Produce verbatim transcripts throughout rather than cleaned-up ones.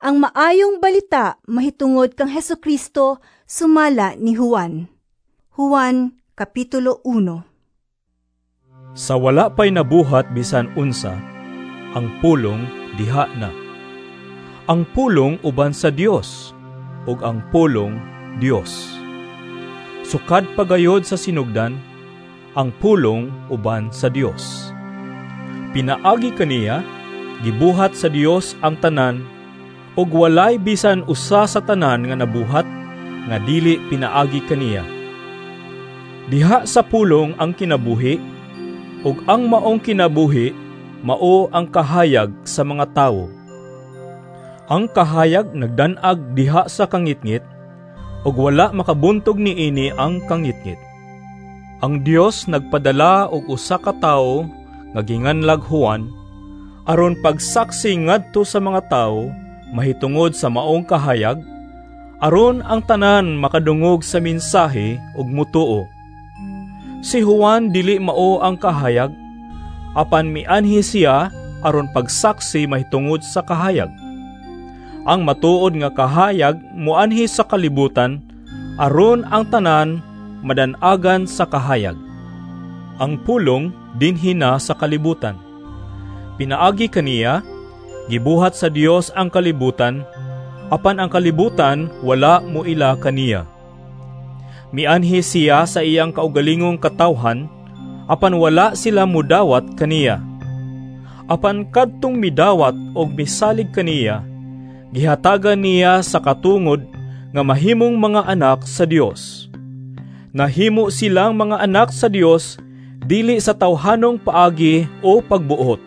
Ang maayong balita mahitungod kang Hesukristo sumala ni Juan. Juan Kapitulo uno. Sa wala pa'y nabuhat bisan unsa, ang Pulong diha na. Ang Pulong uban sa Dios, ug ang Pulong Dios. Sukad pagayod sa sinugdan, ang Pulong uban sa Dios. Pinaagi kaniya, gibuhat sa Dios ang tanan, ug walay bisan usa sa tanan nga nabuhat nga dili pinaagi kaniya. Diha sa Pulong ang kinabuhi, ug ang maong kinabuhi mao ang kahayag sa mga tawo. Ang kahayag nagdan-ag diha sa kangitngit, ug wala makabuntog niini ang kangitngit. Ang Dios nagpadala og usa ka tawo nga ginganlag Juan aron pagsaksi ngadto sa mga tawo mahitungod sa maong kahayag, aron ang tanan makadungog sa mensahe ug mutuo. Si Juan dili mao ang kahayag, apan mianhi siya aron pagsaksi mahitungod sa kahayag. Ang matuod nga kahayag muanhi sa kalibutan aron ang tanan madan-agan sa kahayag. Ang Pulong dinhi na sa kalibutan. Pinaagi kaniya, gibuhat sa Dios ang kalibutan, apan ang kalibutan wala muila kaniya. Mianhi siya sa iyang kaugalingong katawhan, apan wala sila mudawat kaniya. Apan kadtong midawat og misalig kaniya, gihatagan niya sa katungod nga mahimong mga anak sa Dios. Nahimo silang mga anak sa Dios dili sa tawhanong paagi o pagbuot.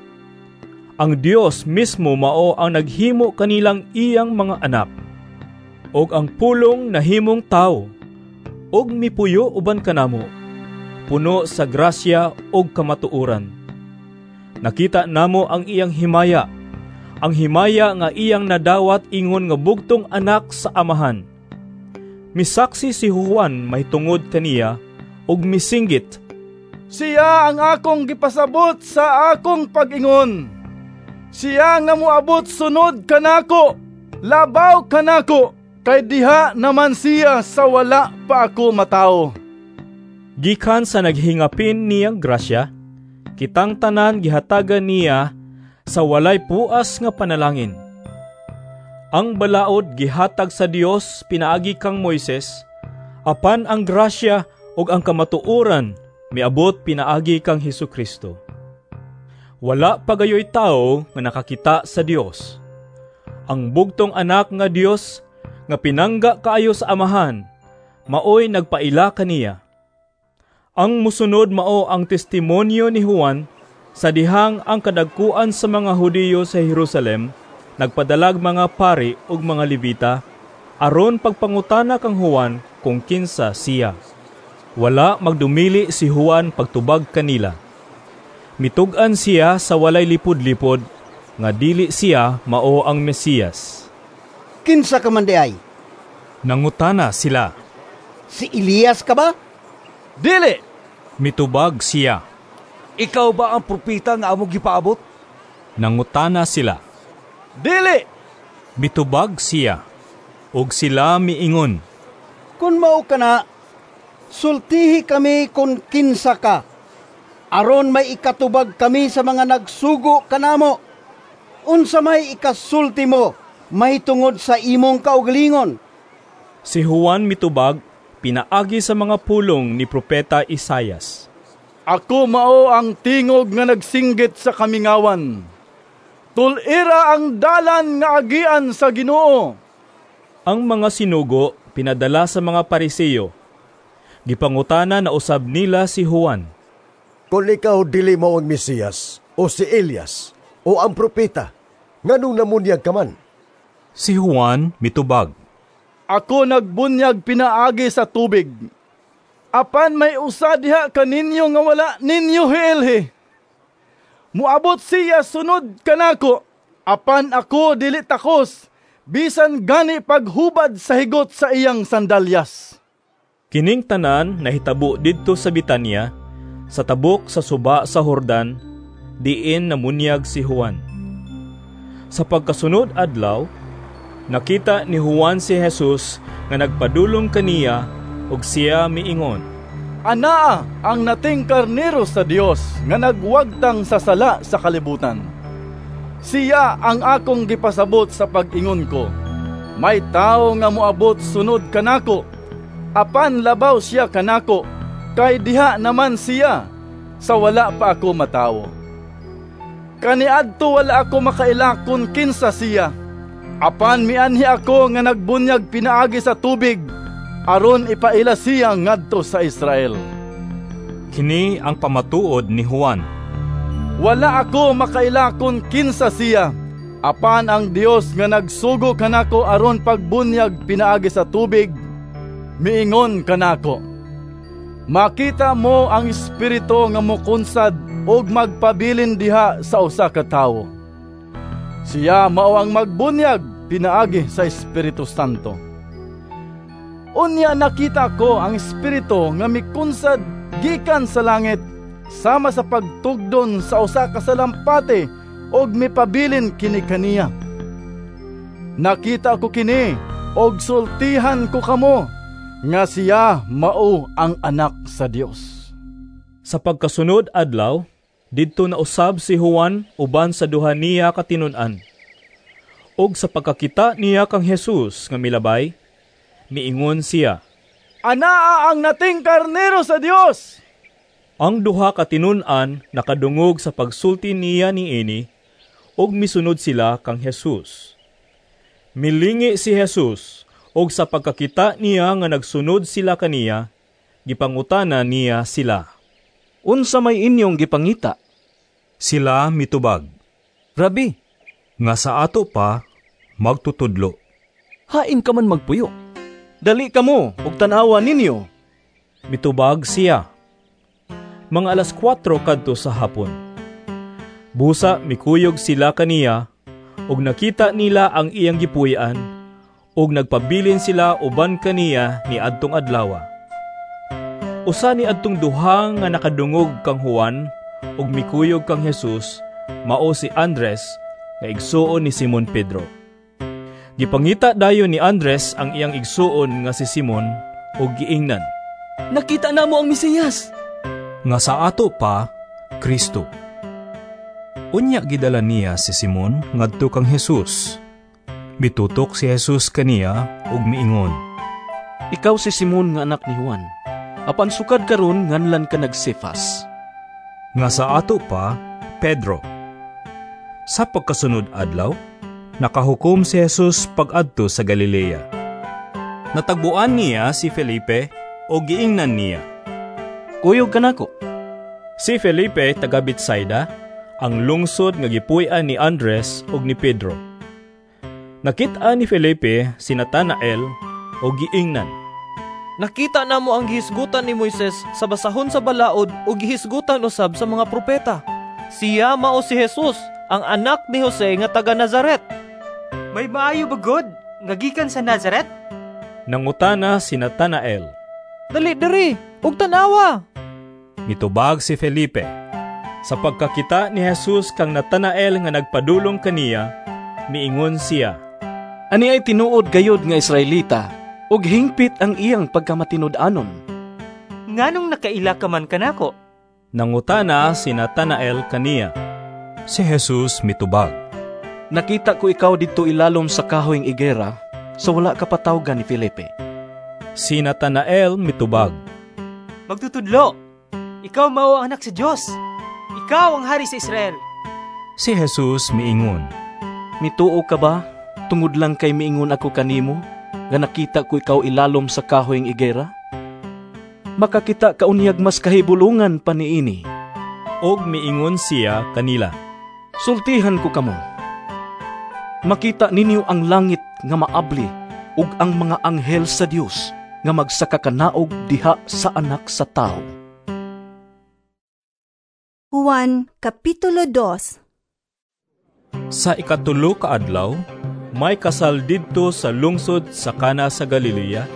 Ang Dios mismo mao ang naghimo kanilang iyang mga anak. Og ang Pulong nahimong tawo, og mipuyo uban kanamo, puno sa grasya og kamatuoran. Nakita namo ang iyang himaya, ang himaya nga iyang nadawat ingon nga bugtong anak sa Amahan. Misaksi si Juan mahitungod kaniya og misinggit, "Siya ang akong gipasabot sa akong pag-ingon. Siya nga moabot sunod kanako, labaw kanako, kay diha naman siya sa wala pa ako matawo." Gikan sa naghingapin niyang grasya, kitang tanan gihatagan niya sa walay puas nga panalangin. Ang balaod gihatag sa Dios pinaagi kang Moises, apan ang grasya ug ang kamatuoran miabot pinaagi kang Hesukristo. Wala pa gayoy tawo nga nakakita sa Dios. Ang bugtong anak nga Dios nga pinangga kaayo sa Amahan, maoy nagpaila kaniya. Ang musunod mao ang testimonyo ni Juan sa dihang ang kadagkuan sa mga Hudiyo sa Jerusalem nagpadalag mga pari ug mga Levita aron pagpangutana kang Juan kung kinsa siya. Wala magdumili si Juan pagtubag kanila. Mitug-an siya sa walay lipod-lipod nga dili siya mao ang Mesiyas. "Kinsa ka man diay?" nangutana sila. "Si Elias ka ba?" "Dili," mitubag siya. "Ikaw ba ang propeta nga among gipaabot?" nangutana sila. "Dili," mitubag siya. Og sila miingon, "Kun mao ka na, sultihi kami kung kinsa ka, aron may ikatubag kami sa mga nagsugo kanamo. Unsa may ikasulti mo mahitungod sa imong kaugalingon?" Si Juan mitubag pinaagi sa mga pulong ni Propeta Isayas. "Ako mao ang tingog nga nagsinggit sa kamingawan. Tul-ira ang dalan nga agian sa Ginoo." Ang mga sinugo pinadala sa mga Pariseo. Gipangutana na usab nila si Juan. "Kung ikaw dili mao ang Mesiyas, o si Elias, o ang propeta, nganong namunyag ka man?" Si Juan mitubag, "Ako nagbunyag pinaagi sa tubig. Apan may usa diha kaninyo nga wala ninyo hiilhi. Muabot siya sunod kanako, apan ako dili takos, bisan gani paghubad sa higot sa iyang sandalyas." Kining tanan nahitabo didto sa Betania, sa tabok sa suba sa Jordan, diin namunyag si Juan. Sa pagkasunod adlaw, Nakita ni Juan si Jesus nga nagpadulong kaniya ug siya miingon, "Anaa ang nating karnero sa Dios nga nagwagtang sa sala sa kalibutan. Siya ang akong gipasabot sa pag-ingon ko, may tawo nga moabot sunod kanako, apan labaw siya kanako, kay diha naman siya sa wala pa ako matawo. Kaniadto wala ako makaila kun kinsa siya, apan mianhi ako nga nagbunyag pinaagi sa tubig aron ipaila siya ngadto sa Israel." Kini ang pamatuod ni Juan. "Wala ako makaila kun kinsa siya, apan ang Dios nga nagsugo kanako aron pagbunyag pinaagi sa tubig, miingon kanako, 'Makita mo ang Espiritu nga mokunsad ug magpabilin diha sa usa ka tawo. Siya mao ang magbunyag pinaagi sa Espiritu Santo.' Unya nakita ko ang Espiritu nga mikunsad gikan sa langit sama sa pagtugdon sa usa ka salampati ug mipabilin kini kaniya. Nakita ko kini ug sultihan ko kamo nga siya mao ang Anak sa Dios." Sa pagkasunod adlaw, didto na usab si Juan uban sa duha niya ka tinun-an. Ug sa pagkakita niya kang Jesus nga milabay, miingon siya, "Anaa ang nating karnero sa Dios!" Ang duha ka tinun-an nakadungog sa pagsulti niya niini ug misunod sila kang Jesus. Milingi si Jesus ug sa pagkakita niya nga nagsunod sila kaniya, gipangutana niya sila, "Unsa may inyong gipangita?" Sila mitubag, "Rabi," nga sa ato pa magtutudlo, "hain ka man magpuyo? Dali kamo ug tan-awa ninyo." Mitubag siya. Mga alas kwatro kadto sa hapon. Busa mikuyog sila kaniya ug nakita nila ang iyang gipuy-an ug nagpabilin sila uban kaniya ni adtong adlawa. Usa ni adtong duha nga nakadungog kang Juan ug mikuyog kang Jesus mao si Andres nga igsuon ni Simon Pedro. Gipangita dayon ni Andres ang iyang igsuon nga si Simon ug giingnan, "Nakita namo ang Mesiyas!" nga sa ato pa Kristo. Unya gidala niya si Simon ngadto kang Jesus. Mitutok si Jesus kaniya ug miingon, "Ikaw si Simon nga anak ni Juan. Apan sukad karon nganlan ka nag-Cefas," nga sa ato pa Pedro. Sa pagkasunod adlaw, nakahukom si Jesus pag-adto sa Galilea. Natagbuan niya si Felipe o giingnan niya, "Kuyog kanako." Si Felipe taga Betsaida, ang lungsod nga gipuy-an ni Andres ug ni Pedro. Nakita ni Felipe si Natanael o giingnan, "Nakita namo ang gihisgutan ni Moises sa basahon sa balaod ug gihisgutan usab sa mga propeta. Siya mao si Jesus, ang anak ni Jose nga taga Nazaret." "May maayo ba gud nga gikan sa Nazaret?" Nangutana si Natanael. "Dali diri ug tan-awa." Mitubag si Felipe. Sa pagkakita ni Jesus kang Natanael nga nagpadulong kaniya, miingon siya, "Ani ay tinuod gayod nga Israelita, ug hingpit ang iyang pagkamatinud-anon." "Nganong nakaila ka man kanako?" Nangutana si Natanael kaniya. Si Jesus mitubag, "Nakita ko ikaw didto ilalom sa kahoyng igera sa wala ka patawgan ni Felipe." Si Natanael mitubag, "Magtutudlo, ikaw mao ang anak sa Dios. Ikaw ang hari sa Israel." Si Jesus miingon, "Mituo ka ba tungod lang kay miingon ako kanimo nga nakita ko ikaw ilalom sa kahoyng igera? Makakita ka unyag mas kahibulungan pa niini." Og miingon siya kanila, "Sultihan ko kamo. Makita ninyo ang langit nga maabli ug ang mga anghel sa Dios nga magsakakanaog diha sa Anak sa Tawo." Juan Kapitulo dos. Sa ikatulo ka adlaw, may kasal didto sa lungsod sa Kana sa Galilea,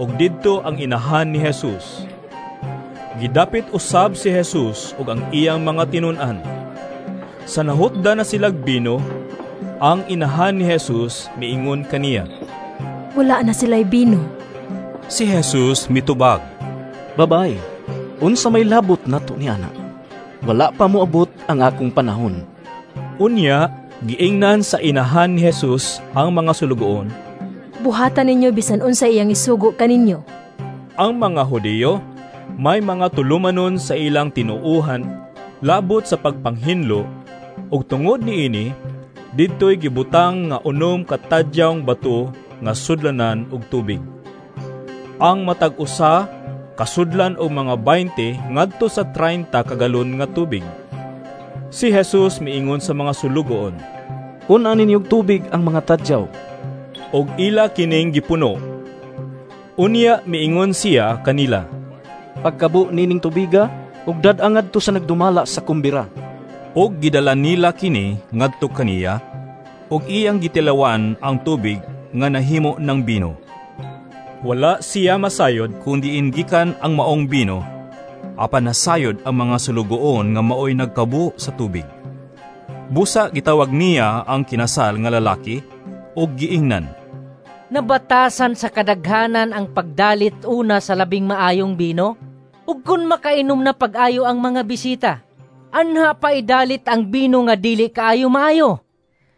ug didto ang inahan ni Jesus. Gidapit usab si Jesus ug ang iyang mga tinun-an. Sa nahutda na silag bino, Ang inahan ni Jesus miingon kaniya, "Wala na sila'y bino." Si Jesus mitubag, "Babaye, unsa may labot nato ni ana? Wala pa moabot ang akong panahon." Unya, giingnan sa inahan ni Jesus ang mga sulugoon, "Buhatan ninyo bisan unsa iyang isugo kaninyo." Ang mga Hudiyo may mga tulumanon sa ilang tinuohan labot sa pagpanghinlo, ug tungod niini didtoy gibutang nga unom ka tadyawng bato nga sudlanan og tubig. Ang matag usa kasudlan og mga twenty ngadto sa thirty ka galon nga tubig. Si Jesus miingon sa mga sulugoon, "Pun-a ninyo og tubig ang mga tadyaw." Og ila kining gipuno. Unya miingon siya kanila, "Pagkabo nining tubiga ug dad-a ngadto sa nagdumala sa kumbira." Og gidala nila kini ngadto kaniya, ug iyang gitilawan ang tubig nga nahimo ng bino. Wala siya masayod kun diin gikan ang maong bino, apan nasayod ang mga sulugoon nga maoy nagkabo sa tubig. Busa gitawag niya ang kinasal nga lalaki ug giingnan, "Nabatasan sa kadaghanan ang pagdalit una sa labing maayong bino? Ug kun makainom na pag-ayo ang mga bisita, anha pa idalit ang bino nga dili kaayo maayo?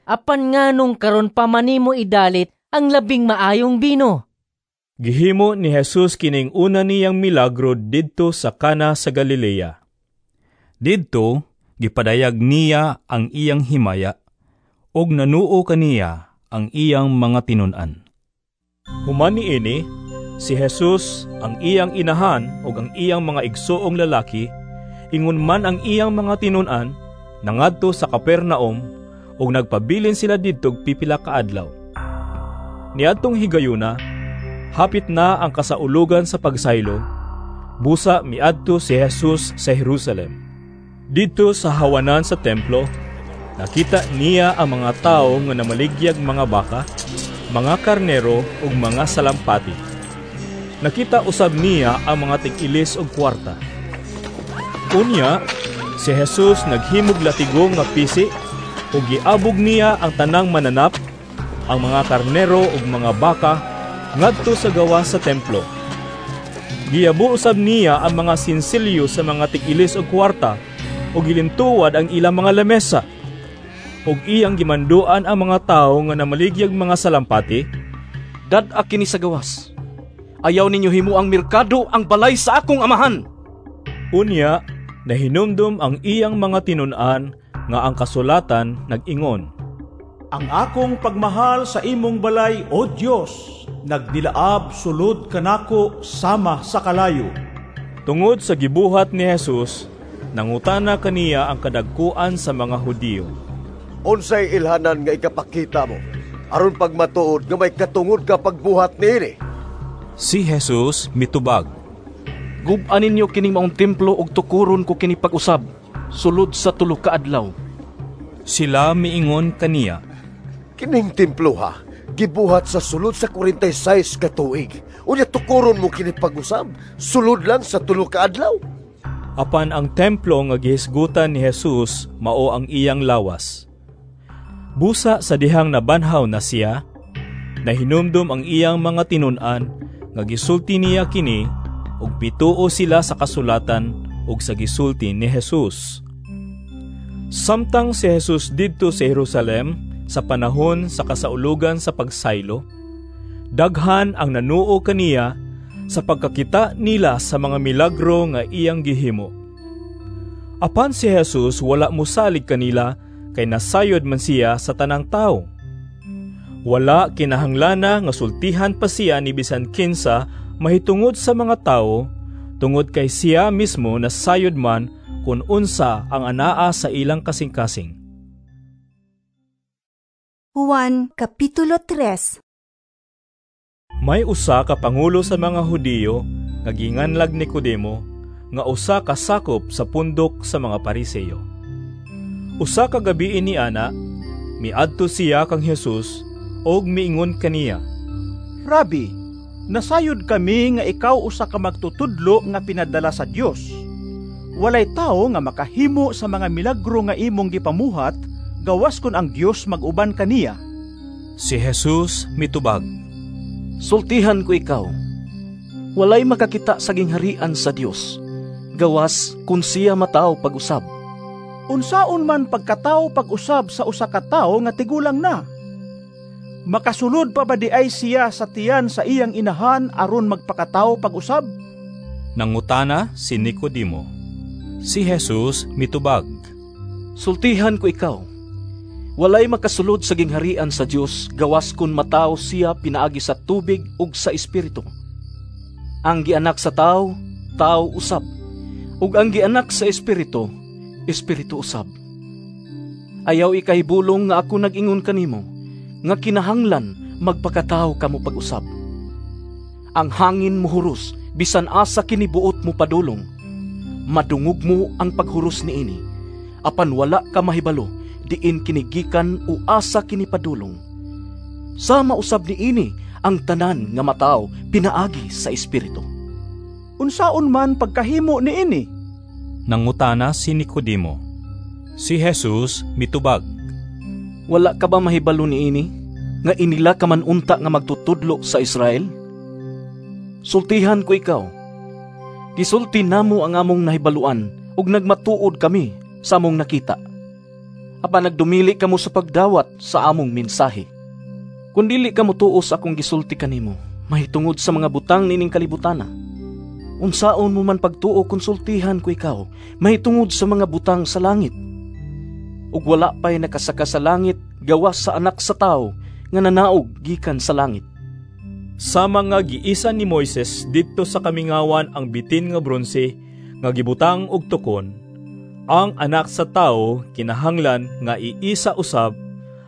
Apan nganong karon pa man nimo idalit ang labing maayong bino?" Gihimo ni Jesus kining una niyang milagro didto sa Kana sa Galilea. Didto gipadayag niya ang iyang himaya ug nanuo kaniya ang iyang mga tinun-an. Human niini, si Jesus, ang iyang inahan ug ang iyang mga igsoong lalaki, ingon man ang iyang mga tinun-an, nangadto sa Capernaum ug nagpabilin sila didto pipila ka adlaw. Niadtong higayuna, hapit na ang kasaulugan sa pagsaylo, busa miadto si Jesus sa Jerusalem. Didto sa hawanan sa templo, nakita niya ang mga tawo nga namaligyag mga baka, mga karnero ug mga salampati. Nakita usab niya ang mga tig-ilis og kwarta. Unya, si Jesus naghimog latigo nga pisi ug giabog niya ang tanang mananap, ang mga karnero ug mga baka ngadto sa gawas sa templo. Giyabo usab niya ang mga sinsilyo sa mga tig-ilis og kwarta ug gilintuwad ang ilang mga lamesa. Ug iyang gimanduan ang mga tawo nga namaligyag mga salampati, "Dad-a kini sa gawas. Ayaw ninyo himuang merkado ang balay sa akong amahan." Unya, nahinumdum ang iyang mga tinun-an nga ang kasulatan nag-ingon, "Ang akong pagmahal sa imong balay, O Dios, nagdilaab sulod kanako sama sa kalayo." Tungod sa gibuhat ni Jesus, nangutana kaniya ang kadagkuan sa mga Hudiyo, "Unsay ilhanan nga ikapakita mo aron pagmatuod nga may katungod ka pagbuhat niini?" Si Jesus mitubag, "Gub-a ninyo kining maong templo ug tukuron ko kini pag-usab sulod sa tulo ka adlaw." Sila miingon kaniya, "Kining templo ha, gibuhat sa sulod sa forty-six ka tuig. Unya tukuron mo kini pag-usab sulod lang sa tulo ka adlaw?" Apan ang templo nga gihisgutan ni Jesus mao ang iyang lawas. Busa sa dihang nabanhaw na siya, nahinumdum ang iyang mga tinun-an nga gisulti niya kini ug pituo sila sa kasulatan ug sa gisulti ni Jesus. Samtang si Jesus didto sa Jerusalem sa panahon sa kasaulugan sa pagsaylo, daghan ang nanuo kaniya sa pagkakita nila sa mga milagro nga iyang gihimo. Apan si Jesus wala mosalig kanila kay nasayod man siya sa tanang tao. Wala kinahanglana nga sultihan pa siya ni bisan kinsa mahitungod sa mga tao, tungod kay siya mismo nasayod man kun unsa ang anaa sa ilang kasing-kasing. Juan Kapitulo three. May usa ka pangulo sa mga Hudiyo nga ginganlag Nicodemo, nga usa ka sakop sa pundok sa mga Pariseo. Usa ka gabii ni ana, miadto siya kang Jesus og miingon kaniya, "Rabi, nasayod kami nga ikaw usa ka magtutudlo nga pinadala sa Dios. Walay tawo nga makahimo sa mga milagro nga imong gipamuhat gawas kon ang Dios mag-uban kaniya. Si Jesus mitubag, "Sultihan ko ikaw, walay makakita sa gingharian sa Dios, gawas kun siya matawo pag-usab." Unsaon man pagkatawo pag-usab sa usa ka tawo nga tigulang na? Makasulod pa ba di ay siya sa tiyan sa iyang inahan aron magpakatawo pag-usab? Nangutana si Nicodemo. Si Jesus mitubag, "Sultihan ko ikaw, walay makasulod sa gingharian sa Dios gawas kun matawo siya pinaagi sa tubig ug sa Espiritu. Ang gianak sa tawo, tawo usab, ug ang gianak sa Espiritu, espiritu usab. Ayaw ikahibulong nga ako nag-ingon kanimo nga kinahanglan magpakatawo kamo pag-usab. Ang hangin muhuros bisan asa kini buot mo padulong. Madungog mo ang paghuros niini, apan wala ka mahibalo diin kini gikan o asa kini padulong. Sama usab niini ang tanan nga matawo pinaagi sa Espiritu." "Unsaon man pagkahimo niini?" nangutana si Nicodemo. Si Jesus mitubag, "Wala ka ba mahibalo niini nga inila ka man unta nga magtutudlo sa Israel? Sultihan ko ikaw, gisulti namo ang among nahibaluan ug nagmatuod kami sa among nakita. Apan nagdumili kamo sa pagdawat sa among mensahe. Kun dili kamo tuo sa akong gisulti kanimo mahitungod sa mga butang nining kalibutana, unsaon mo man pagtuo kung sultihan ko ikaw mahitungod sa mga butang sa langit? Ug wala pa'y nakasaka sa langit gawas sa Anak sa Tawo nga nanaog gikan sa langit." Sama nga giisa ni Moises didto sa kamingawan ang bitin nga bronse nga gibutang og tukon, ang Anak sa Tawo kinahanglan nga iisa usab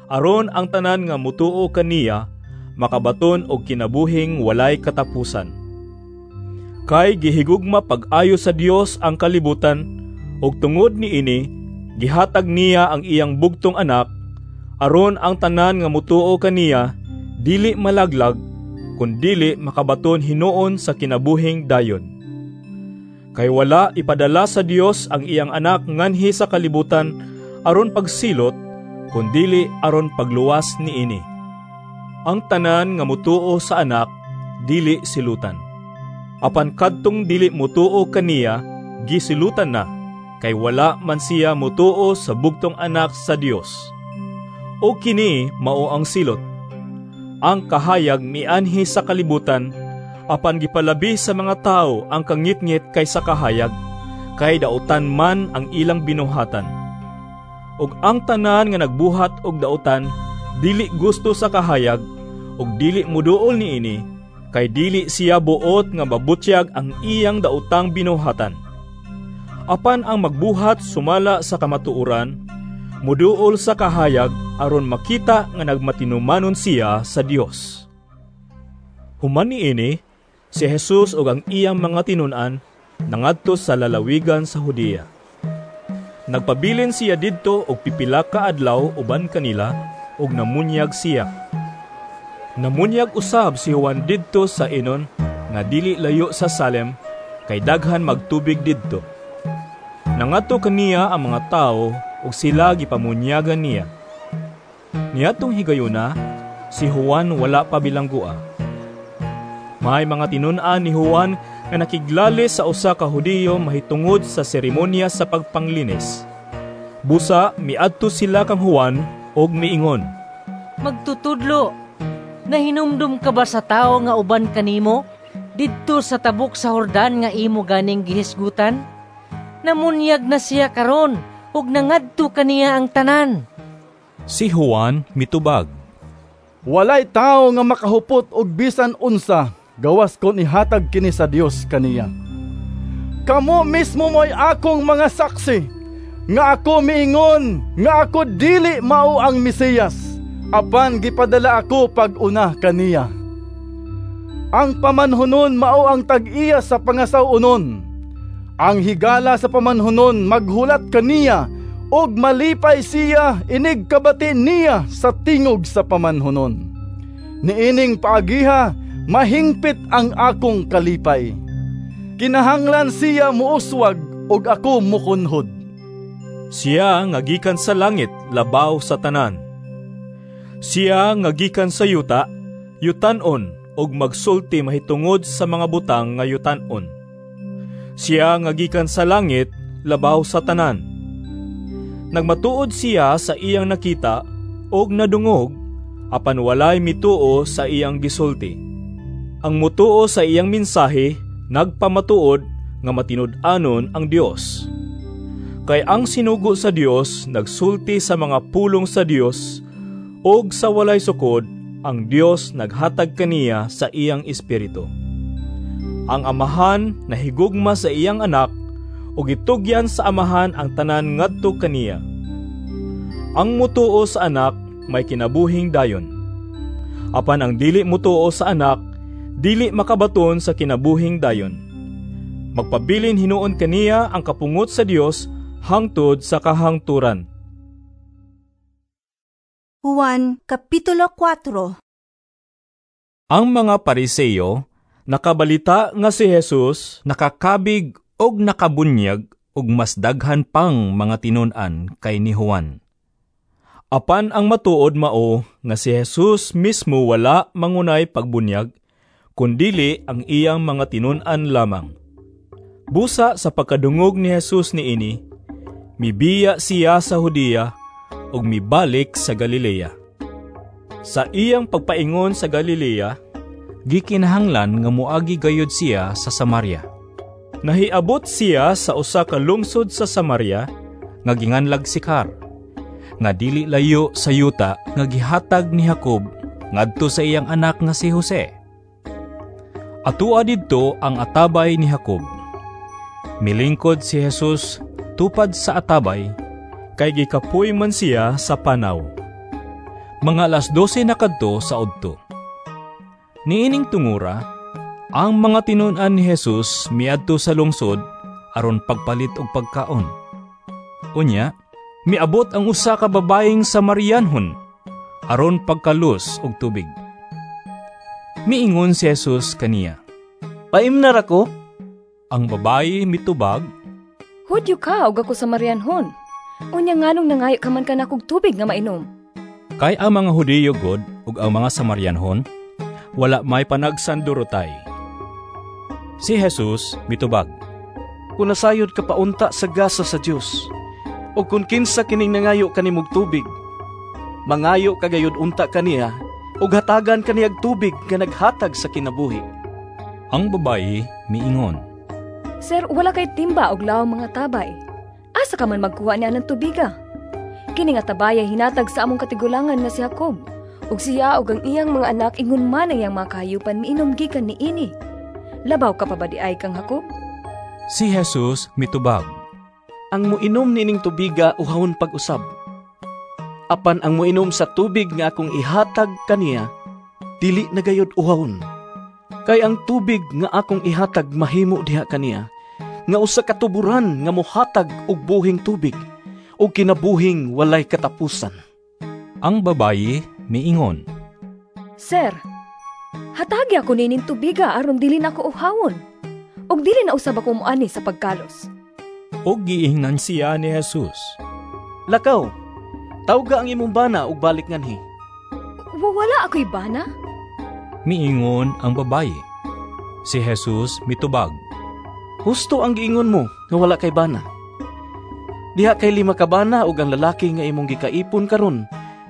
aron ang tanan nga mutuo kaniya makabaton og kinabuhing walay katapusan. Kay gihigugma pag-ayo sa Dios ang kalibutan, ug tungod niini gihatag niya ang iyang bugtong anak aron ang tanan nga mutuo kaniya dili malaglag kun dili makabaton hinuon sa kinabuhing dayon. Kay wala ipadala sa Dios ang iyang anak nganhi sa kalibutan aron pagsilot, kun dili aron pagluwas niini. Ang tanan nga mutuo sa anak dili silutan. Apan kadtong dili mutuo kaniya gisilutan na, kay wala man siya mutuo sa bugtong anak sa Dios. O kini mao ang silot. Ang kahayag mianhi sa kalibutan, apan gipalabi sa mga tao ang kangitngit kaysa kahayag, kay dautan man ang ilang binuhatan. Ug ang tanan nga nagbuhat og dautan dili gusto sa kahayag ug dili muduol niini, kay dili siya buot nga mabutyag ang iyang daotang binuhatan. Apan ang magbuhat sumala sa kamatuoran, muduol sa kahayag aron makita nga nagmatinumanon siya sa Dios. Human niini, si Jesus ug ang iyang mga tinun-an nangadto sa lalawigan sa Judea. Nagpabilin siya didto og pipila ka adlaw uban kanila ug namunyag siya. Namunyag usab si Juan didto sa Enon nga dili layo sa Salem, kay daghan magtubig didto. Nangadto kaniya ang mga tawo ug sila gipamunyagan niya. Niadtong higayuna, si Juan wala pa bilanggoa. May mga tinun-an ni Juan nga nakiglalis sa usa ka Hudiyo mahitungod sa seremonya sa pagpanglinis. Busa miadto sila kang Juan og miingon, "Magtutudlo, nahinumdum ka ba sa tawo nga uban kanimo didto sa tabok sa Jordan nga imo ganing gihisgutan? Namunyag na siya karon ug nangadto kaniya ang tanan." Si Juan mitubag, "Walay tawo nga makahupot og bisan unsa gawas kon ihatag kini sa Dios kaniya. Kamo mismo mo'y akong mga saksi nga ako miingon nga ako dili mao ang Mesiyas, apan gipadala ako pag-una kaniya. Ang pamanhunon mao ang tag-iya sa pangasaw-onon. Ang higala sa pamanhunon maghulat kaniya ug malipay siya inig kabati niya sa tingog sa pamanhunon. Niining paagiha mahingpit ang akong kalipay. Kinahanglan siya muuswag ug ako mukunhod." Siya nga gikan sa langit labaw sa tanan. Siya nga gikan sa yuta, yutan-on ug magsulti mahitungod sa mga butang nga yutan-on. Siya nga gikan sa langit, labaw sa tanan. Nagmatuod siya sa iyang nakita og nadungog, apan walay mituo sa iyang gisulti. Ang mutuo sa iyang mensahe nagpamatuod nga matinud-anon ang Dios. Kay ang sinugo sa Dios nagsulti sa mga pulong sa Dios, ug sa walay sukod ang Dios naghatag kaniya sa iyang espiritu. Ang Amahan nahigugma sa iyang anak ug gitugyan sa Amahan ang tanan ngadto kaniya. Ang mutuo sa anak may kinabuhing dayon. Apan ang dili mutuo sa anak dili makabaton sa kinabuhing dayon. Magpabilin hinuon kaniya ang kapungot sa Dios hangtod sa kahangturan. Juan Kapitulo kuwatro. Ang mga Pariseo nakabalita nga si Jesus nakakabig og nakabunyag og mas daghan pang mga tinun-an kay ni Juan. Apan ang matuod mao nga si Jesus mismo wala mangunay pagbunyag, kundili ang iyang mga tinun-an lamang. Busa sa pagkadungog ni Jesus niini, mibiya siya sa Judea ug mibalik sa Galilea. Sa iyang pagpaingon sa Galilea, gikinahanglan nga moagi gayud siya sa Samaria. Nahiabot siya sa usa ka lungsod sa Samaria nga ginganlag Sikar, nga dili layo sa yuta nga gihatag ni Jacob ngadto sa iyang anak nga si Jose. Atua didto ang atabay ni Jacob. Milingkod si Jesus tupad sa atabay, kay gikapoy man siya sa panaw. Mga alas dose na kadto sa udto. Niining tungura, ang mga tinun-an ni Jesus miadto sa lungsod aron pagpalit og pagkaon. Unya, miabot ang usa ka babayeng Samarianhon aron pagkalus og tubig. Miingon si Jesus kaniya, "Paimnar ako." Ang babayi mitubag, "Hudyo ka og ako Samarianhon. Unya nganong nangayo ka man kanakog tubig nga mainom?" Kay ang mga Hudiyo god ug ang mga Samarianhon wala may panagsandurotay. Si Jesus mitubag, "Kung nasayod ka paunta sa gasa sa Dios, o kung kinsa kining nangayo kanimog tubig, mangayo ka gayud unta kaniya, ug hatagan kaniyag tubig nga naghatag sa kinabuhi." Ang babayi miingon, "Sir, wala kay timba og lawang mga tabay. Asa ka man magkuha niya ng tubiga? Kini nga tabaya hinatag sa among katigulangan nga si Jacob, ug siya ug ang iyang mga anak ingon man ang iyang mga kahayupan miinom gikan niini. Labaw ka pa ba di ay kang Jacob?" Si Jesus mitubag, "Ang muinom niining tubiga uhawon pag-usab. Apan ang muinom sa tubig nga akong ihatag kaniya, dili na gayud uhawon. Kay ang tubig nga akong ihatag mahimo diha kaniya, nga usa ka tuburan nga mohatag og buhing tubig, og kinabuhing walay katapusan." Ang babayi miingon, "Sir, hatagi ako nining tubiga aron dili na ako uhawon, ug dili na usab ako moani sa pagkalos." Ug giingnan siya ni Jesus, "Lakaw, tawga ang imong bana ug balik nganhi." "Wala ako'y bana?" Miingon ang babayi. Si Jesus mitubag, "Husto ang giingon mo nga wala kay bana. Diha kay lima ka bana ug ang lalaki nga imong gikaipon karon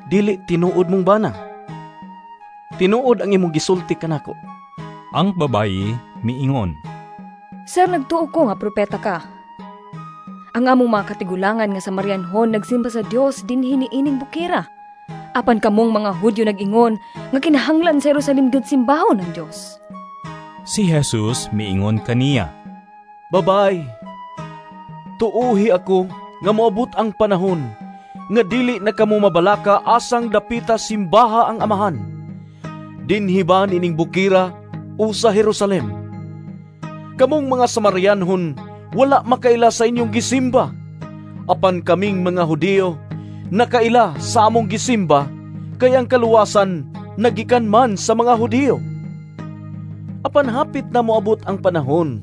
dili tinuod mong bana. Tinuod ang imong gisulti kanako." Ang babayi miingon, "Sir, nagtuo ko nga propeta ka. Ang among mga katigulangan nga Samarianhon nagsimba sa Dios dinhi niining bukira. Apan kamong mga Hudyo nag-ingon nga kinahanglan sa Jerusalem gyud simbahon ang Dios." Si Jesus miingon kaniya, "Babay, tuuhi ako nga moabot ang panahon nga dili na kamo mabalaka asang dapita simbaha ang Amahan. Dinhi ba nining bukira o sa Jerusalem? Kamong mga Samarianhon wala makaila sa inyong gisimba, apan kaming mga Hudiyo nakaila sa among gisimba, kay ang kaluwasan nagikan man sa mga Hudiyo. Apan hapit na moabot ang panahon,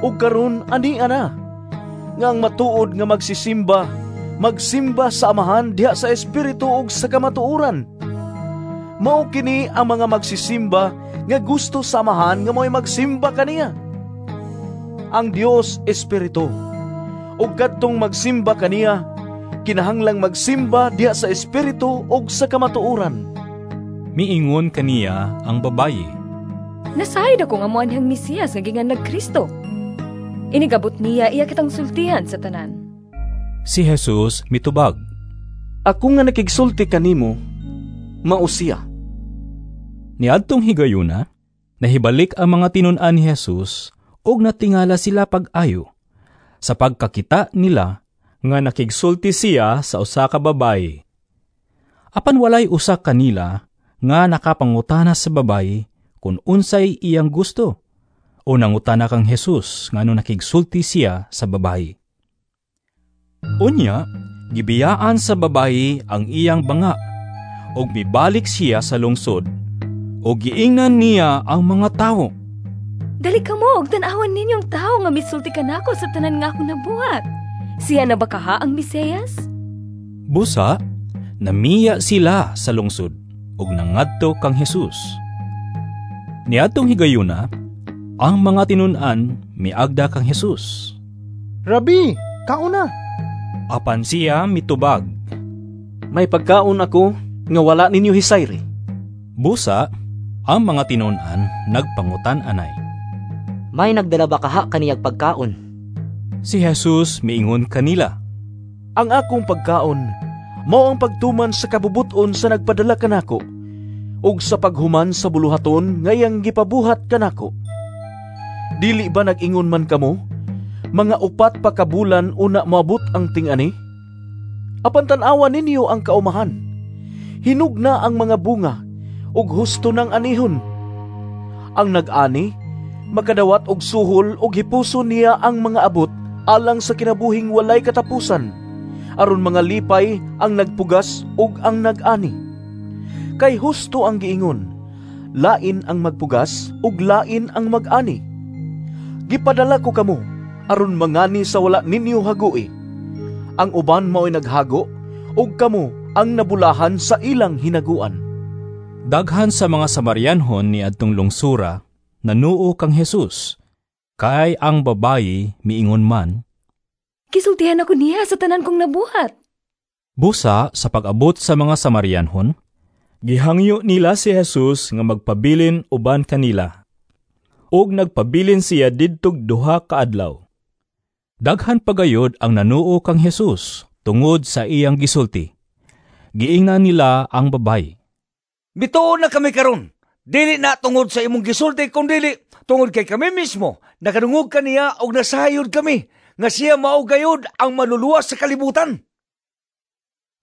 ug karon ani ana, nga ang matuod nga magsisimba magsimba sa Amahan diha sa Espiritu ug sa kamatuoran. Mao kini ang mga magsisimba nga gusto sa Amahan nga mao'y magsimba kaniya. Ang Dios Espiritu, ug kadtong magsimba kaniya kinahanglang magsimba diha sa Espiritu ug sa kamatuoran. Miingon kaniya ang babayi, Nasayod ako nga moanhang Mesiyas nga ginganlag Kristo. Inigabot niya iya kitang sultihan sa tanan. Si Jesus mitubag, Ako nga nakigsulti kanimo, mao siya. Niadtong higayuna, nahibalik ang mga tinun-an ni Jesus ug natingala sila pag-ayo sa pagkakita nila nga nakigsulti siya sa usa ka babayi. Apan walay usa kanila nga nakapangutana sa babayi kung unsay iyang gusto o nangutana kang Jesus ngano nakigsulti siya sa babayi. Unya, gibiyaan sa babayi ang iyang banga ug mibalik siya sa lungsod ug giingnan niya ang mga tawo. Dali kamo og tan-awan ninyo ang tawo nga misulti kanako sa tanan nga akong nabuhat. Siya na ba kaha ang Mesiyas? Busa, namiya sila sa lungsod ug nangadto kang Jesus. Niadtong higayuna, ang mga tinun-an miagda kang Jesus. Rabi, kauna. Apan siya mitubag, May pagkaon ako nga wala ninyo hisayri. Busa, ang mga tinun-an nagpangutan-anay. May nagdala ba kaha kaniyag pagkaon? Si Jesus miingon kanila, Ang akong pagkaon mao ang pagtuman sa kabubuton sa nagpadala kanako ug sa paghuman sa buluhaton nga iyang gipabuhat kanako. Dili ba nag-ingon man kamo, mga upat pa ka bulan una moabot ang ting-ani? Apan tan-awa ninyo ang kaumahan. Hinog na ang mga bunga ug husto nang anihon. Ang nag-ani makadawat og suhol ug hipuson niya ang mga abot alang sa kinabuhing walay katapusan, aron mga lipay ang nagpugas ug ang nag-ani. Kay husto ang giingon, lain ang magpugas ug lain ang mag-ani. Gipadala ko kamo aron mangani sa wala ninyo hagui. Ang uban mao'y naghago ug kamo ang nabulahan sa ilang hinaguan. Daghan sa mga Samarianhon ni adtong lungsura nanuo kang Jesus, kay ang babayi miingon man, Gisultihan ako niya sa tanan kong nabuhat. Busa sa pag-abot sa mga Samarianhon, gihangyo nila si Jesus nga magpabilin uban kanila. Ug nagpabilin siya didtog duha ka adlaw. Daghan pagayod ang nanuo kang Jesus tungod sa iyang gisulti. Giingnan nila ang babayi, Mituo na kami karon. Dili na tungod sa imong gisulti kundili tungod kay kami mismo nakadungog kaniya og nasayod kami nga siya mao gayud ang maluluwas sa kalibutan.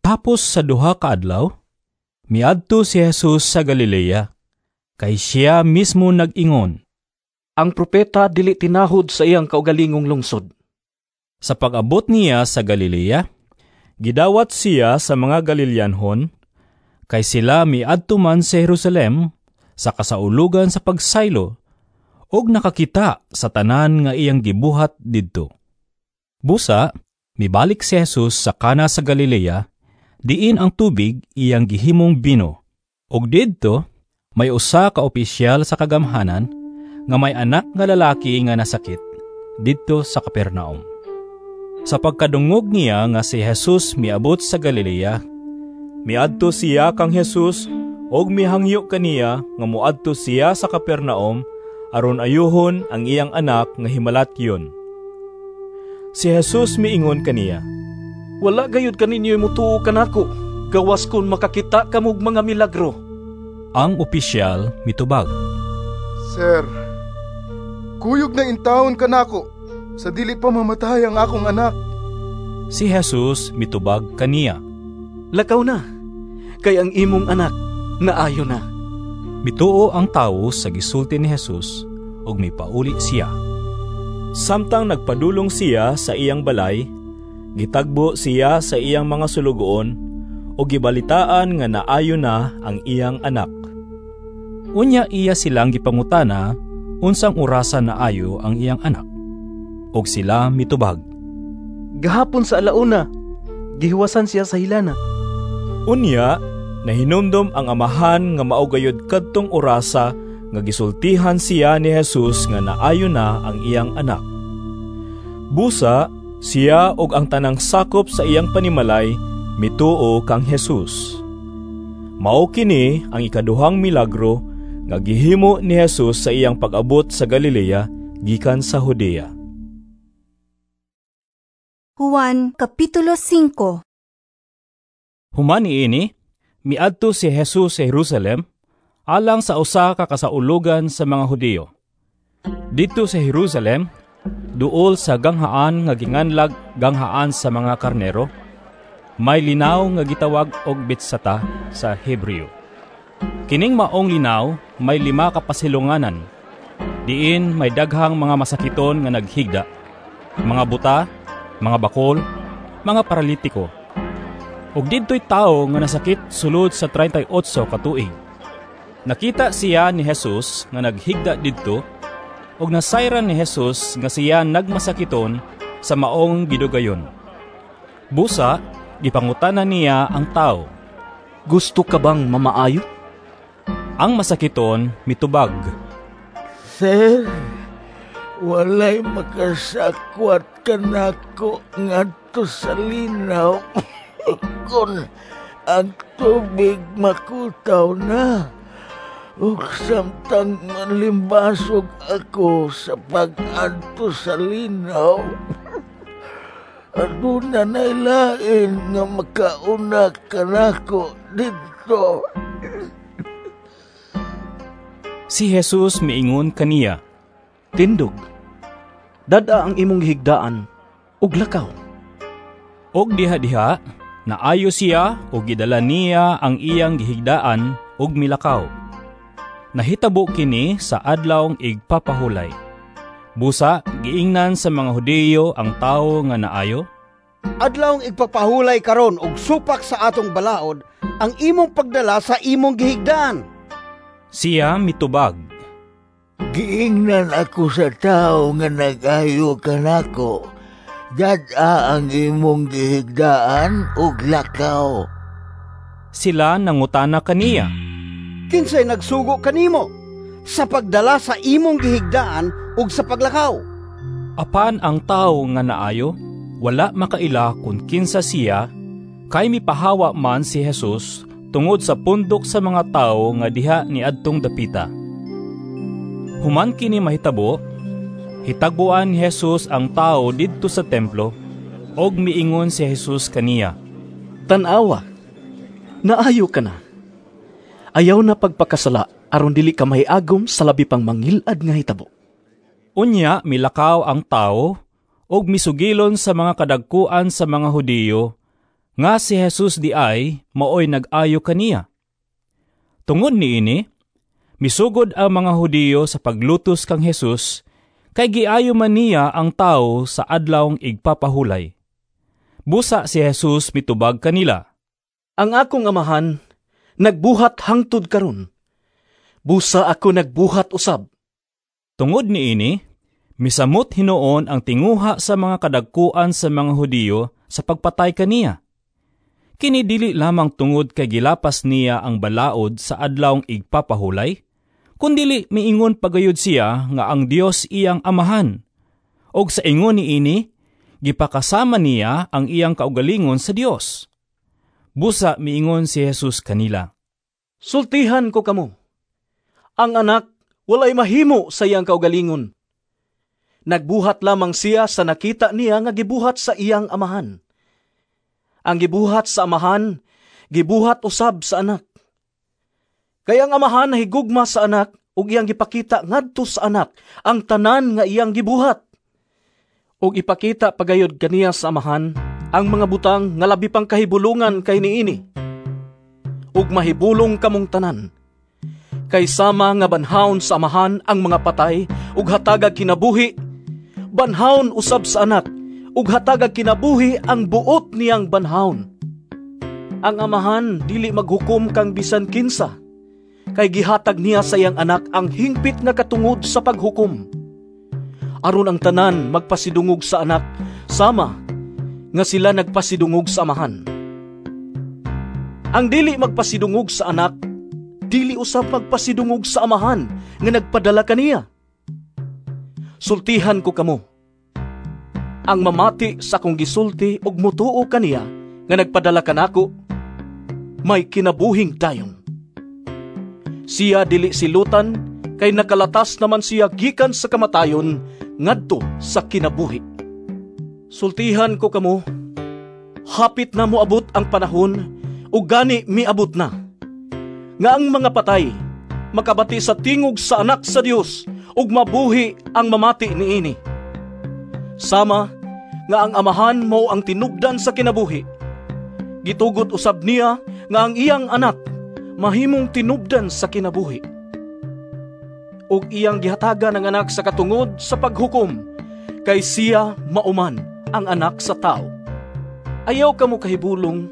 Tapos sa duha ka adlaw, miadto si Jesus sa Galilea, kay siya mismo nag-ingon, Ang propeta dili tinahod sa iyang kaugalingong lungsod. Sa pag-abot niya sa Galilea, gidawat siya sa mga Galileanhon, kay sila miadto man sa Jerusalem sa kasaulugan sa pagsaylo, ug nakakita sa tanan nga iyang gibuhat didto. Busa, mibalik si Jesus sa Kana sa Galilea, diin ang tubig iyang gihimong bino. Ug didto, may usa ka opisyal sa kagamhanan nga may anak nga lalaki nga nasakit didto sa Capernaum. Sa pagkadungog niya nga si Jesus miabot sa Galilea, miadto siya kang Jesus ug mihangyo kaniya nga moadto siya sa Capernaum aron ayuhon ang iyang anak nga himalatyon. Si Jesus miingon kaniya, Wala gayud kaninyo mutuo kanako, gawas kon makakita kamog mga milagro. Ang opisyal mitubag, Sir, kuyog na intawon kanako sa dili pa mamatay ang akong anak. Si Jesus mitubag kaniya, Lakaw na, kay ang imong anak naayo na. Mituo ang tawo sa gisulti ni Jesus ug mipauli siya. Samtang nagpadulong siya sa iyang balay, gitagbo siya sa iyang mga sulugoon ug gibalitaan nga naayo na ang iyang anak. Unya iya silang gipangutana unsang orasa naayo ang iyang anak. Ug sila mitubag, Gahapon sa alauna, Gihuwasan siya sa hilanat. Unya, nahinumdom ang amahan nga mao gayud kadtong orasa nga gisultihan siya ni Jesus nga naayo na ang iyang anak. Busa, siya ug ang tanang sakop sa iyang panimalay mituo kang Jesus. Mao kini ang ikaduhang milagro nga gihimo ni Jesus sa iyang pag-abot sa Galilea gikan sa Judea. Juan Kapitulo singko. Human niini, miadto si Jesus sa Jerusalem alang sa usa ka kasaulugan sa mga Hudiyo. Didto sa Jerusalem, duol sa ganghaan nga ginganlag ganghaan sa mga karnero, may linaw nga gitawag og Betsata sa Hebreo. Kining maong linaw may lima ka pasilunganan. Diin may daghang mga masakiton nga naghigda, mga buta, mga bakol, mga paralitiko. Ug didto'y tawo nga nasakit sulod sa treinta y otso ka tuig. Nakita siya ni Jesus nga naghigda didto, ug nasayran ni Jesus nga siya nagmasakiton sa maong gidugayon. Busa, gipangutana niya ang tawo, "Gusto ka bang mamaayo?" Ang masakiton mitubag, "Sir, walay makasakwat kanako ngadto sa linaw kon ang tubig makutaw na. Ug samtang manlimbasog ako sa pag-adto sa linaw, aduna nay lain nga makauna kanako didto." Si Jesus miingon kaniya, "Tindog, dad-a ang imong gihigdaan ug lakaw." Og diha-diha, naayo siya ug gidala niya ang iyang gihigdaan ug milakaw. Nahitabo kini sa adlawng igpapahulay. Busa, giingnan sa mga Hudiyo ang tawo nga naayo, "Adlawng igpapahulay karon og supak sa atong balaod ang imong pagdala sa imong gihigdaan." Siya mitubag, "Giingnan ako sa tawo nga nag-ayo kanako, dad-a ang imong gihigdaan ug lakaw." Sila nangutana kaniya, "Kinsay nagsugo kanimo sa pagdala sa imong gihigdaan ug sa paglakaw?" Apan ang tawo nga naayo, wala makaila kun kinsa siya, kay mipahawa man si Jesus tungod sa pundok sa mga tawo nga diha niadtong dapita. Human kini mahitabo, hitagbuan ni Jesus ang tawo didto sa templo, og miingon si Jesus kaniya, "Tan-awa, naayo ka na. Ayaw na pagpakasala aron dili ka mahiagom sa labi pang mangilad nga hitabo." Unya milakaw ang tawo og misugilon sa mga kadagkuan sa mga Hudiyo nga si Jesus di ay maoy nag-ayo kaniya. Tungod niini, misugod ang mga Hudiyo sa paglutos kang Jesus kay giayo man niya ang tawo sa adlawng igpapahulay. Busa si Jesus mitubag kanila, "Ang akong amahan nagbuhat hangtod karon. Busa ako nagbuhat usab." Tungod niini, misamot hinuon ang tinguha sa mga kadagkuan sa mga Hudiyo sa pagpatay kaniya. Kini dili lamang tungod kay gilapas niya ang balaod sa adlawng igpapahulay, kundili miingon pagayod siya nga ang Dios iyang amahan. Og sa ingon niini, gipakasama niya ang iyang kaugalingon sa Dios. Busa miingon si Jesus kanila, "Sultihan ko kamo, ang anak walay mahimo sa iyang kaugalingon. Nagbuhat lamang siya sa nakita niya nga gibuhat sa iyang amahan. Ang gibuhat sa amahan, gibuhat usab sa anak. Kay ang amahan nahigugma sa anak ug iyang gipakita ngadto sa anak ang tanan nga iyang gibuhat. Ug ipakita pagayod kaniya sa amahan ang mga butang nga labi pang kahibulungan kay niini. Ug mahibulong kamong tanan. Kay sama nga banhaon sa amahan ang mga patay ug hatagag kinabuhi, banhaon usab sa anak ug hatagag kinabuhi ang buot niyang banhaon. Ang amahan dili maghukom kang bisan kinsa, kay gihatag niya sa iyang anak ang hingpit nga katungod sa paghukom. Aron ang tanan magpasidungog sa anak sama nga sila nagpasidungog sa Amahan. Ang dili magpasidungog sa Anak, dili usab magpasidungog sa Amahan nga nagpadala kaniya. Sultihan ko kamo, ang mamati sa akong gisulti ug mutuo kaniya nga nagpadala kanako, may kinabuhing dayon. Siya dili silutan kay nakalatas naman siya gikan sa kamatayon ngadto sa kinabuhi. Sultihan ko kamo, hapit na moabot ang panahon ug gani miabot na, nga ang mga patay makabati sa tingog sa Anak sa Dios ug mabuhi ang mamati niini. Sama nga ang Amahan mao ang tinubdan sa kinabuhi, gitugot usab niya nga ang iyang anak mahimong tinubdan sa kinabuhi. Ug iyang gihatagan ang anak sa katungod sa paghukom, kay siya mauman ang anak sa tao. Ayaw kamo kahibulong,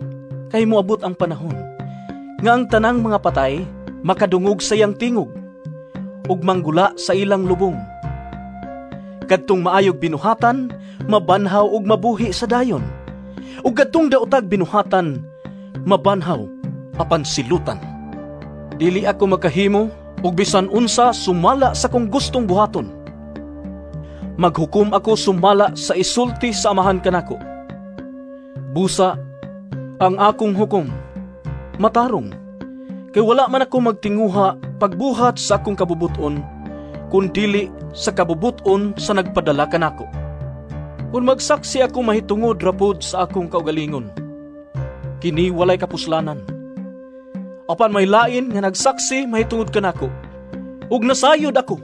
kay moabot ang panahon nga ang tanang mga patay makadungog sa iyang tingog ug manggula sa ilang lubong. Kadtong maayog binuhatan, mabanhaw ug mabuhi sa dayon. Ug kadtong daotag binuhatan, mabanhaw apan silutan. Dili ako makahimo ug bisan unsa sumala sa kong gustong buhaton. Maghukom ako sumala sa isulti sa Amahan kanako. Busa ang akong hukom matarong, kay wala man ako magtinguha pagbuhat sa akong kabubuton, kun dili sa kabubuton sa nagpadala kanako. Kun magsaksi ako mahitungod rapod sa akong kaugalingon, kini walay kapuslanan. Apan may lain nga nagsaksi mahitungod kanako, ug nasayod ako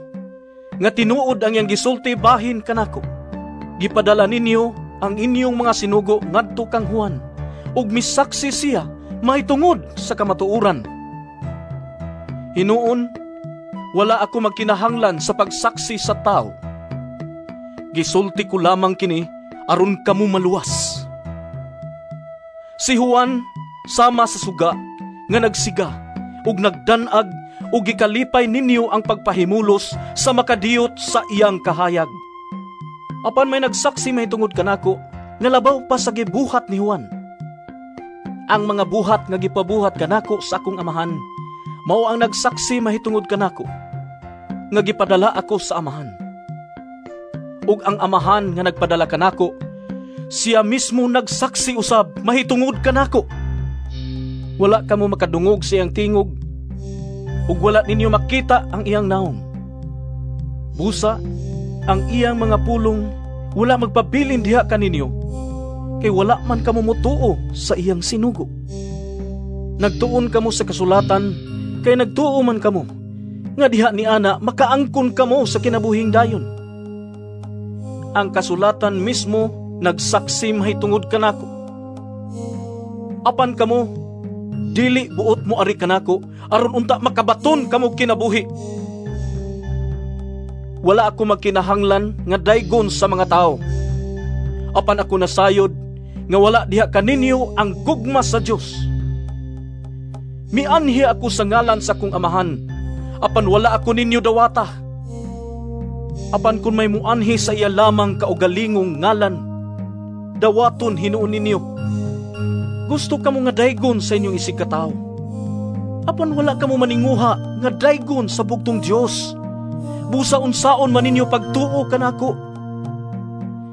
nga tinuod ang iyang gisulti bahin kanako. Gipadala ninyo ang inyong mga sinugo ngadto kang Juan, ug misaksi siya mahitungod sa kamatuoran. Hinuon, wala ako magkinahanglan sa pagsaksi sa tao. Gisulti ko lamang kini aron kamo maluwas. Si Juan sama sa suga nga nagsiga ug nagdanag ug gikalipay ninyo ang pagpahimulos sa makadiyot sa iyang kahayag. Apan may nagsaksi mahitungod kanako nga labaw pa sa gibuhat ni Juan. Ang mga buhat nga gipabuhat kanako sa akong Amahan mao ang nagsaksi mahitungod kanako nga gipadala ako sa Amahan. Ug ang Amahan nga nagpadala kanako, siya mismo nagsaksi usab mahitungod kanako. Wala kamo makadungog sa iyang tingog, ug wala ninyo makita ang iyang naong. Busa, ang iyang mga pulong wala magpabilin diha kaninyo, kay wala man kamo motuo sa iyang sinugo. Nagtuon kamo sa kasulatan, kay nagtuo man kamo, nga diha ni ana makaangkon kamo sa kinabuhing dayon. Ang kasulatan mismo nagsaksi mahitungod kanako. Apan kamo, dili buot mo ari kanako, aron unta makabaton kamo kinabuhi. Wala ako magkinahanglan nga daygon sa mga tao. Apan ako nasayod nga wala diha kaninyo ang gugma sa Dios. Mianhi ako sa ngalan sa akong Amahan, apan wala ako ninyo dawata. Apan kun may muanhi sa iya lamang kaugalingong ngalan, dawaton hinuon ninyo. Gusto kamo nga daygon sa inyong isig katawo, apan wala kamo maninguha nga daygon sa bugtong Dios. Busa unsaon man ninyo pagtuo kanako.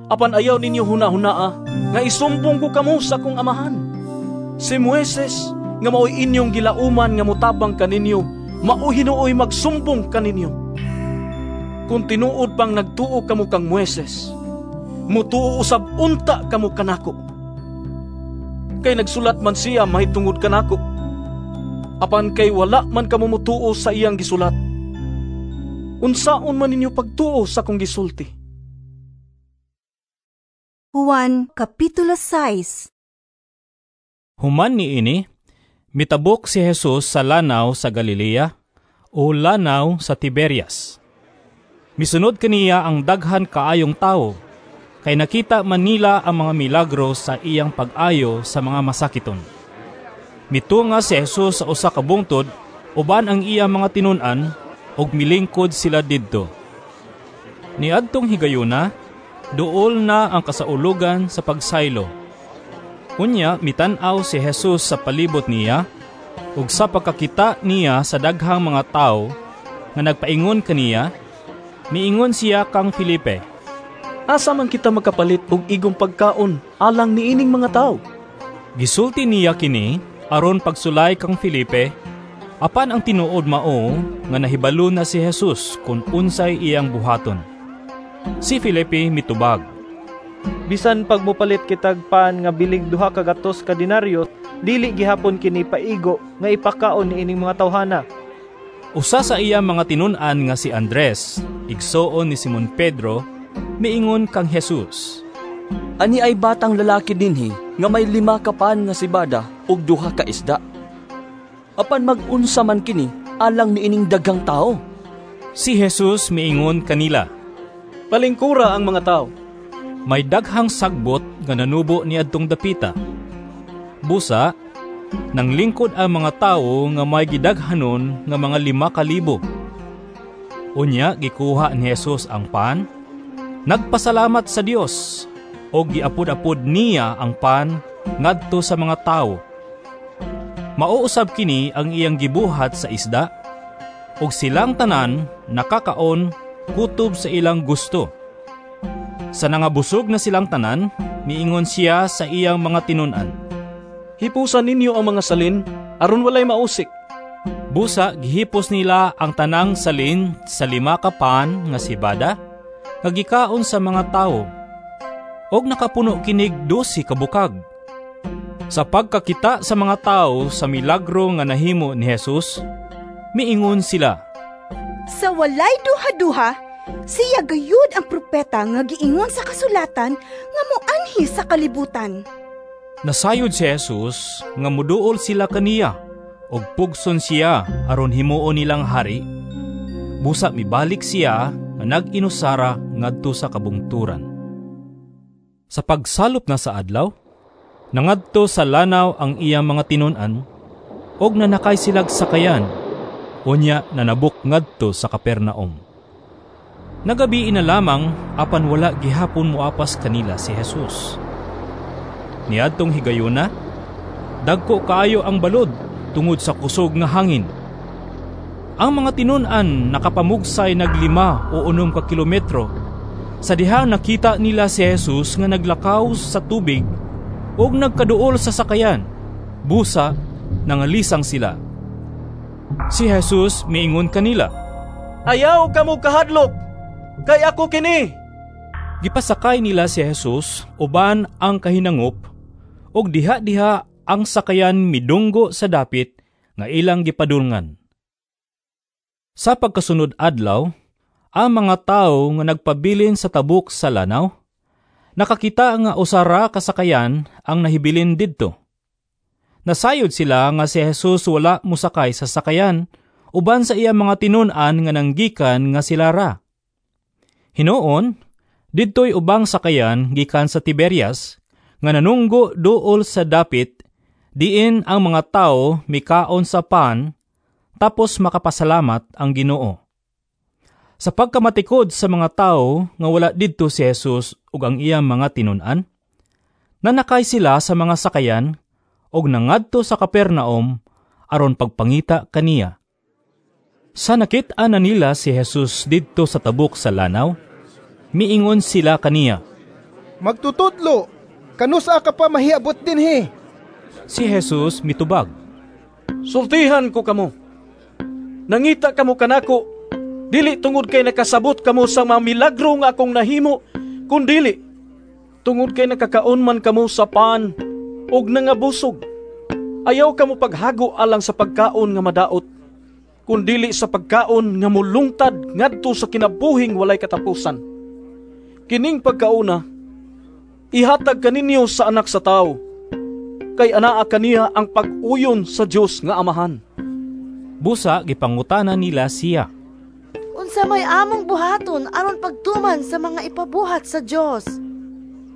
Apan ayaw ninyo huna-hunaa nga isumbong ko kamo sa akong Amahan. Si Moises nga maoy inyong gilauman nga motabang kaninyo, mao hinuoy magsumbong kaninyo. Kung tinuod pang nagtuo kamo kang Moises, mutuo usab unta kamo kanako. Kay nagsulat man siya mahitungod kanako. Apan kay wala man kamo mutuo sa iyang gisulat. Unsaon man ninyo pagtuo sa akong gisulti? Juan Kapitulo sais. Human niini, mitabok si Jesus sa lanaw sa Galilea o lanaw sa Tiberias. Misunod kaniya ang daghan kaayong tawo, kay nakita man nila ang mga milagro sa iyang pag-ayo sa mga masakiton. Mitunga si Jesus sa usa ka bungtod uban ang iyang mga tinun-an ug milingkod sila didto. Niadtong higayuna, duol na ang kasaulugan sa pagsaylo. Unya mitan-aw si Jesus sa palibot niya, ug sa pagkakita niya sa daghang mga tawo nga nagpaingon kaniya, miingon siya kang Felipe, "Asa man kita makapalit og igong pagkaon alang niining mga tawo?" Gisulti niya kini aron pagsulay kang Felipe, apan ang tinuod mao nga nahibalo na si Jesus kun unsay iyang buhaton. Si Felipe mitubag, "Bisan pagmupalit kitag pan nga bilig duha ka gatos ka denaryo, dili gihapon kini paigo nga ipakaon niining mga tawhana." Usa sa iya mga tinun-an nga si Andres, igsoon ni Simon Pedro, miingon kang Jesus, "Ani ay batang lalaki dinhi nga may lima ka pan nga sibada ug duha ka isda. Apan mag-unsa man kini alang niining daghang tawo?" Si Jesus miingon kanila, "Palingkura ang mga tawo." May daghang sagbot nga nanubo niadtong dapita. Busa, nanglingkod ang mga tawo nga may gidaghanon nga mga lima ka libo. Unya gikuha ni Jesus ang pan, nagpasalamat sa Dios, og giapod-apod niya ang pan ngadto sa mga tawo. Mauusab kini ang iyang gibuhat sa isda, og silang tanan nakakaon kutob sa ilang gusto. Sa nangabusog na silang tanan, miingon siya sa iyang mga tinun-an, "Hipusan ninyo ang mga salin aron walay mausik." Busa gihipos nila ang tanang salin sa lima ka pan nga sibada nga gikaon sa mga tawo, og nakapuno kinig dosi ka bukag. Sa pagkakita sa mga tawo sa milagro nga nahimo ni Jesus, miingon sila, "Sa walay duha-duha, siya gayud ang propeta nga giingon sa kasulatan nga moanhi sa kalibutan." Nasayod si Jesus nga muduol sila kaniya ug pugson siya aron himuon nilang hari. Busa mibalik siya nga nag-inusara ngadto sa kabungturan. Sa pagsalop na sa adlaw, nangadto sa lanaw ang iyang mga tinun-an ug nanakay silag sakayan, unya nanabok ngadto sa Capernaum. Nagabi na lamang apan wala gihapon moapas kanila si Jesus. Niadtong higayuna, dagko kaayo ang balod tungod sa kusog nga hangin. Ang mga tinun-an nakapamugsay naglima o unom ka kilometro sa dihang nakita nila si Jesus nga naglakaw sa tubig ug nagkaduol sa sakayan. Busa nangalisang sila. Si Jesus miingon kanila, "Ayaw kamo kahadlok, kay ako kini." Gipasakay nila si Jesus uban ang kahinangop, ug diha-diha ang sakayan midunggo sa dapit nga ilang gipadulngan. Sa pagkasunod adlaw, ang mga tawo nga nagpabilin sa tabok sa lanaw, nakakita nga usara ka sakayan ang nahibilin didto. Nasayod sila nga si Jesus wala mosakay sa sakayan uban sa iya mga tinun-an nga nanggikan nga sila ra. Hinuon, didto'y ubang sakayan gikan sa Tiberias nga nanunggo duol sa dapit, diin ang mga tao mikaon sa pan, tapos makapasalamat ang Ginoo. Sa pagkamatikod sa mga tao nga wala didto si Jesus ug ang iyang mga tinun-an, nanakay sila sa mga sakayan ug nangadto sa Capernaum aron pagpangita kaniya. Sa nakit-an na nila si Jesus didto sa tabok sa lanaw, miingon sila kaniya, "Magtutudlo, kanusa ka pa mahiabot dinhi?" Si Jesus mitubag, "Sultihan ko kamo. Nangita kamo kanako, dili tungod kay nakasabot kamo sa mga milagro nga akong nahimo, kundili tungod kay nakakaon man kamo sa pan ug nangabusog. Ayaw kamo paghago alang sa pagkaon nga madaot, kundili sa pagkaon nga mulungtad ngadto sa kinabuhing walay katapusan. Kining pagkauna ihatag kaninyo sa anak sa tawo, kay anaa kaniya ang pag-uyon sa Dios nga Amahan." Busa gipangutana nila siya, "Unsa may among buhaton aron pagtuman sa mga ipabuhat sa Dios?"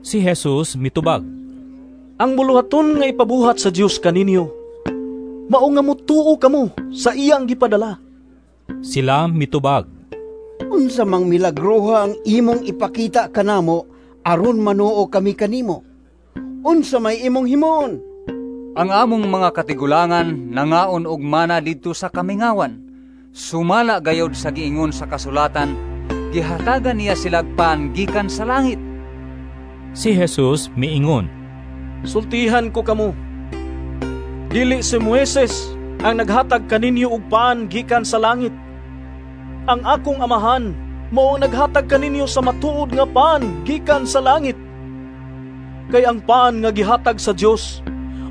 Si Jesus mitubag, "Ang buluhaton nga ipabuhat sa Dios kaninyo, mao nga motuo kamo sa iyang gipadala." Sila mitubag, "Unsa mang milagroha ang imong ipakita kanamo aron manuo kami kanimo? Unsa may imong himuon? Ang among mga katigulangan nangaon og mana didto sa kamingawan. Sumala gayod sa giingon sa kasulatan, gihatagan niya silag pan gikan sa langit. Si Jesus miingon, Sultihan ko kamo, dili si Moises ang naghatag kaninyo og pan gikan sa langit. Ang akong amahan mao ang naghatag kaninyo sa matuod nga pan gikan sa langit. Kay ang pan nga gihatag sa Dios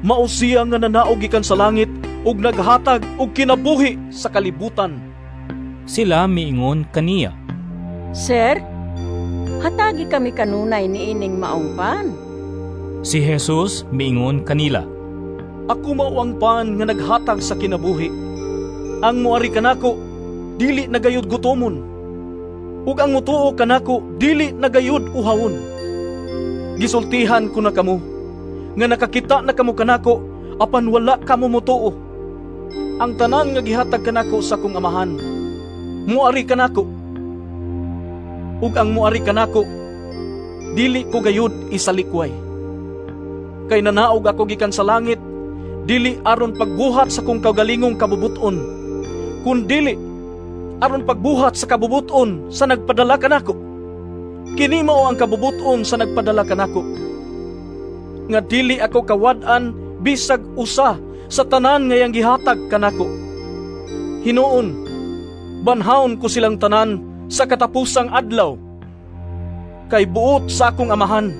mao siya nga nanaog gikan sa langit ug naghatag og kinabuhi sa kalibutan. Sila miingon kaniya, Sir, hatagi kami kanunay niining maong pan. Si Jesus miingon kanila, Ako mao ang pan nga naghatag sa kinabuhi. Ang moari kanako dili na gayud gutomon, ug ang motuo kanako dili na gayud uhawon. Gisultihan ko na kamo nga nakakita na kamo kanako apan wala kamo motuo. Ang tanan nga gihatag kanako sa akong amahan moari kanako, ug ang moari kanako dili ko gayud isalikway. Kay nanaog ako gikan sa langit dili aron pagbuhat sa kong kaugalingong kabubuton, kun dili aron pagbuhat sa kabubuton sa nagpadala kanako. Kini mao ang kabubuton sa nagpadala kanako, nga dili ako kawad-an bisag usa sa tanan nga iyang gihatag kanako. Hinuon, banhaon ko silang tanan sa katapusang adlaw. Kay buot sa akong amahan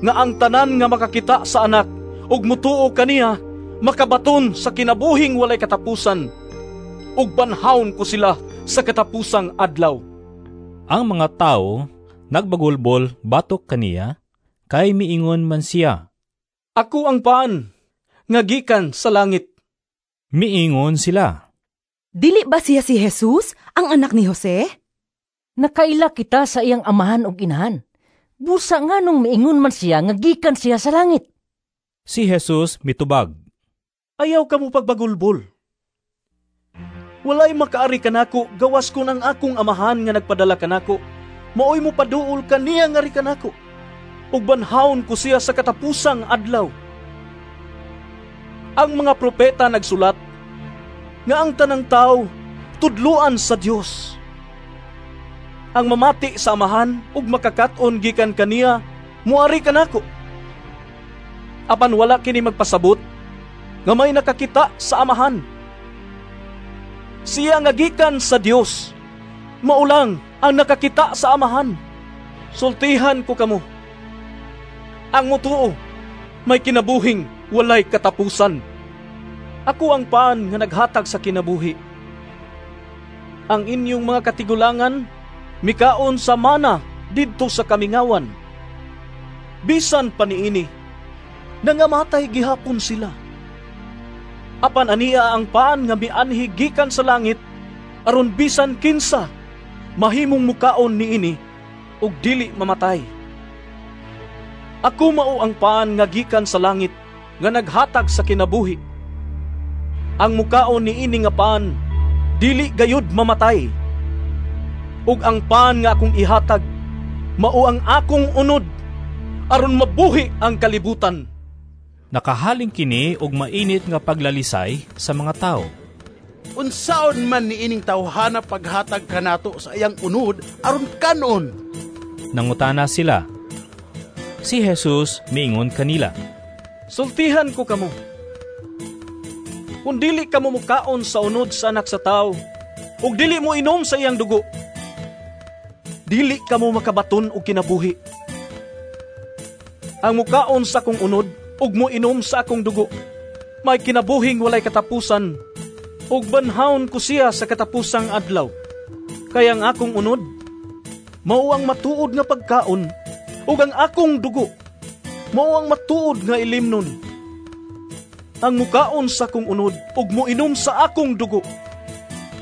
nga ang tanan nga makakita sa anak ug mutuo kaniya makabaton sa kinabuhing walay katapusan, ug banhaon ko sila sa katapusang adlaw. Ang mga tawo nagbagulbol batok kaniya, kay miingon man siya, Ako ang pan nga gikan sa langit. Miingon sila, Dili ba siya si Jesus, ang anak ni Jose? Nakaila kita sa iyang amahan ug inahan. Busa nganong miingon man siya nga gikan siya sa langit? Si Jesus mitubag, Ayaw kamo pagbagulbol. Walay makaari kanako gawas kun ang akong amahan nga nagpadala kanako maoy mo paduol kaniya ngari kanako, ug banhaon ko siya sa katapusang adlaw. Ang mga propeta nagsulat nga ang tanang tao tudluan sa Dios. Ang mamati sa amahan ug makakat-on gikan kaniya muari kanako. Apan wala kini magpasabot nga may nakakita sa amahan. Siya nga gikan sa Dios mao lang ang nakakita sa amahan. Sultihan ko kamo, ang mutuo may kinabuhing walay katapusan. Ako ang pan nga naghatag sa kinabuhi. Ang inyong mga katigulangan mikaon sa mana didto sa kamingawan. Bisan pa niini, nangamatay gihapon sila. Apan ania ang paan nga mianhi gikan sa langit, aron bisan kinsa mahimong mukaon niini ug dili mamatay. Ako mao ang paan nga gikan sa langit nga naghatag sa kinabuhi. Ang mukaon niini nga paan dili gayud mamatay. Ug ang paan nga akong ihatag mao ang akong unod aron mabuhi ang kalibutan. Nakahaling kini og mainit nga paglalisay sa mga tawo. Unsaon man niining tawhana paghatag kanato sa iyang unod aron kanon? Nangutana sila. Si Jesus miingon kanila, Sultihan ko kamo, kung dili kamo mukaon sa unod sa anak sa tawo ug dili mo inom sa iyang dugo, dili kamo makabaton og kinabuhi. Ang mukaon sa akong unod ug moinom sa akong dugo may kinabuhing walay katapusan, ug banhaon ko siya sa katapusang adlaw. Kay ang akong unod mao ang matuod nga pagkaon, ug ang akong dugo mao ang matuod nga ilimnon. Ang mukaon sa akong unod ug moinom sa akong dugo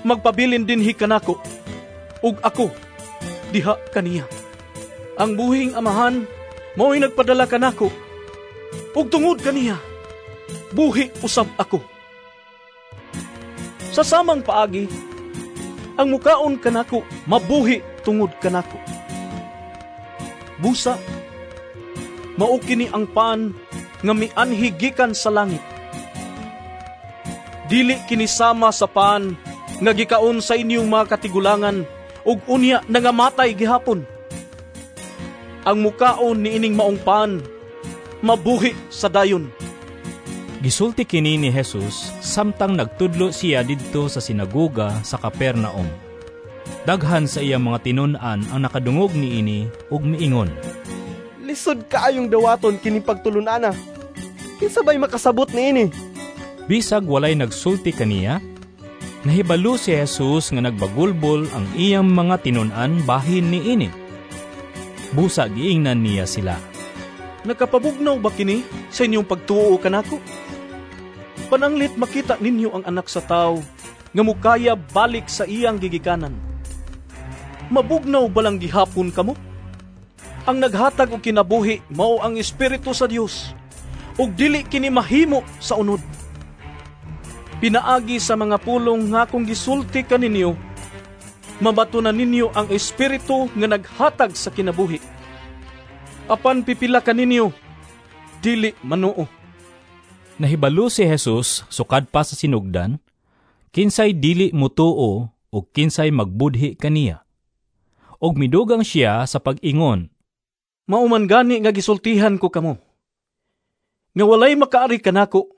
magpabilin dinhi kanako, ug ako diha kaniya. Ang buhing amahan mao'y nagpadala kanako, ug tungod kaniya buhi usab ako. Sa samang paagi, ang mukaon kanako mabuhi tungod kanako. Busa, Mao kini ang pan nga mianhi gikan sa langit. Dili kini sama sa pan nga gikaon sa inyong mga katigulangan ug unya nangamatay gihapon. Ang mukaon niining maong pan mabuhi sa dayon. Gisulti kini ni Jesus samtang nagtudlo siya didto sa sinagoga sa Capernaum. Daghan sa iyang mga tinun-an ang nakadungog niini ug miingon, "Lisod kaayong dawaton kini pagtulun-ana. Kinsa bay makasabot niini?" Bisag walay nagsulti kaniya, nahibalo si Jesus nga nagbagulbol ang iyang mga tinun-an bahin niini. Busa giingnan niya sila, "Nakapabugnaw ba kini sa inyong pagtuo kanako? Pananglit makita ninyo ang Anak sa Tawo nga mukaya balik sa iyang gigikanan. Mabugnaw balang gihapon kamo? Ang naghatag og kinabuhi mao ang Espiritu sa Dios, ug dili kini mahimo sa unod. Pinaagi sa mga pulong nga akong gisulti kaninyo, mabatunan ninyo ang Espiritu nga naghatag sa kinabuhi. Apan pipila kaninyo dili manuo." Nahibalo si Jesus sukad pa sa sinugdan, kinsay dili mutuo o kinsay magbudhi kaniya. Og midugang siya sa pag-ingon, "Mao man gani nga gisultihan ko kamo, nga walay makaari kanako,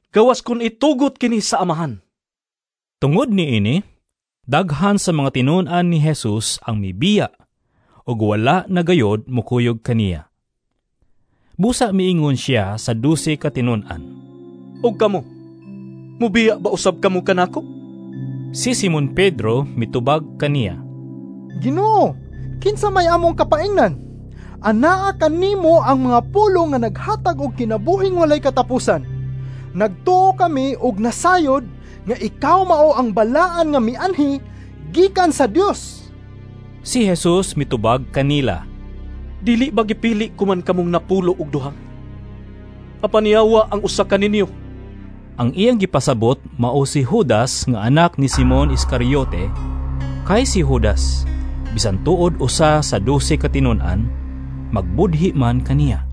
gawas kun itugot kini sa Amahan." Tungod niini, daghan sa mga tinun-an ni Jesus ang mibiya, ug wala na gayod mukuyog kaniya. Busa miingon siya sa dose ka tinun-an, "Og kamo, mubiya ba usab kamo kanako?" Si Simon Pedro mitubag kaniya, "Ginoo, kinsa may among kapaingnan? Anaa kanimo ang mga pulong nga naghatag og kinabuhing walay katapusan. Nagtuo kami og nasayod nga ikaw mao ang balaan nga mianhi gikan sa Dios." Si Jesus mitubag kanila, "Dili ba gipili ko man kamong napulo og duha? Apan yawa ang usa kaninyo." Ang iyang gipasabot mao si Judas nga anak ni Simon Iscariote, kay si Judas bisan tuod usa sa dose ka tinun-an, magbudhi man kaniya.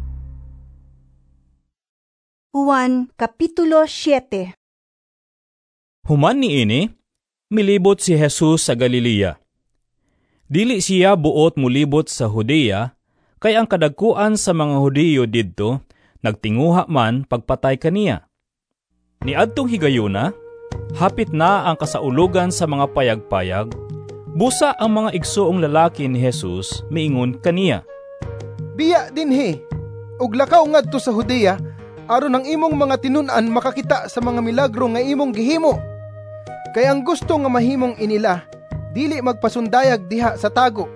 Juan Kapitulo siyete. Human niini, milibot si Jesus sa Galilea. Dili siya buot mulibot sa Judea, kay ang kadagkuan sa mga Hudiyo didto nagtinguha man pagpatay kaniya. Niadtong higayuna, hapit na ang kasaulugan sa mga payag-payag, busa ang mga igsoong lalaki ni Jesus miingon kaniya, "Biya dinhi, ug lakaw ngadto sa Judea, aron ang imong mga tinun-an makakita sa mga milagro nga imong gihimo. Kay ang gusto nga mahimong inila, dili magpasundayag diha sa tago.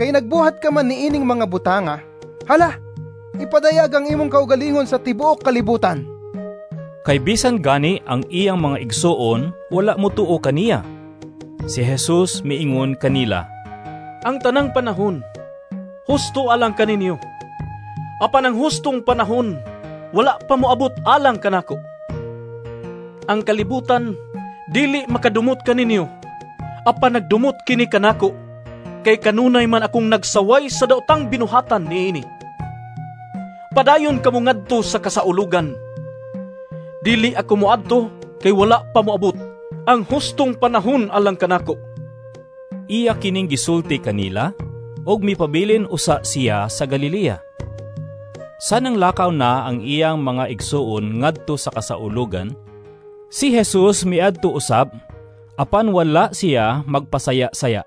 Kay nagbuhat ka man niining mga butanga, hala, ipadayag ang imong kaugalingon sa tibuok kalibutan." Kay bisan gani ang iyang mga igsoon, wala motuo kaniya. Si Jesus miingon kanila, "Ang tanang panahon, husto alang kaninyo. Apan ang hustong panahon, wala pa moabot alang kanako. Ang kalibutan, dili makadumot kaninyo, apan nagdumot kini kanako, kay kanunay man akong nagsaway sa daotang binuhatan niini. Padayon kamo ngadto sa kasaulugan. Dili ako moadto kay wala pa moabot ang hustong panahon alang kanako." Iya kining gisulti kanila, og mipabilin usa siya sa Galilea. Sanang lakaw na ang iyang mga igsuon ngadto sa kasaulugan, si Jesus miadto usab, apan wala siya magpasaya-saya.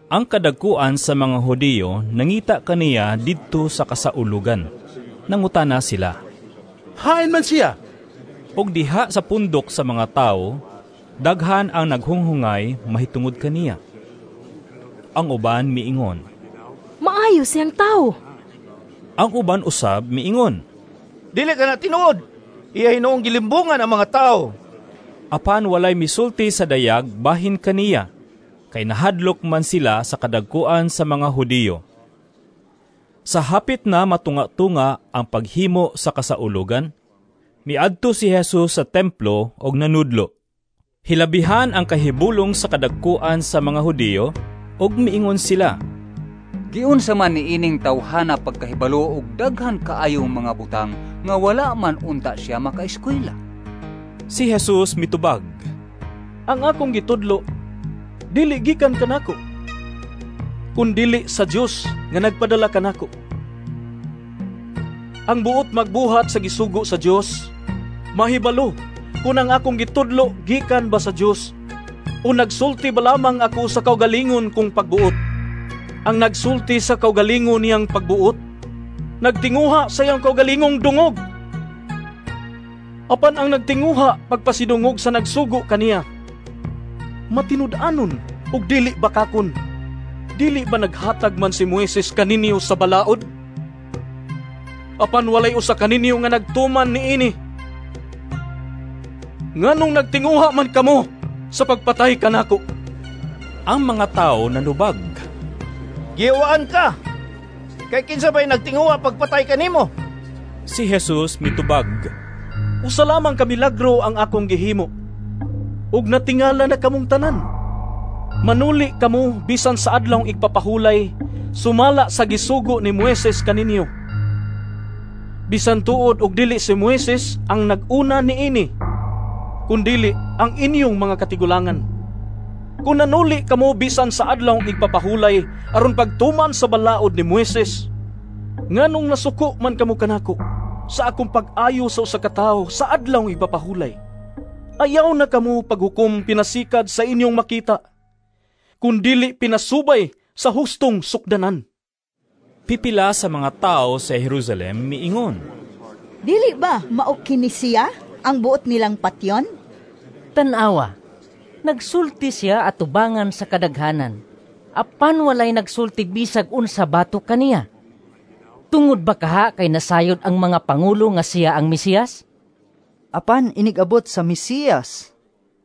Ang kadagkuan sa mga Hudiyo nangita kaniya didto sa kasaulugan. Nangutana sila, "Hain man siya?" Og diha sa pundok sa mga tawo, daghan ang naghunghungay mahitungod kaniya. Ang uban miingon, "Maayo siyang tawo." Ang uban usab miingon, "Dili ka na tinuod, iya hinuong gilimbungan ang mga tao." Apan walay misulti sa dayag bahin kaniya, kay nahadlok man sila sa kadagkuan sa mga Hudiyo. Sa hapit na matunga-tunga ang paghimo sa kasaulugan, miadto si Jesus sa templo og nanudlo. Hilabihan ang kahibulong sa kadagkuan sa mga Hudiyo, og miingon sila, Giunsa man niining tawhana pagkahibalo og daghan kaayong mga butang nga wala man unta siya makaeskwela? Si Jesus mitubag, "Ang akong gitudlo dili gikan kanako, kundili sa Dios nga nagpadala kanako. Ang buot magbuhat sa gisugo sa Dios, mahibalo kung ang akong gitudlo gikan ba sa Dios o nagsulti ba lamang ako sa kaugalingon kong pagbuot. Ang nagsulti sa kaugalingon niyang pagbuot, nagtinguha sa iyang kaugalingong dungog. Apan ang nagtinguha pagpasidungog sa nagsugo kaniya, matinud-anon ug dili bakakon. Dili ba naghatag man si Moises kaninyo sa balaod? Apan walay usa kaninyo nga nagtuman niini. Nganong nagtinguha man kamo sa pagpatay kanako?" Ang mga tao nanubag, "Giwaan ka! Kay kinsa bay nagtinguha pagpatay kanimo?" Si Jesus mitubag, "Usa lamang ka milagro ang akong gihimo, ug natingala na kamong tanan. Manuli kamo bisan sa adlawng igpapahulay, sumala sa gisugo ni Moises kaninyo. Bisan tuod og dili si Moises ang nag-una niini, kundili ang inyong mga katigulangan. Kung nanuli kamo bisan sa adlawng igpapahulay aron pagtuman sa balaod ni Moises, nganong nasuko man kamo kanako sa akong pag-ayo sa usa ka tawo sa adlawng igpapahulay? Ayaw na kamo paghukom pinasikad sa inyong makita, kundili pinasubay sa hustong sukdanan." Pipila sa mga tao sa Jerusalem miingon, "Dili ba mao kini siya ang buot nilang patyon? Tan-awa, nagsulti siya atubangan sa kadaghanan, apan walay nagsulti bisag unsa batok kaniya. Tungod ba kaha kay nasayod ang mga pangulo nga siya ang Mesiyas? Apan inigabot sa Mesiyas,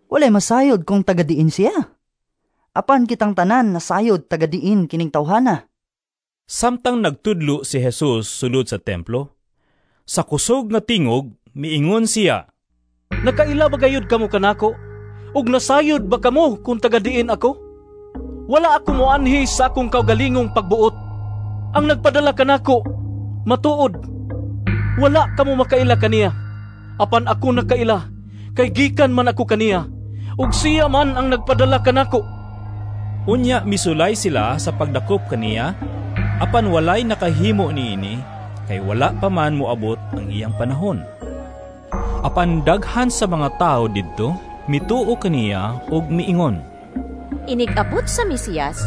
walay masayod kung tagadiin siya. Apan kitang tanan nasayod tagadiin kining tawhana." Samtang nagtudlo si Jesus sulod sa templo, sa kusog nga tingog miingon siya, "Nakaila ba gayud kamo kanako? Ug nasayod ba kamo kung tagadiin ako? Wala ako moanhi sa akong kaugalingong pagbuot. Ang nagpadala kanako, matuod. Wala kamo makaila kaniya. Apan ako nakaila, kay gikan man ako kaniya, ug siya man ang nagpadala kanako." Unya misulay sila sa pagdakop kaniya, apan walay nakahimo niini, kay wala pa man moabot ang iyang panahon. Apan daghan sa mga tao didto mituo kaniya ug miingon, "Inig-abot sa Mesiyas,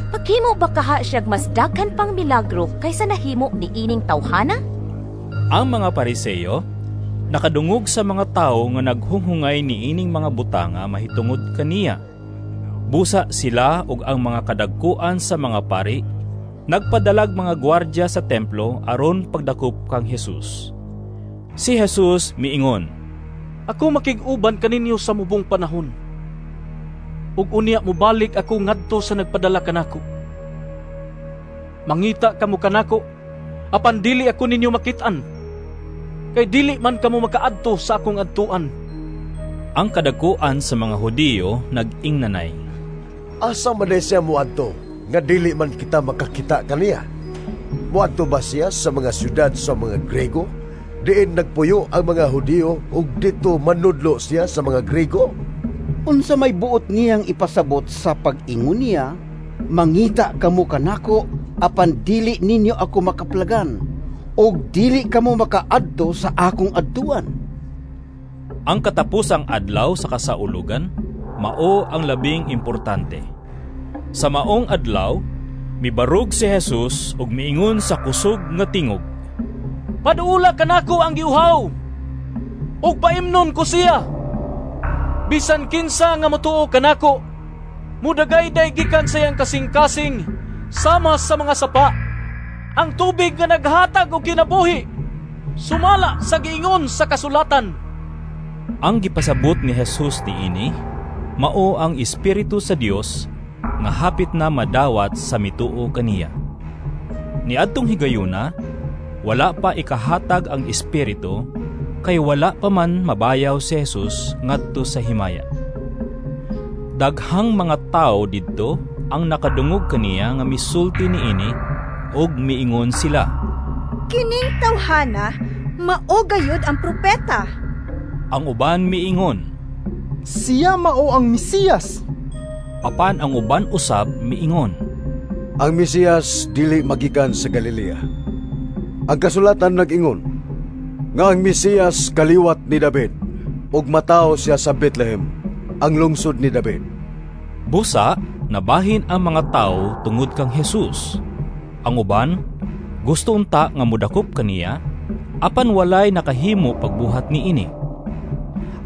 paghimo ba kaha siyag mas daghan pang milagro kaysa nahimo ni ining tawhana?" Ang mga Pariseo nakadungog sa mga tao nga naghunghungay niining mga butanga mahitungod kaniya. Busa sila ug ang mga kadagkuan sa mga pari nagpadalag mga gwardya sa templo aron pagdakop kang Jesus. Si Jesus miingon, "Ako makig-uban kaninyo sa mubong panahon, ug unya mobalik ako ngadto sa nagpadala kanako. Mangita kamo kanako, apan dili ako ninyo makit-an, kay dili man kamo makaadto sa akong adtuan." Ang kadagkuan sa mga Hudiyo nag-ingnanay, "Asa man siya moadto nga dili man kita makakita kaniya? Moadto ba siya sa mga syudad sa mga Grego? Diin nagpuyo ang mga Hudiyo ug dito manudlo siya sa mga Grego?" Unsa may buot niyang ipasabot sa pag-ingon niya, "Mangita kamo kanako apan dili ninyo ako makaplagan, ug dili kamo makaadto sa akong adtuan"? Ang katapusang adlaw sa kasaulugan mao ang labing importante. Sa maong adlaw, mibarog si Jesus ug miingon sa kusog nga tingog, "Paduula kanako ang giuhaw, ug paimnon ko siya. Bisan kinsa nga motuo kanako, mudagayday gikan sa iyang kasing-kasing sama sa mga sapa, ang tubig nga naghatag og kinabuhi, sumala sa giingon sa kasulatan." Ang gipasabot ni Jesus niini mao ang Espiritu sa Dios nga hapit na madawat sa mituo kaniya. Niadtong higayuna, wala pa ikahatag ang Espiritu, kay wala pa man mabayaw si Jesus ngadto sa himaya. Daghang mga tao didto ang nakadungog kaniya nga misulti niini Ug miingon sila, "Kining tawhana mao gayud ang propeta." Ang uban miingon, "Siya mao ang Mesiyas." Apan ang uban usab miingon, "Ang Mesiyas dili magikan sa Galilea. Ang kasulatan nag-ingon nga ang Mesiyas kaliwat ni David ug matawo siya sa Bethlehem, ang lungsod ni David." Busa nabahin ang mga tawo tungod kang Jesus. Ang uban gusto unta nga modakop kaniya, apan walay nakahimo pagbuhat niini.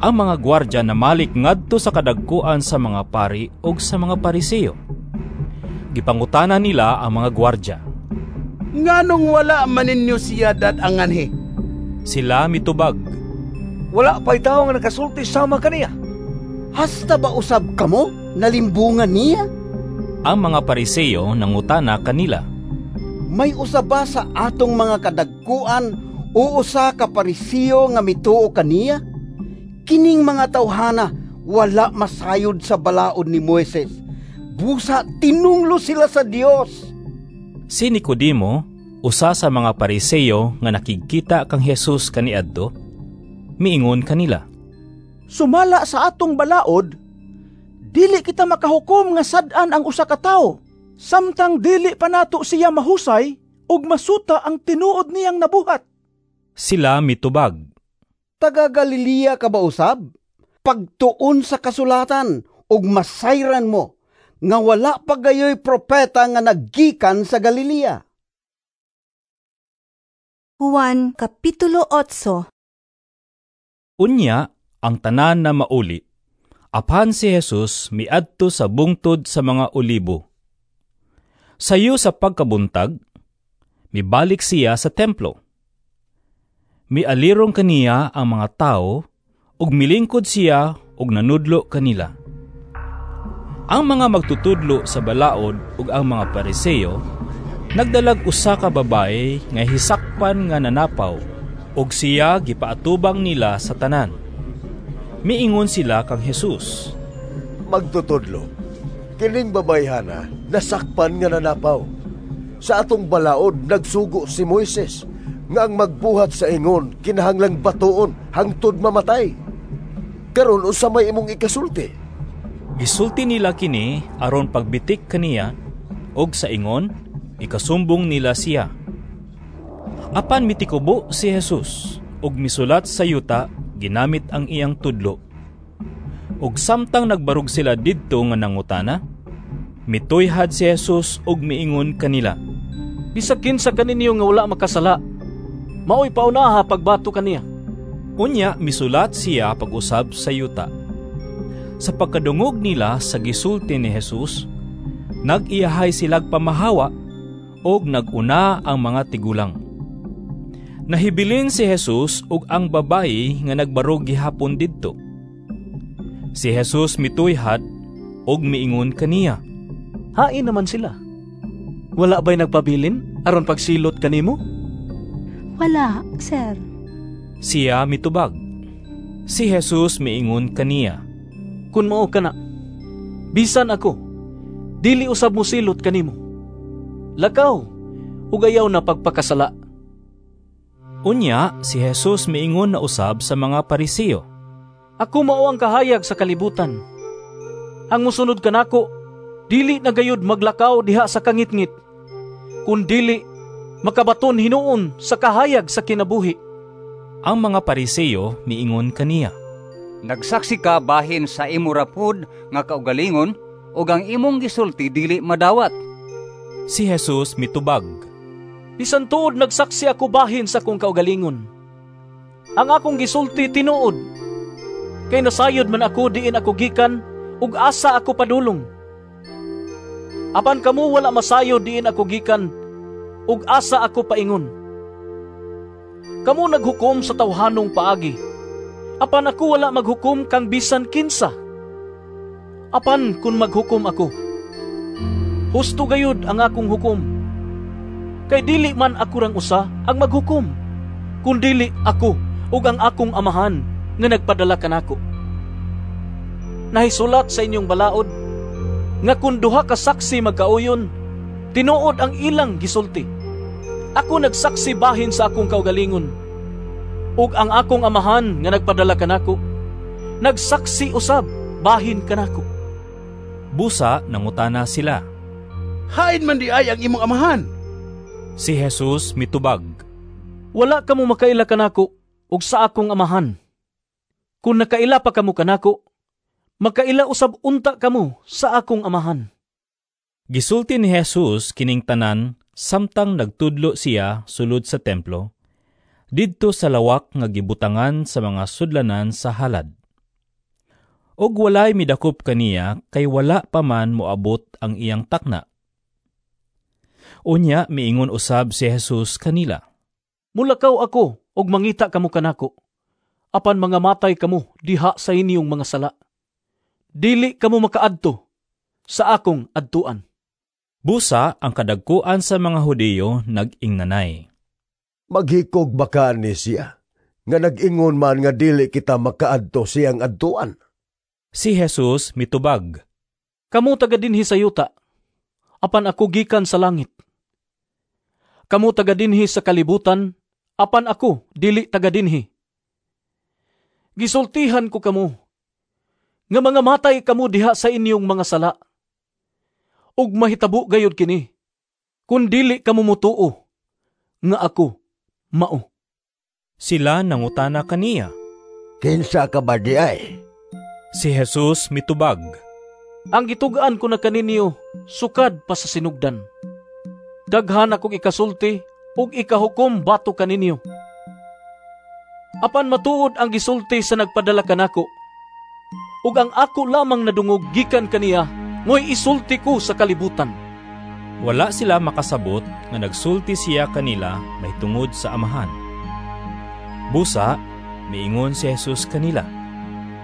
Ang mga gwardya namalik ngadto sa kadagkuan sa mga pari ug sa mga Pariseo. Gipangutana nila ang mga gwardya, "Nganong wala man ninyo siya dad-anganhi?" Sila mitubag, "Wala pa'y tawo nga nakasulti sama kaniya. Hasta ba usab kamo nalimbungan niya?" Ang mga Pariseo nangutana kanila, "May usa ba sa atong mga kadagkuan o usa ka Pariseo nga mituo kaniya? Kining mga tawhana wala masayod sa balaod ni Moises. Busa tinunglo sila sa Dios." Si Nicodemo, usa sa mga Pariseo nga nakigkita kang Jesus kaniadto, miingon kanila, "Sumala sa atong balaod, dili kita makahukom nga sad-an ang usa ka tawo samtang dili pa nato siya mahusay ug masuta ang tinuod niyang nabuhat." Sila mitubag, "Taga Galilea ka ba usab? Pagtuon sa kasulatan ug masayran mo nga wala pa gayoy propeta nga naggikan sa Galilea." Juan Kapitulo otso. Unya ang tanan na mauli. Apan si Jesus miadto sa bungtod sa mga olibo. Sayo sa pagkabuntag, mibalik siya sa templo. Mialirong kaniya ang mga tao ug milingkod siya ug nanudlo kanila. Ang mga magtutudlo sa balaod ug ang mga Pariseo nagdalag usa ka babae nga hisakpan nga nanapaw ug siya gipaatubang nila sa tanan. Miingon sila kang Jesus, "Magtutudlo, kining babayhana nasakpan nga nanapaw. Sa atong balaod nagsugo si Moises nga ang magbuhat sa ingon kinahanglang batuon hangtod mamatay. Karon unsa may imong ikasulti?" Gisulti nila kini aron pagbitik kaniya, ug sa ingon ikasumbong nila siya. Apan mitikubo si Jesus ug misulat sa yuta ginamit ang iyang tudlo. Ug samtang nagbarog sila didto nga nangutana, mituyhad si Jesus ug miingon kanila, "Bisag kinsa kaninyo nga wala makasala, maoy paunaha pagbato kaniya." Unya misulat siya pag-usab sa yuta. Sa pagkadungog nila sa gisulti ni Jesus, nag-iyahay silag pamahawa ug nag-una ang mga tigulang. Nahibilin si Jesus ug ang babayi nga nagbarog gihapon didto. Si Jesus mituyhad ug miingon kaniya, "Hain naman sila. Wala ba'y nagpabilin aron pagsilot kanimo?" "Wala, sir." Siya mitubag. Si Jesus miingon kaniya, "Kun mao kana, bisan ako, dili usab mosilot kanimo. Lakaw, ug ayaw na pagpakasala." Unya si Jesus miingon na usab sa mga Pariseo, "Ako mao ang kahayag sa kalibutan. Ang mosunod kanako, dili na gayud maglakaw diha sa kangitngit, kun dili makabaton hinuon sa kahayag sa kinabuhi." Ang mga Pariseo miingon kaniya, "Nagsaksi ka bahin sa imo ra pod nga kaugalingon ug ang imong gisulti dili madawat." Si Jesus mitubag, "Bisan tuod nagsaksi ako bahin sa akong kaugalingon, ang akong gisulti tinuod, kay nasayod man ako diin ako gikan ug asa ako padulong. Apan kamo wala masayod diin ako gikan ug asa ako paingon. Kamo naghukom sa tawhanong paagi, apan ako wala maghukom kang bisan kinsa. Apan kun maghukom ako, husto gayud ang akong hukom. Kay dili man ako rang usa ang maghukom, kundili ako ug ang akong amahan nga nagpadala kanako. Nahisulat sa inyong balaod nga kun duha ka saksi magkauyon, tinuod ang ilang gisulti. Ako nagsaksi bahin sa akong kaugalingon, ug ang akong Amahan nga nagpadala kanako nagsaksi usab bahin kanako. Busa nangutana sila, Hain man diay ang imong amahan? Si Jesus mitubag, Wala kamo makaila kanako ug sa akong Amahan. Kung nakaila pa kamo kanako, makaila usab unta kamo sa akong Amahan. Gisulti ni Jesus kining tanan samtang nagtudlo siya sulod sa templo, didto sa lawak nga gibutangan sa mga sudlanan sa halad. Og walay midakop kaniya kay wala pa man moabot ang iyang takna. Unya miingon usab si Jesus kanila, Mulakaw ako og mangita kamo kanako, apan mga matay kamo diha sa inyong mga sala. Dili kamo makaadto sa akong adtuan. Busa ang kadagkuan sa mga Hudiyo nag-ingnanay, Maghikog ba ka ni siya, nga nag-ingon man nga dili kita makaadto siyang adtuan? Si Jesus mitubag, Kamo taga dinhi sa yuta, apan ako gikan sa langit. Kamo taga dinhi sa kalibutan, apan ako dili taga dinhi. Gisultihan ko kamo, nga mga matay kamo diha sa inyong mga sala. Ug mahitabo gayud kini, kun dili kamo motuo nga ako mao. Sila nangutana kaniya, Kinsa ka ba diay? Si Jesus mitubag, Ang gitugaan ko na kaninyo sukad pa sa sinugdan. Daghan akong ikasulti ug ikahukom batok kaninyo. Apan matuod ang gisulti sa nagpadala kanako, ug ang ako lamang nadungog gikan kaniya ngoy isulti ko sa kalibutan. Wala sila makasabot nga nagsulti siya kanila mahitungod sa Amahan. Busa, miingon si Jesus kanila,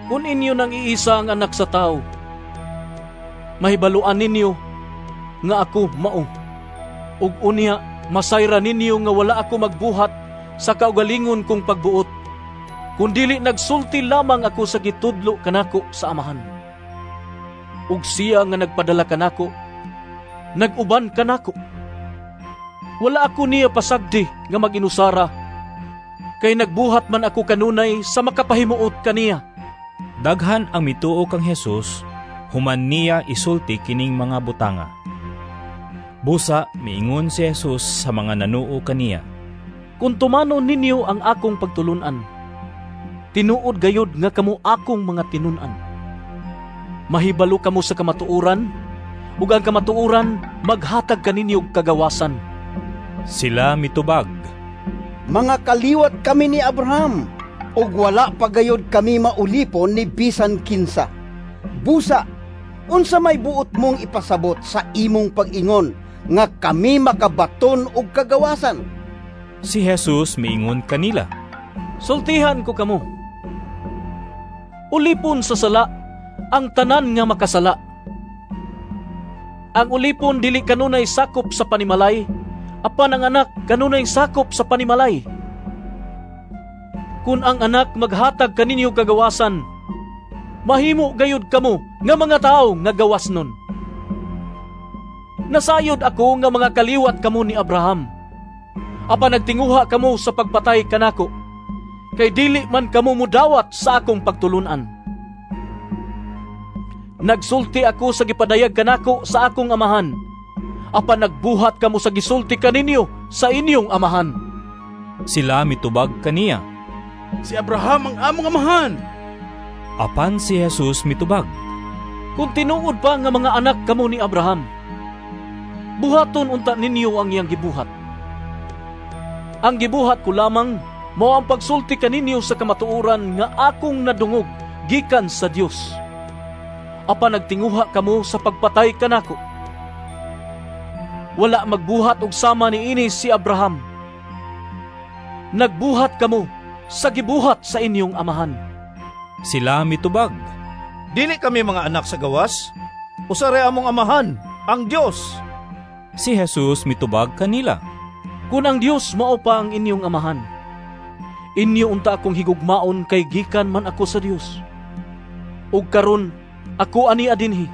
Kung inyo nang iisa ang anak sa tao, mahibaluan ninyo nga ako mao. Ug unya masayra ninyo nga wala ako magbuhat sa kaugalingon kong pagbuot, kundili nagsulti lamang ako sa gitudlo kanako sa Amahan. Ug siya nga nagpadala kanako, nag-uban kanako. Wala ako niya pasagdi nga mag-inusara, kay nagbuhat man ako kanunay sa makapahimuot kaniya. Daghan ang mituo kang Jesus, human niya isulti kining mga butanga. Busa miingon si Jesus sa mga nanuo kaniya, Kung tumanon ninyo ang akong pagtulunan, tinuod gayod nga kamo akong mga tinun-an. Mahibalo kamo sa kamatuoran, ug ang kamatuoran maghatag kaninyo og kagawasan. Sila mitubag, Mga kaliwat kami ni Abraham, ug wala pa gayod kami maulipon ni bisan kinsa. Busa, unsa may buot mong ipasabot sa imong pag-ingon nga kami makabaton og kagawasan? Si Jesus miingon kanila, Sultihan ko kamo, ulipon sa sala ang tanan nga makasala. Ang ulipon dili kanunay sakop sa panimalay, apan ang anak kanunay sakop sa panimalay. Kun ang anak maghatag kaninyo kagawasan, mahimo gayud kamo nga mga tawo nga gawas nun. Nasayod ako nga mga kaliwat kamo ni Abraham. Apan nagtinguha kamo sa pagpatay kanako, kay dili man kamo mudawat sa akong pagtulunan. Nagsulti ako sa gipadayag kanako sa akong amahan, apan nagbuhat kamo sa gisulti kaninyo sa inyong amahan. Sila mitubag kaniya, Si Abraham ang among amahan. Apan si Jesus mitubag, Kung tinuod pa nga mga anak kamo ni Abraham, buhaton unta ninyo ang iyang gibuhat. Ang gibuhat ko lamang mao ang pagsulti kaninyo sa kamatuoran nga akong nadungog gikan sa Dios. Apan nagtinguha kamo sa pagpatay kanako. Wala magbuhat og sama niini si Abraham. Nagbuhat kamo sa gibuhat sa inyong amahan. Sila mitubag, Dili kami mga anak sa gawas. Usa ra among amahan, ang Dios. Si Jesus mitubag kanila, Kung ang Dios mao pa ang inyong amahan, inyo unta akong higugmaon kay gikan man ako sa Dios. Ug karon ako ani adinhi.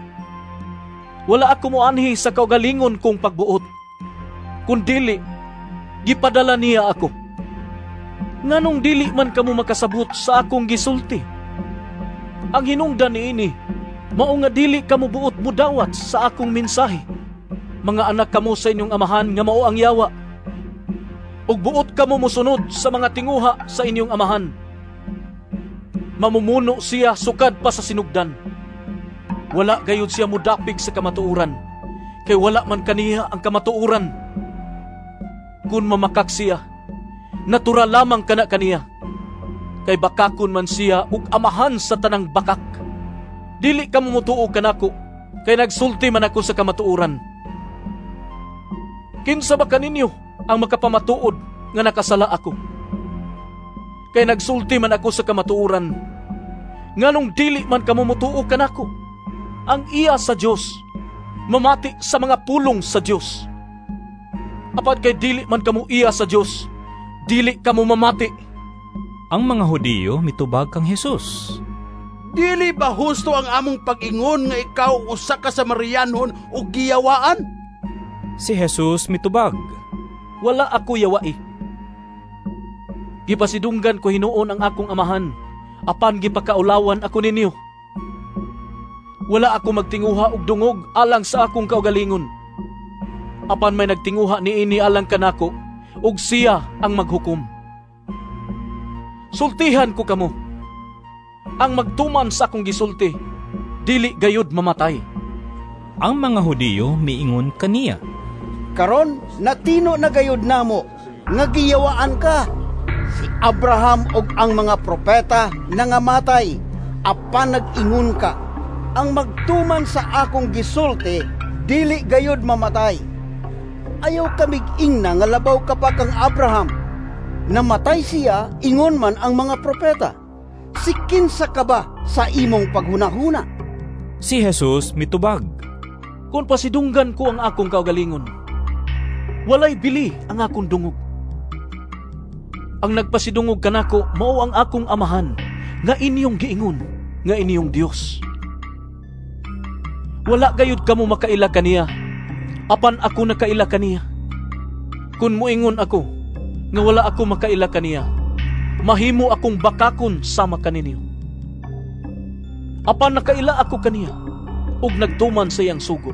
Wala ako moanhi sa kaugalingon kong pagbuot, kundili Gipadala niya ako. Nganong dili man kamo makasabot sa akong gisulti? Ang hinungdan niini, mao nga dili kamo buot mudawat sa akong mensahe. Mga anak kamo sa inyong amahan nga mao ang yawa. Ug buot kamo mosunod sa mga tinguha sa inyong amahan. Mamumuno siya sukad pa sa sinugdan. Wala gayud siya mudapig sa kamatuoran, kay wala man kaniya ang kamatuoran. Kun mamakak siya, natural lamang kana kaniya, kay bakakon man siya ug amahan sa tanang bakak. Dili kamo motuo kanako, kay nagsulti man ako sa kamatuoran. Kinsa ba kaninyo ang makapamatuod nga nakasala ako? Kay nagsulti man ako sa kamatuoran. Nganong dili man kamo motuo kanako? Ang iya sa Dios mamati sa mga pulong sa Dios. Apan kay dili man kamo iya sa Dios, dili kamo mamati. Ang mga Hudiyo mitubag kang Hesus. Dili ba husto ang among pag-ingon nga ikaw usa ka Samarianhon ug giyawaan? Si Jesus mitubag. Wala ako yawai. Gipasidunggan ko hinuon ang akong amahan, apan gipakaulawan ako ninyo. Wala ako magtinguha og dungog alang sa akong kaugalingon. Apan may nagtinguha niini alang kanako, ug siya ang maghukom. Sultihan ko kamo. Ang magtuman sa akong gisulti, dili gayud mamatay. Ang mga Hudiyo miingon kaniya. Karon natino na gayud namo nga giyawaan ka. Si Abraham ug ang mga propeta nangamatay, apan nag-ingon ka, ang magtuman sa akong gisulti, dili gayud mamatay. Ayaw kamig ingna nga labaw ka pa kang Abraham. Namatay siya, ingon man ang mga propeta. Si kinsa ka ba sa imong paghunahuna? Si Jesus mitubag. Kung pasidunggan ko ang akong kaugalingon, walay bili ang akong dungog. Ang nagpasidungog kanako mao ang akong amahan, nga inyong giingon, nga inyong Dios. Wala gayud kamo makaila kaniya, apan ako nakaila kaniya. Kun moingon ako nga wala ako makaila kaniya, mahimo akong bakakon sama kaninyo. Apan nakaila ako kaniya, ug nagtuman sa iyang sugo.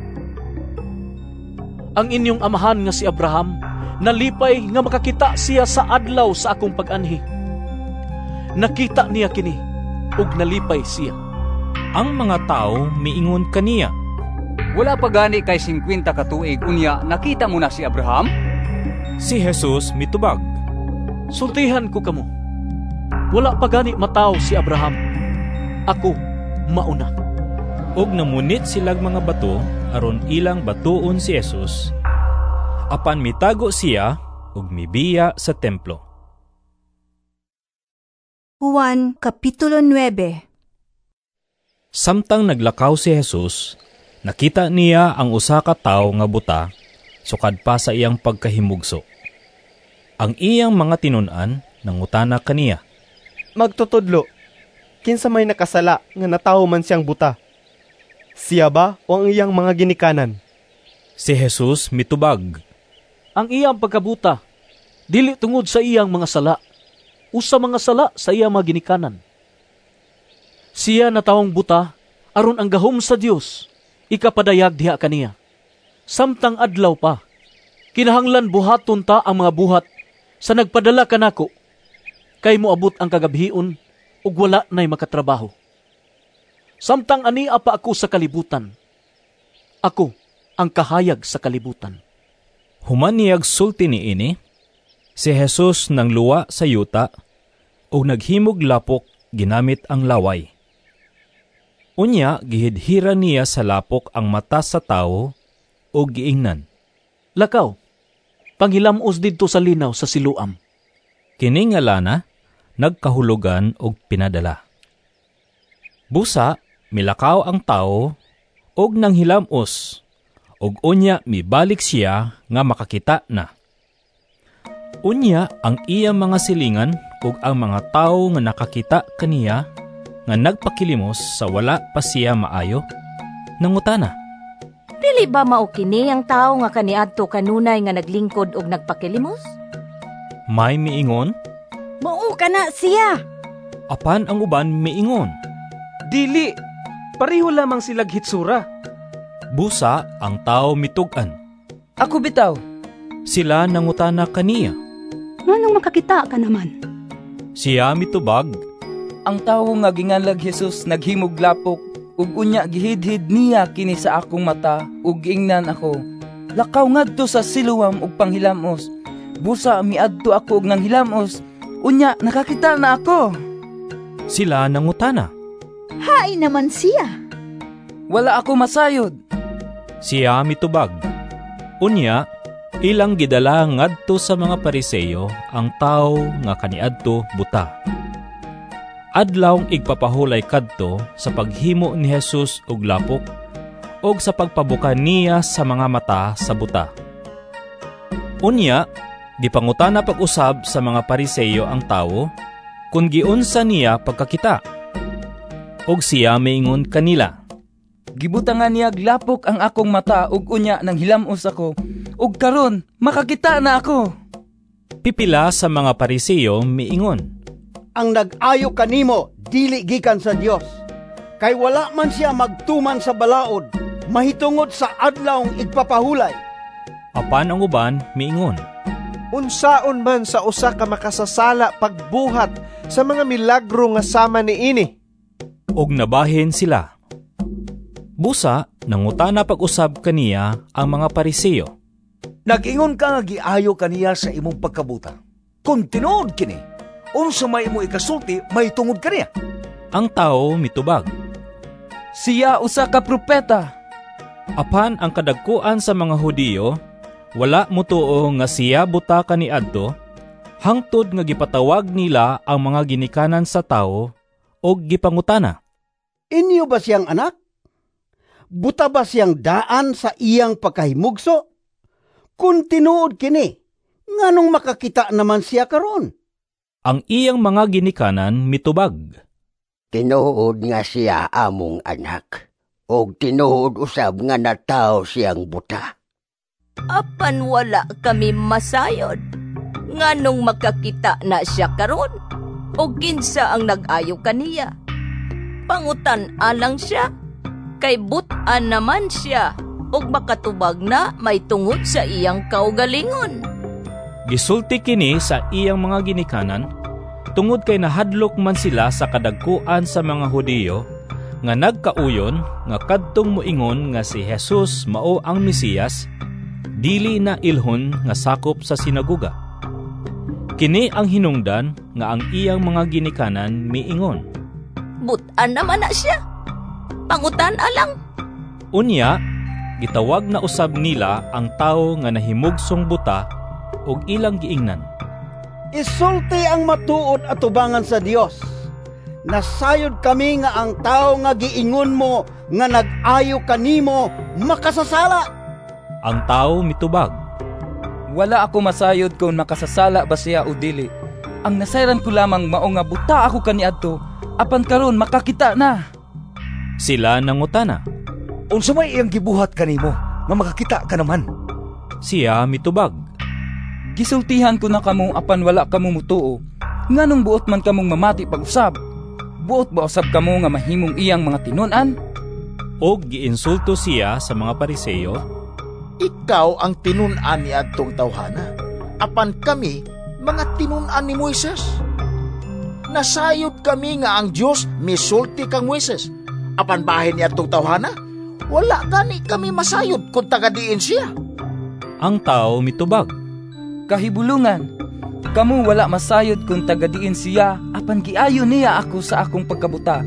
Ang inyong amahan nga si Abraham, nalipay nga makakita siya sa adlaw sa akong pag-anhi. Nakita niya kini, ug nalipay siya. Ang mga tao miingon kaniya. Wala pa gani kay singkwenta ka tuig, unya nakita mo na si Abraham? Si Jesus mitubag. Sultihan ko kamo, wala pa gani mataw si Abraham. Ako mauna. Og namunit silag mga bato aron ilang batuon si Jesus. Apan mitago siya ug mibiya sa templo. Juan Kapitulo nuwebe. Samtang naglakaw si Jesus, nakita niya ang usa ka tawo nga buta sukad pa sa iyang pagkahimugso. Ang iyang mga tinun-an nangutana kaniya. Magtutudlo, kinsa may nakasala nga natawo man siyang buta? Siya ba o ang iyang mga ginikanan? Si Jesus mitubag. Ang iyang pagkabuta, dili tungod sa iyang mga sala, o sa mga sala sa iyang mga ginikanan. Siya natawong buta, aron ang gahom sa Dios ikapadayag diha kaniya. Samtang adlaw pa, kinahanglan buhaton ta ang mga buhat sa nagpadala kanako, kay moabot ang kagabhion ug wala nay makatrabaho. Samtang ania pa ako sa kalibutan, ako ang kahayag sa kalibutan. Human niyag sulti niini, si Jesus nangluwa sa yuta ug naghimog lapok ginamit ang laway. Unya gihidhira niya sa lapok ang mata sa tawo ug giingnan. Lakaw, panghilamos didto sa linaw sa Siloam. Kini nga lana nagkahulugan og pinadala. Busa milakaw ang tawo og nanghilamos, ug unya mibalik siya nga makakita na. Unya ang iya mga silingan ug ang mga tawo nga nakakita kaniya nga nagpakilimos sa wala pa siya maayo, nangutana. Dili ba mao kini ang tawo nga kaniadto kanunay nga naglingkod og nagpakilimos? May miingon, "Mao kana siya." Apan ang uban miingon, "Dili, pareho lamang silag hitsura." Busa ang tao mitug-an, "Ako bitaw." Sila nangutana kaniya, "Nganong makakita ka naman?" Siya mitubag, "Ang tawo nga ginganlag Jesus naghimog lapok, ug unya gihidhid niya kini sa akong mata ug giingnan ako, 'Lakaw ngadto sa Siloam ug panghilamos.' Busa miadto ako og nanghilamos, unya nakakita na ako." Sila nangutana, "Hain naman siya?" "Wala ako masayod." Siya mitubag. Unya, ilang gidala ngadto sa mga Pariseo ang tawo nga kaniadto buta. Adlawng igpapahulay kadto sa paghimo ni Jesus og lapok og sa pagpabuka niya sa mga mata sa buta. Unya, gipangutana pag-usab sa mga Pariseo ang tawo kung giunsa niya pagkakita. Og siya miingon kanila, "Gibutangan niya lapok ang akong mata ug unya nang hilamos ako, ug karon makakita na ako." Pipila sa mga Pariseo miingon, "Ang nag-ayo kanimo dili gikan sa Dios, kay wala man siya magtuman sa balaod mahitungod sa adlawng igpapahulay." Apan ang uban miingon, "Unsaon man sa usa ka makasasala pagbuhat sa mga milagro nga sama niini?" Og nabahin sila. Busa, nangutana pag-usab kaniya ang mga Pariseo, "Nag-ingon ka nga giayo kaniya sa imong pagkabuta. Kung tinuod kini, unsa may imo ikasulti mahitungod kaniya?" Ang tao mitubag, "Siya usa ka propeta." Apan ang kadagkuan sa mga Hudiyo wala motuo nga siya buta kaniadto, hangtod nga gipatawag nila ang mga ginikanan sa tawo og gipangutana, "Inyo ba siyang anak? Buta ba siyang daan sa iyang pagkahimugso? Kung tinuod kini, nganong makakita naman siya karon?" Ang iyang mga ginikanan mitubag, "Tinuod nga siya among anak, og tinuod usab nga natawo siyang buta. Apan wala kami masayod, nganong makakita na siya karon, o kinsa ang nag-ayo kaniya. Pangutan alang siya, kay butan naman siya, ug makatubag na may tungod sa iyang kaugalingon." Gisulti kini sa iyang mga ginikanan, tungod kay nahadlok man sila sa kadagkuan sa mga Hudiyo, nga nagkauyon nga kadtong moingon nga si Jesus mao ang Mesiyas, dili na ilhon nga sakop sa sinagoga. Kini ang hinungdan nga ang iyang mga ginikanan miingon, "Butan naman na siya, pangutan alang." Unya, gitawag na usab nila ang tawo nga nahimugsong buta ug ilang giingnan, "Isulti ang matuod atubangan sa Dios. Nasayod kami nga ang tawo nga giingon mo nga nag-ayo kanimo makasasala." Ang tawo mitubag, "Wala ako masayod kung makasasala ba siya o dili. Ang nasayran ko lamang mao nga buta ako kaniadto, apan karon makakita na." Sila nangutana, "Unsa may iyang gibuhat kanimo nga makakita ka naman?" Siya mitubag, "Gisultihan ko na kamo apan wala kamo mutuo. Nganong buot man kamong mamati pag-usab? Buot ba usab kamo nga mahimong iyang mga tinun-an?" Og giinsulto siya sa mga Pariseo, "Ikaw ang tinun-an ni adtong tawhana, apan kami mga tinun-an ni Moises. Nasayod kami nga ang Dios misulti kang Moises, apan bahin ni adtong tawhana, wala gani kami masayod kung taga diin siya." Ang tao mitubag, "Kahibulungan, kamo wala masayod kung taga diin siya, apan giayo niya ako sa akong pagkabuta.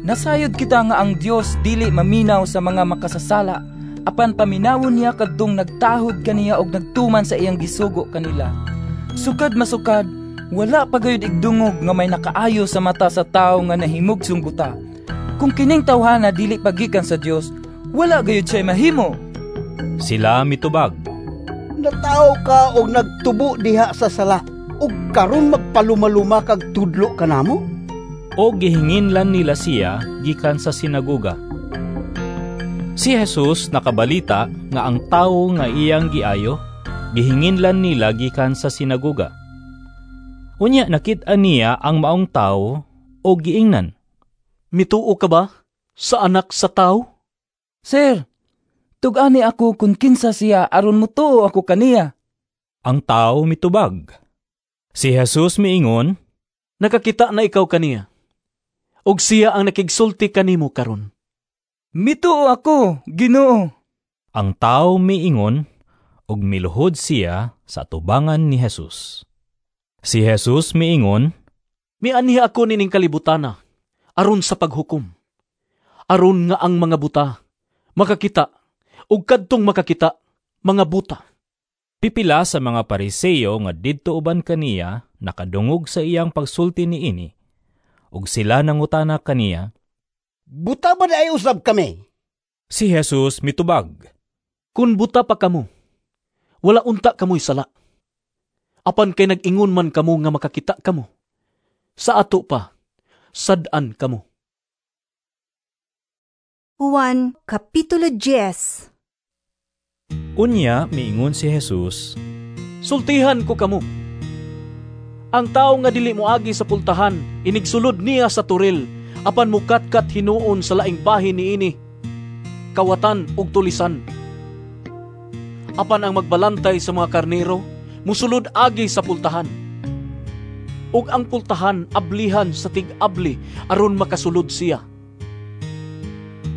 Nasayod kita nga ang Dios dili maminaw sa mga makasasala, apan paminawon niya kadtong nagtahod kaniya og nagtuman sa iyang gisugo kanila. Sukad masukad, wala pa gayud igdungog nga may nakaayo sa mata sa tawo nga nahimugsong buta. Kung kining tawhana dili pagikan sa Dios, wala gayud siya mahimo." Sila mitubag, "Natawo ka og nagtubo diha sa sala, ug karon magpalumaluma kag tudlo kanamo?" O gihinginlan nila siya gikan sa sinagoga. Si Jesus nakabalita nga ang tawo nga iyang giayo, gihinginlan nila gikan sa sinagoga. Unya nakit-an niya ang maong tawo o giingnan, "Mituo ka ba sa Anak sa Tawo?" "Sir, tug-ani ako kung kinsa siya aron mutuo ako kaniya." Ang tawo mitubag. Si Jesus miingon, "Nakakita na ikaw kaniya, ug siya ang nakigsulti kanimo karon." "Mituo ako, Ginoo." Ang tawo miingon, ug miluhod siya sa atubangan ni Jesus. Si Jesus miingon, "Mianhi ako nining kalibutana aron sa paghukom, aron nga ang mga buta makakita, ug kadtong makakita mga buta." Pipila sa mga Pariseo nga didto uban kaniya nakadungog sa iyang pagsulti niini, ug sila nangutana kaniya, "Buta ba ay usab kami?" Si Jesus mitubag, "Kun buta pa kamo, wala unta kamoy sala. Apan kay nag-ingon man kamo nga makakita kamo, sa ato pa, sad-an kamo." Juan Kapitulo diyes. Unya miingon si Jesus, "Sultihan ko kamo. Ang tawo nga dili moagi sa pultahan, inigsulod niya sa turil, apan mukatkat hinuon sa laing bahin niini, kawatan ug tulisan. Apan ang magbalantay sa mga karnero, musulod agi sa pultahan. Ug ang pultahan ablihan sa tig-abli aron makasulod siya.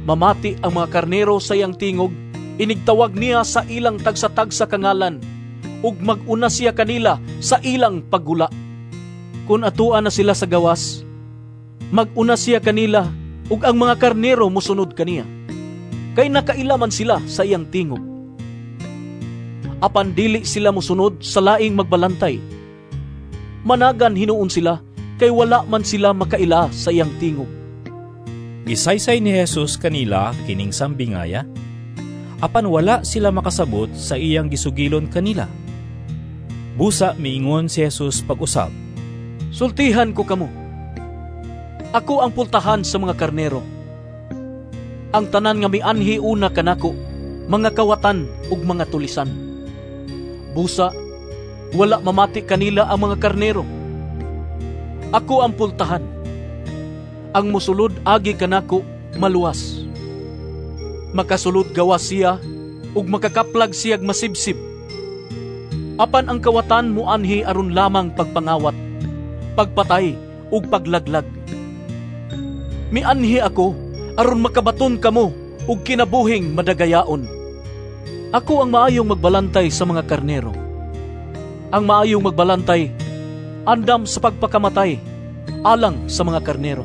Mamati ang mga karnero sa iyang tingog, inigtawag niya sa ilang tagsa-tagsa kangalan, ug mag-una siya kanila sa ilang paggula. Kun atuan na sila sa gawas, mag-una siya kanila, ug ang mga karnero musunod kaniya, kay nakaila man sila sa iyang tingog. Apan dili sila musunod sa laing magbalantay. Managan hinuon sila, kay wala man sila makaila sa iyang tingog." Gisaysay ni Jesus kanila kining sambingaya, apan wala sila makasabot sa iyang gisugilon kanila. Busa miingon si Jesus pag-usab, "Sultihan ko kamo. Ako ang pultahan sa mga karnero. Ang tanan nga mianhi una kanako, mga kawatan ug mga tulisan. Busa, wala mamati kanila ang mga karnero. Ako ang pultahan. Ang musulod agi kanako maluwas. Makasulod gawas siya ug makakaplag siyag masibsib. Apan ang kawatan muanhi aron lamang pagpangawat, pagpatay ug paglaglag. Mianhi ako aron makabaton kamo ug kinabuhing madagayaon. Ako ang maayong magbalantay sa mga karnero. Ang maayong magbalantay andam sa pagpakamatay alang sa mga karnero.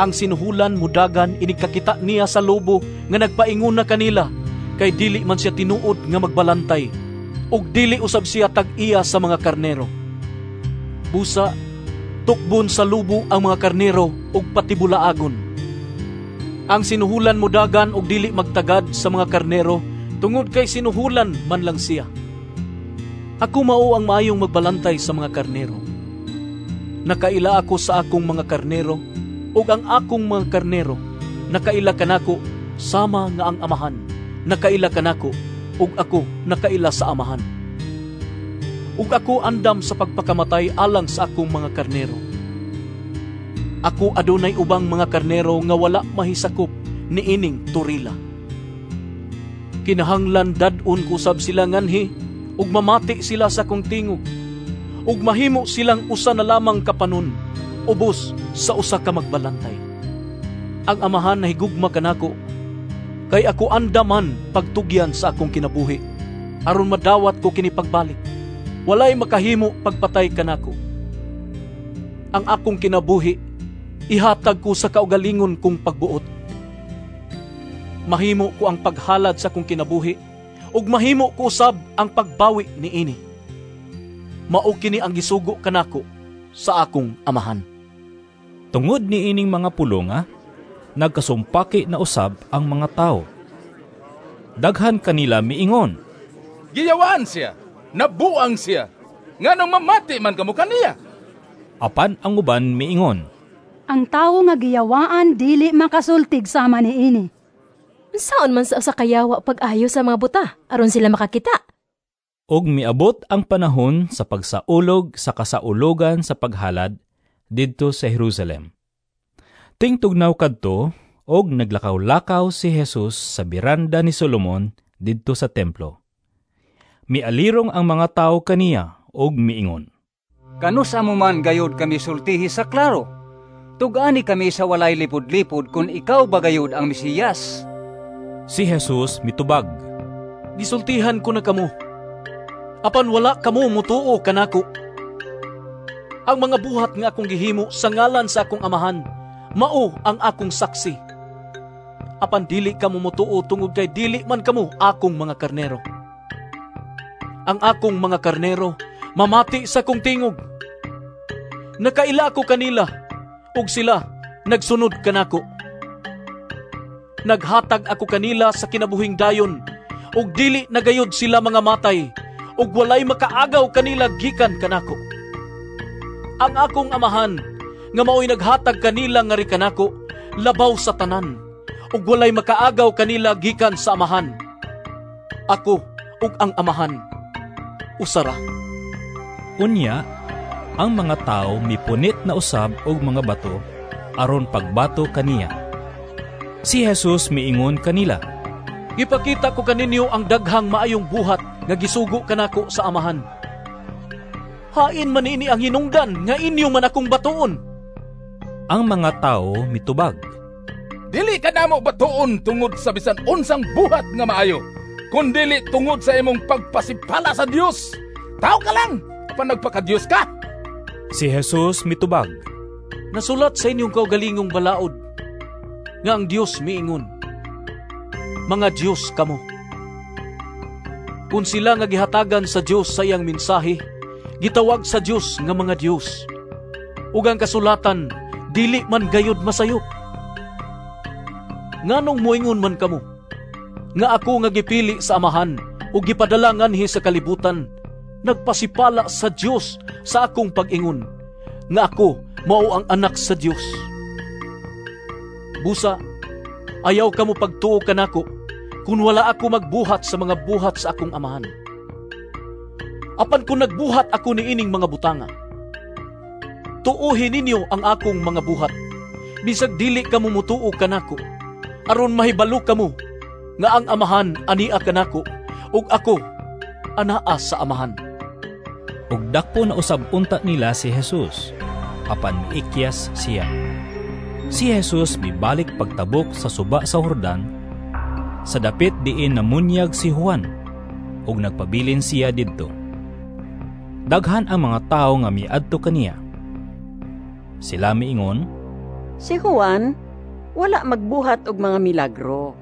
Ang sinuhulan mudagan inigkakita niya sa lobo nga nagpaingon na kanila, kay dili man siya tinuod nga magbalantay, ug dili usab siya tag-iya sa mga karnero. Busa, tukbon sa lobo ang mga karnero ug patibulaagon. Ang sinuhulan mudagan ug dili magtagad sa mga karnero, tungod kay sinuhulan man lang siya. Ako mao ang maayong magbalantay sa mga karnero. Nakaila ako sa akong mga karnero, ug ang akong mga karnero nakaila kanako sama nga ang Amahan nakaila kanako, ug ako nakaila sa Amahan. Ug ako andam sa pagpakamatay alang sa akong mga karnero. Ako adunay ubang mga karnero nga wala mahisakop niining turila. Kinahanglan dad-on ko sab sila nganhi, ug mamati sila sa akong tingog, ug mahimo silang usa na lamang kapanon, ubos sa usa ka magbalantay. Ang Amahan nahigugma kanako, kay ako andaman pagtugyan sa akong kinabuhi, aron madawat ko kini pagbalik. Walay makahimo pagpatay kanako. Ang akong kinabuhi ihatag ko sa kaugalingon kong pagbuot. Mahimo ko ang paghalad sa akong kinabuhi, ug mahimo ko usab ang pagbawi niini. Mao kini ang gisugo kanako sa akong Amahan. Tungod niining mga pulonga, nagkasumpaki na usab ang mga tao. Daghan kanila miingon, "Giyawaan siya, nabuang siya, nganong mamati man kamo kaniya?" Apan ang uban miingon, "Ang tawo nga giyawaan dili makasultig sama niini." Unsaon man sa usa ka yawa pag-ayo sa mga buta aron sila makakita? Ug miabot ang panahon sa pagsaulog sa kasaulogan sa paghalad didto sa Jerusalem. Tingtugnaw kadto og naglakaw-lakaw si Jesus sa biranda ni Solomon didto sa templo. Mialirong ang mga tawo kaniya og miingon, "Kanus-a mo man gayod kami sultihi sa klaro? Tug-ani kami sa walay lipod-lipod kung ikaw ba gayod ang Mesiyas." Si Jesus mitubag, "Gisultihan ko na kamo, apan wala kamo mutuo kanako. Ang mga buhat nga akong gihimo sa ngalan sa akong Amahan, mao ang akong saksi. Apan dili kamo mutuo tungod kay dili man kamo akong mga karnero. Ang akong mga karnero mamati sa akong tingog. Nakaila ako kanila, ug sila nagsunod kanako. Naghatag ako kanila sa kinabuhing dayon, ug dili na gayod sila mga matay, ug walay makaagaw kanila gikan kanako. Ang akong Amahan nga maoy naghatag kanila ngari kanako labaw sa tanan, ug walay makaagaw kanila gikan sa Amahan. Ako ug ang Amahan usa ra." Unya, ang mga tawo mipunit na usab og mga bato aron pagbato kaniya. Si Jesus miingon kanila, "Gipakita ko kaninyo ang daghang maayong buhat nga gisugo kanako sa Amahan. Hain man ini ang hinungdan nga inyo man akong batuon?" Ang mga tawo mitubag, "Dili ka namo batuon tungod sa bisan unsang buhat nga maayo, kundili tungod sa imong pagpasipala sa Dios. Tao ka lang, apan nagpakadios ka." Si Jesus mitubag, "Nasulat sa inyong kaugalingong balaod nga ang Dios miingon, 'Mga Dios kamo.' Kung sila nga gihatagan sa Dios sa iyang mensahe, gitawag sa Dios nga mga Dios, ug ang kasulatan dili man gayod masayop. Nganong moingon man kamo nga ako nga gipili sa Amahan ug gipadala nganhi sa kalibutan, nagpasipala sa Dios sa akong pag-ingon nga ako mao ang Anak sa Dios? Busa, ayaw kamo pagtuo kanako kung wala ako magbuhat sa mga buhat sa akong Amahan. Apan kung nagbuhat ako niining mga butanga, tuohi ninyo ang akong mga buhat, bisag dili kamo mutuo kanako, aron mahibalo kamo nga ang Amahan ania kanako, ug ako anaa sa Amahan." Ug dakpo na usab unta nila si Jesus, apan miikyas siya. Si Jesus mibalik pagtabok sa suba sa Jordan, sa dapit diin namunyag si Juan, ug nagpabilin siya didto. Daghan ang mga tawo nga miadto kaniya. Sila miingon, "Si Juan wala magbuhat og mga milagro.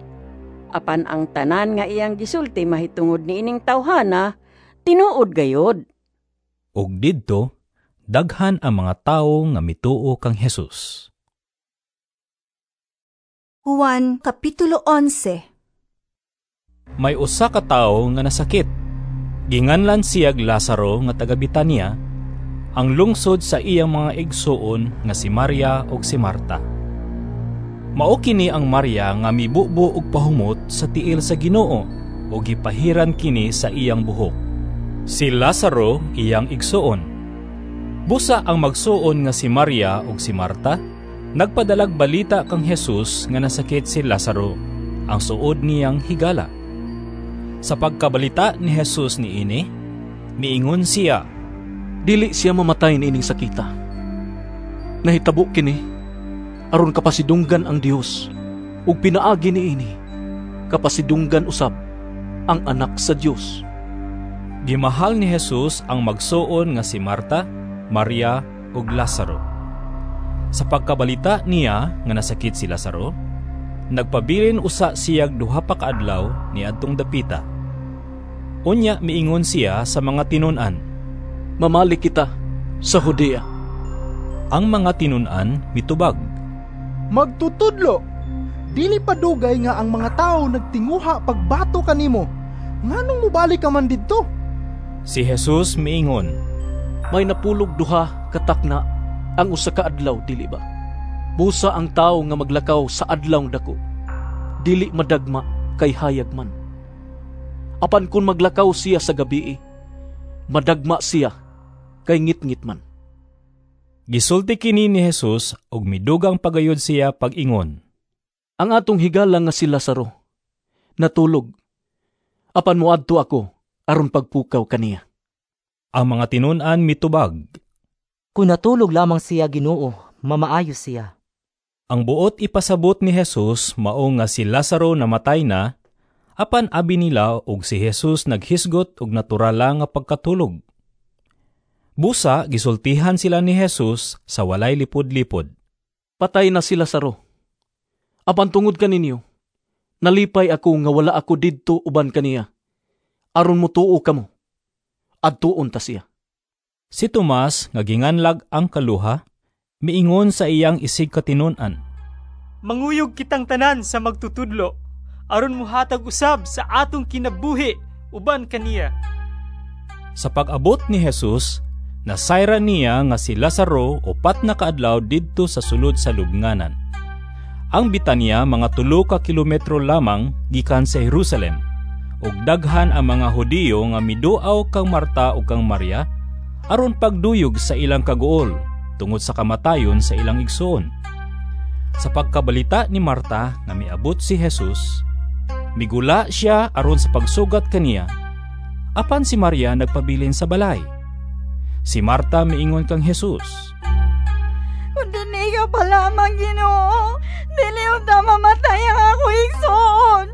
Apan ang tanan nga iyang gisulti mahitungod niining tawhana, tinuod gayod." Ug didto daghan ang mga tawo nga mituo kang Jesus. Juan Kapitulo onse. May usa ka tawo nga nasakit. Ginganlan siyag Lazaro nga taga Betania, ang lungsod sa iyang mga igsuon nga si Maria ug si Marta. Mao kini ang Maria nga mibubo og pahumot sa tiil sa Ginoo ug gipahiran kini sa iyang buhok. Si Lazaro iyang igsuon. Busa ang magsuon nga si Maria ug si Marta nagpadalag balita kang Jesus nga nasakit si Lazaro, ang suod niyang higala. Sa pagkabalita ni Jesus niini, miingon siya, "Dili siya mamatay niining sakita. Nahitabo kini aron kapasidunggan ang Dios, ug pinaagi niini kapasidunggan usab ang Anak sa Dios." Gimahal ni Jesus ang magsuon nga si Marta, Maria ug Lazaro. Sa pagkabalita niya nga nasakit si Lazaro, nagpabilin usa siyag duha pa ka adlaw niadtong dapita. Unya miingon siya sa mga tinun-an, "Mamalik kita sa Judea." Ang mga tinun-an mitubag, "Magtutudlo, dili pa dugay nga ang mga tawo nagtinguha pagbato kanimo. Nganong mobalik ka man didto?" Si Jesus miingon, "May napulog duha katakna ang usa ka adlaw, dili ba? Busa ang tawo nga maglakaw sa adlaw dako, dili madagma kay hayag man. Apan kung maglakaw siya sa gabii, Madagma siya kay ngitngit man. Gisulti kini ni Jesus ug midugang pagayod siya pag-ingon. Ang atong higala nga si Lazaro natulog. Apan moadto ako aron pagpukaw kaniya. Ang mga tinun-an mitubag. Kung natulog lamang siya, Ginoo, mamaayo siya. Ang buot ipasabot ni Jesus mao nga si Lazaro namatay na, apan abi nila og si Jesus naghisgot og natural nga pagkatulog. Busa gisultihan sila ni Jesus sa walay lipod-lipod. Patay na si Lazaro. Apan tungod kaninyo, nalipay ako nga wala ako didto uban kaniya. Aron motuo kamo, adtuon ta siya. Si Tomas nga ginganlag ang kaluha, miingon sa iyang isig katinun-an. Manguyog kitang tanan sa magtutudlo, aron muhatag usab sa atong kinabuhi uban kaniya. Sa pag-abot ni Jesus, nasayran niya nga si Lazaro upat na kaadlaw didto sa sulod sa lubnganan. Ang Bitanya mga tulo ka kilometro lamang gikan sa Jerusalem, ug daghan ang mga Hudiyo nga miduaw kang Marta ug kang Maria aron pagduyog sa ilang kaguol tungod sa kamatayon sa ilang igsoon. Sa pagkabalita ni Marta nga miabot si Jesus, migula siya aron sa pagsugat kaniya. Apan si Maria nagpabilin sa balay. Si Marta miingon kang Jesus, Kung dinhi ka pa lamang, Ginoo, dili unta mamatay ang ako igsoon.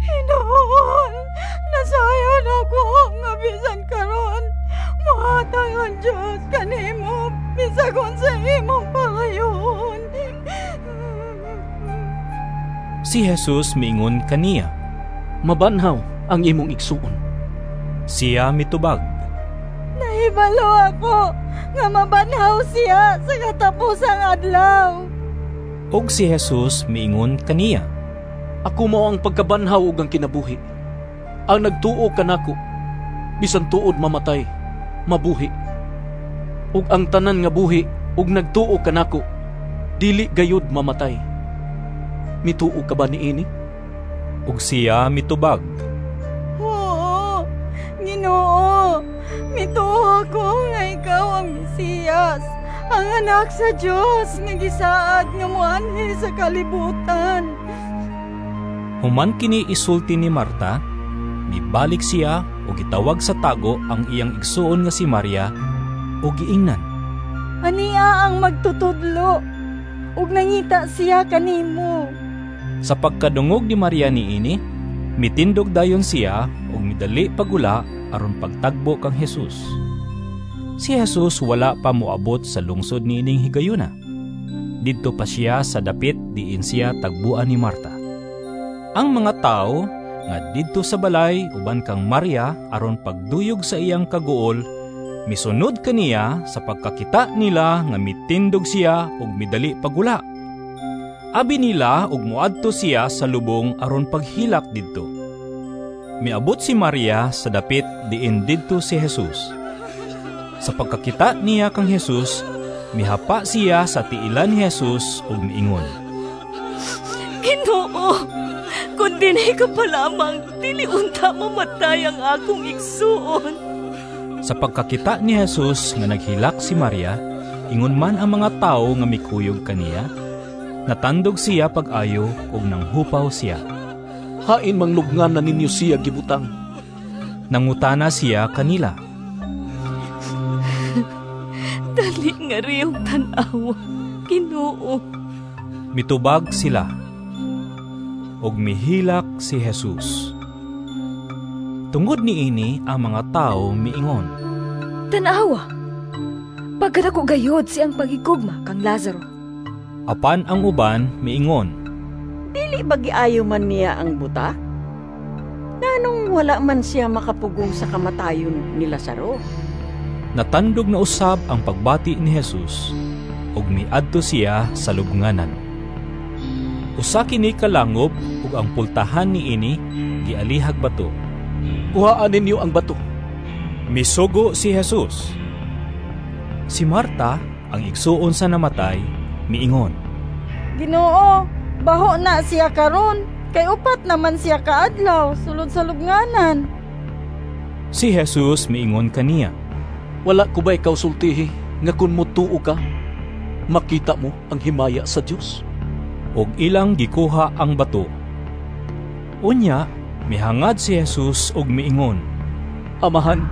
Hinuon, nasayod ako nga bisan karon muhatag ang Diyos kanimo bisag unsa imong pangayoon. Si Jesus miingon kaniya, Mabanhaw ang imong igsuon. Siya mitubag, Nahibalo ako nga mabanhaw siya sa katapusang adlaw. Ug si Jesus miingon kaniya, Ako mao ang pagkabanhaw ug ang kinabuhi. Ang nagtuo kanako, bisan tuod mamatay, mabuhi. Ug ang tanan nga buhi ug nagtuo kanako, dili gayud mamatay. Mituo ka ba niini? Ug siya mitubag, Oo, Ginoo, mituo ako nga ikaw ang Mesiyas, ang anak sa Dios nga gisaad nga moanhi sa kalibutan. Human kini isulti ni Marta, mibalik siya ug gitawag sa tago ang iyang igsuon nga si Maria ug giingnan, Ania ang magtutudlo, ug nangita siya kanimo. Sa pagkadungog ni Maria niini, mitindog dayon siya ug midali pagula aron pagtagbo kang Jesus. Si Jesus wala pa moabot sa lungsod niining higayuna. Didto pa siya sa dapit diin siya tagbuan ni Marta. Ang mga tao nga didto sa balay uban kang Maria aron pagduyog sa iyang kaguol, misunod kaniya sa pagkakita nila nga mitindog siya ug midali pagula. Abi nila ug moadto siya sa lubong aron paghilak didto. Miabot si Maria sa dapit diin didto si Jesus. Sa pagkakita niya kang Jesus, mihapa siya sa tiilan ni Jesus ug miingon, Ginoo, kung dinhi ka pa lamang, dili unta mamatay ang akong igsuon. Sa pagkakita ni Jesus nga naghilak si Maria, ingon man ang mga tawo nga mikuyog kaniya, natandog siya pag-ayo ug nanghupaw siya. Hain manglubngan na ninyo siya gibutang? Nangutana siya kanila. Dali nga riyong tan-awa, Ginoo. Mitubag sila. Ug mihilak si Jesus. Tungod niini ang mga tao miingon, Tan-awa, pagkadako gayod siyang paghigugma kang Lazaro. Apan ang uban miingon, Dili ba giayo man niya ang buta? Nganong wala man siya makapugong sa kamatayon ni Lazaro? Natandog na usab ang pagbati ni Jesus ug miadto siya sa lubnganan. Usa kini ka langob ug ang pultahan niini gialihag bato. Kuhaan ninyo ang bato. Misugo si Jesus. Si Marta, ang igsuon sa namatay, miingon, Ginoo, baho na siya karon, kay upat naman siya kaadlaw sulod sa lubnganan. Si Jesus miingon kaniya, "Wala ko ba ikaw sultihi nga kun motuo ka, makita mo ang himaya sa Dios?" Og ilang gikuha ang bato. Unya, mihangad si Jesus og miingon, "Amahan,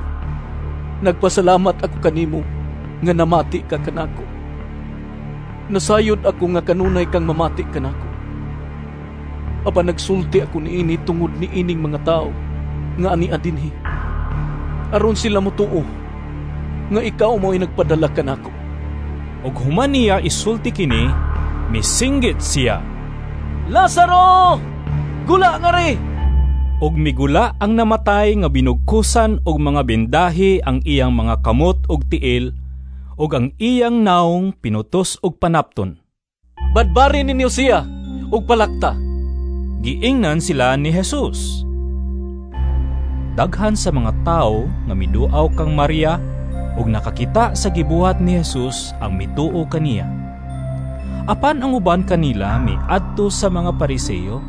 nagpasalamat ako kanimo nga namati ka kanako. Nasayod ako nga kanunay kang mamati kanako. Apan nagsulti ako niini tungod niining mga tao nga ania dinhi, aron sila motuo nga ikaw mao'y nagpadala kanako." Og human niya isulti kini, misinggit siya, "Lazaro, gula ngari!" Og migula ang namatay nga binugkusan og mga bendahi ang iyang mga kamot og tiil, ug ang iyang naong pinutos og panapton. "Badbari ninyo siya og palakta," giingnan sila ni Jesus. Daghan sa mga tawo nga miduaw kang Maria ug nakakita sa gibuhat ni Jesus ang mituo kaniya. Apan ang uban kanila miadto sa mga Pariseo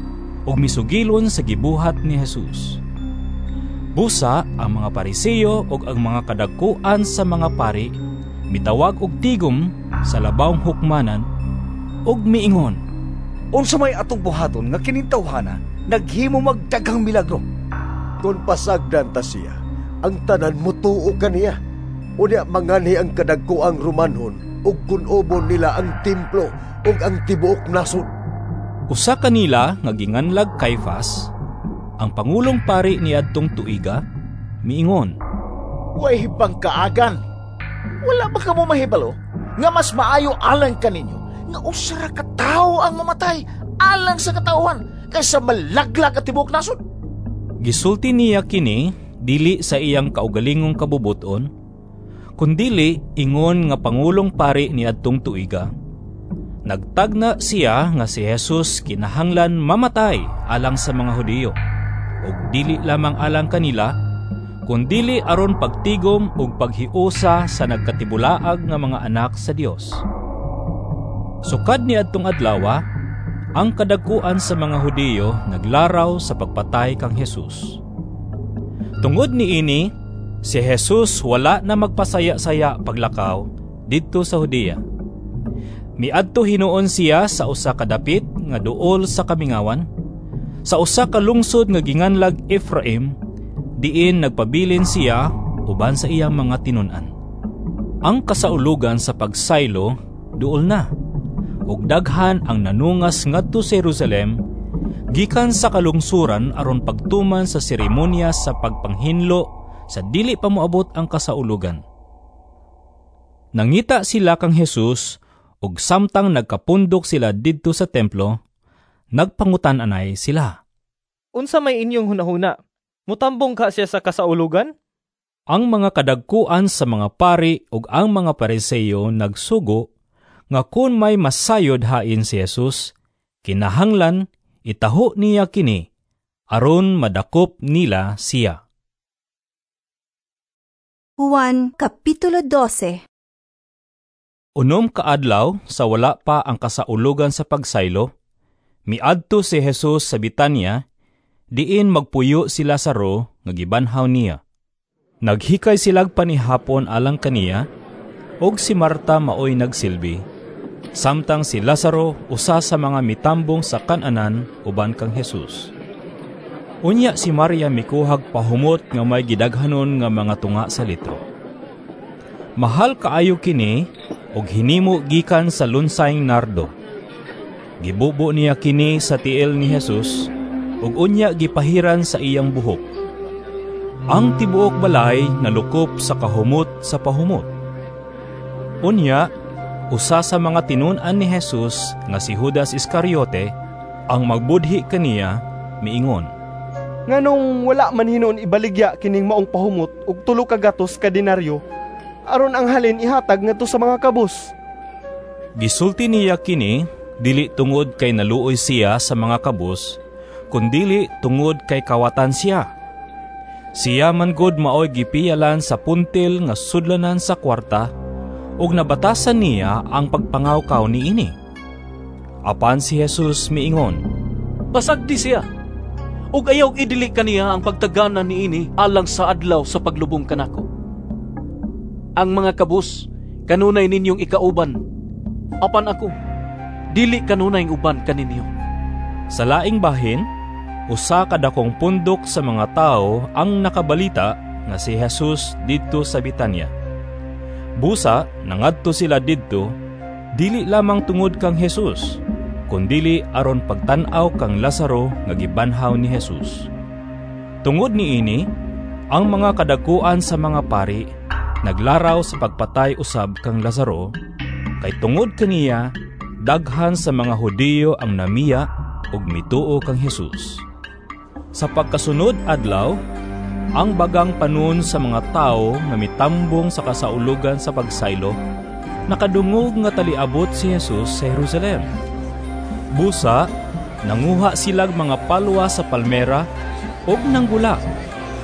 ug misugilon sa gibuhat ni Jesus. Busa ang mga Pariseo ug ang mga kadagkuan sa mga pari mitawag og tigom sa labawng hukmanan ug miingon, "Unsa may atong buhaton nga kining tawhana naghimo magdaghang milagro? Kon pasagdan ta siya, ang tanan motuo kaniya. Unya manganhi ang kadagkuang Romanhon ug kun-obon nila ang templo ug ang tibuok nasod." Usa kanila nga ginganlag Kaifas, ang pangulong pari niadtong tuiga, miingon, "Way hibang kaagan. Wala ba kamo mahibalo nga mas maayo alang kaninyo nga usa ra ka tawo ang mamatay alang sa katawhan kaysa malaglag ang tibuok nasod?" Gisulti niya kini dili sa iyang kaugalingong kabubuton, kundili ingon nga pangulong pari niadtong tuiga. Nagtagna siya nga si Jesus kinahanglan mamatay alang sa mga Hudiyo, ug dili lamang alang kanila, kundili aron pagtigom ug paghiusa sa nagkatibulaag nga mga anak sa Dios. Sukad niadtong adlawa, ang kadagkuan sa mga Hudiyo naglaraw sa pagpatay kang Jesus. Tungod niini, si Jesus wala na magpasaya-saya paglakaw didto sa Judea. Miadto hinuon siya sa usa ka dapit nga duol sa kamingawan, sa usa ka lungsod nga ginganlag Efraim, diin nagpabilin siya uban sa iyang mga tinun-an. Ang kasaulugan sa pagsaylo duol na, ug daghan ang nanungas ngadto sa Jerusalem gikan sa kalungsuran aron pagtuman sa seremonya sa pagpanghinlo sa dili pa moabot ang kasaulugan. Nangita sila kang Jesus ug samtang nagkapundok sila didto sa templo, nagpangutan-anay sila. "Unsa may inyong hunahuna? Mutambong ka siya sa kasaulugan?" Ang mga kadagkuan sa mga pari ug ang mga Pariseo nagsugo nga kun may masayod hain si Jesus, kinahanglan itaho niya kini aron madakop nila siya. Juan Kapitulo dose. Unom ka adlaw sa wala pa ang kasaulugan sa pagsaylo, miadto si Jesus sa Bitanya, diin magpuyo si Lazaro nga gibanhaw niya. Naghikay silag panihapon alang kaniya, og si Marta maoy nagsilbi, samtang si Lazaro usa sa mga mitambong sa kananan uban kang Jesus. Unya si Maria mikuhag pahumot nga may gidaghanon nga mga tunga sa litro. Mahal kaayo kini og hinimo gikan sa lunsayng nardo. Gibubo niya kini sa tiil ni Jesus ug unya gipahiran sa iyang buhok. Ang tibuok balay nalukop sa kahumot sa pahumot. Unya, usa sa mga tinun-an ni Jesus nga si Judas Iscariote ang magbudhi kaniya, miingon, "Nganong wala man hinuon ibaligya kining maong pahumot og tulo ka gatos ka denaryo, aron ang halin ihatag ngadto sa mga kabus?" Gisulti niya kini dili tungod kay naluoy siya sa mga kabus, kundili tungod kay kawatan siya. Siya man gud maoy gipiyalan sa puntil nga sudlanan sa kwarta, ug nabatasan niya ang pagpangawkaw niini. Apan si Jesus miingon, "Pasagdi siya, Ug ayaw idili kaniya ang pagtaganan niini alang sa adlaw sa paglubong kanako. Ang mga kabus kanunay ninyong ikauban, apan ako dili kanunay uban kaninyo. Sa laing bahin, usa ka dakong pundok sa mga tawo ang nakabalita nga si Jesus didto sa Betania. Busa nangadto sila didto dili lamang tungod kang Jesus, kundili aron pagtan-aw kang Lazaro nga gibanhaw ni Jesus. Tungod niini, ang mga kadakuan sa mga pari naglaraw sa pagpatay usab kang Lazaro, kay tungod kaniya daghan sa mga Hudiyo ang namiya ug mituo kang Jesus. Sa pagkasunod adlaw, ang bagang panon sa mga tawo nga mitambong sa kasaulugan sa pagsaylo, nakadungog nga taliabot si Jesus sa Jerusalem. Busa, nanguha silag mga palwa sa palmera ug nanggula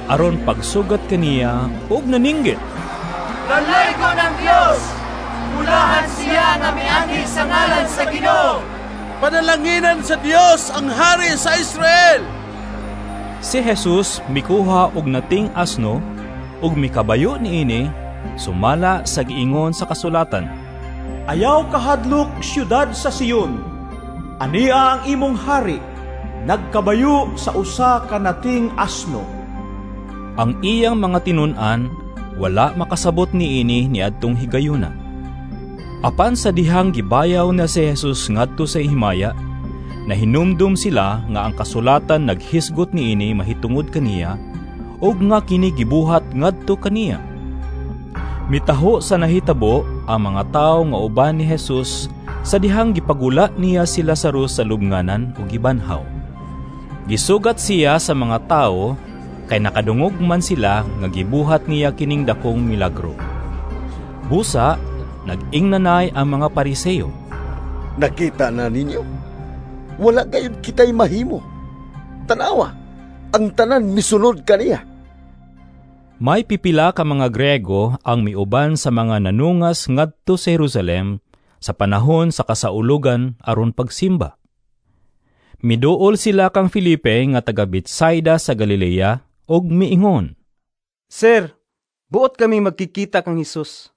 aron pagsugat kaniya ug naninggit. Lalaygon ang Dios! Mulahan siya nga mianhi sa ngalan sa Ginoo! Panalanginan sa Dios ang hari sa Israel! Si Jesus mikuha og nating asno ug mikabayo niini sumala sa giingon sa kasulatan. Ayaw kahadlok siyudad sa Sion. Ania ang imong hari, nagkabayo sa usa ka nating asno. Ang iyang mga tinun-an wala makasabot niini niadtong higayuna. Apan sa dihang gibayaw na si Jesus ngadto sa himaya, nahinumdum sila nga ang kasulatan naghisgot niini mahitungod kaniya ug nga kini gibuhat ngadto kaniya. Mitaho sa nahitabo ang mga tawo nga uban ni Jesus sa dihang gipagula niya si Lazarus sa lubnganan ug gibanhaw. Gisugat siya sa mga tawo kay nakadungog man sila nga gibuhat niya kining dakong milagro. Busa, nag-ingnanay ang mga Pariseo. Nakita na ninyo? Wala gayud kita'y mahimo. Tanawa, ang tanan misunod kaniya. May pipila ka mga Grego ang miuban sa mga nanungas ngadto sa Jerusalem sa panahon sa kasaulugan aron pagsimba. Miduol sila kang Felipe nga taga Betsaida sa Galilea ug miingon, Sir, buot kami magkikita kang Hesus.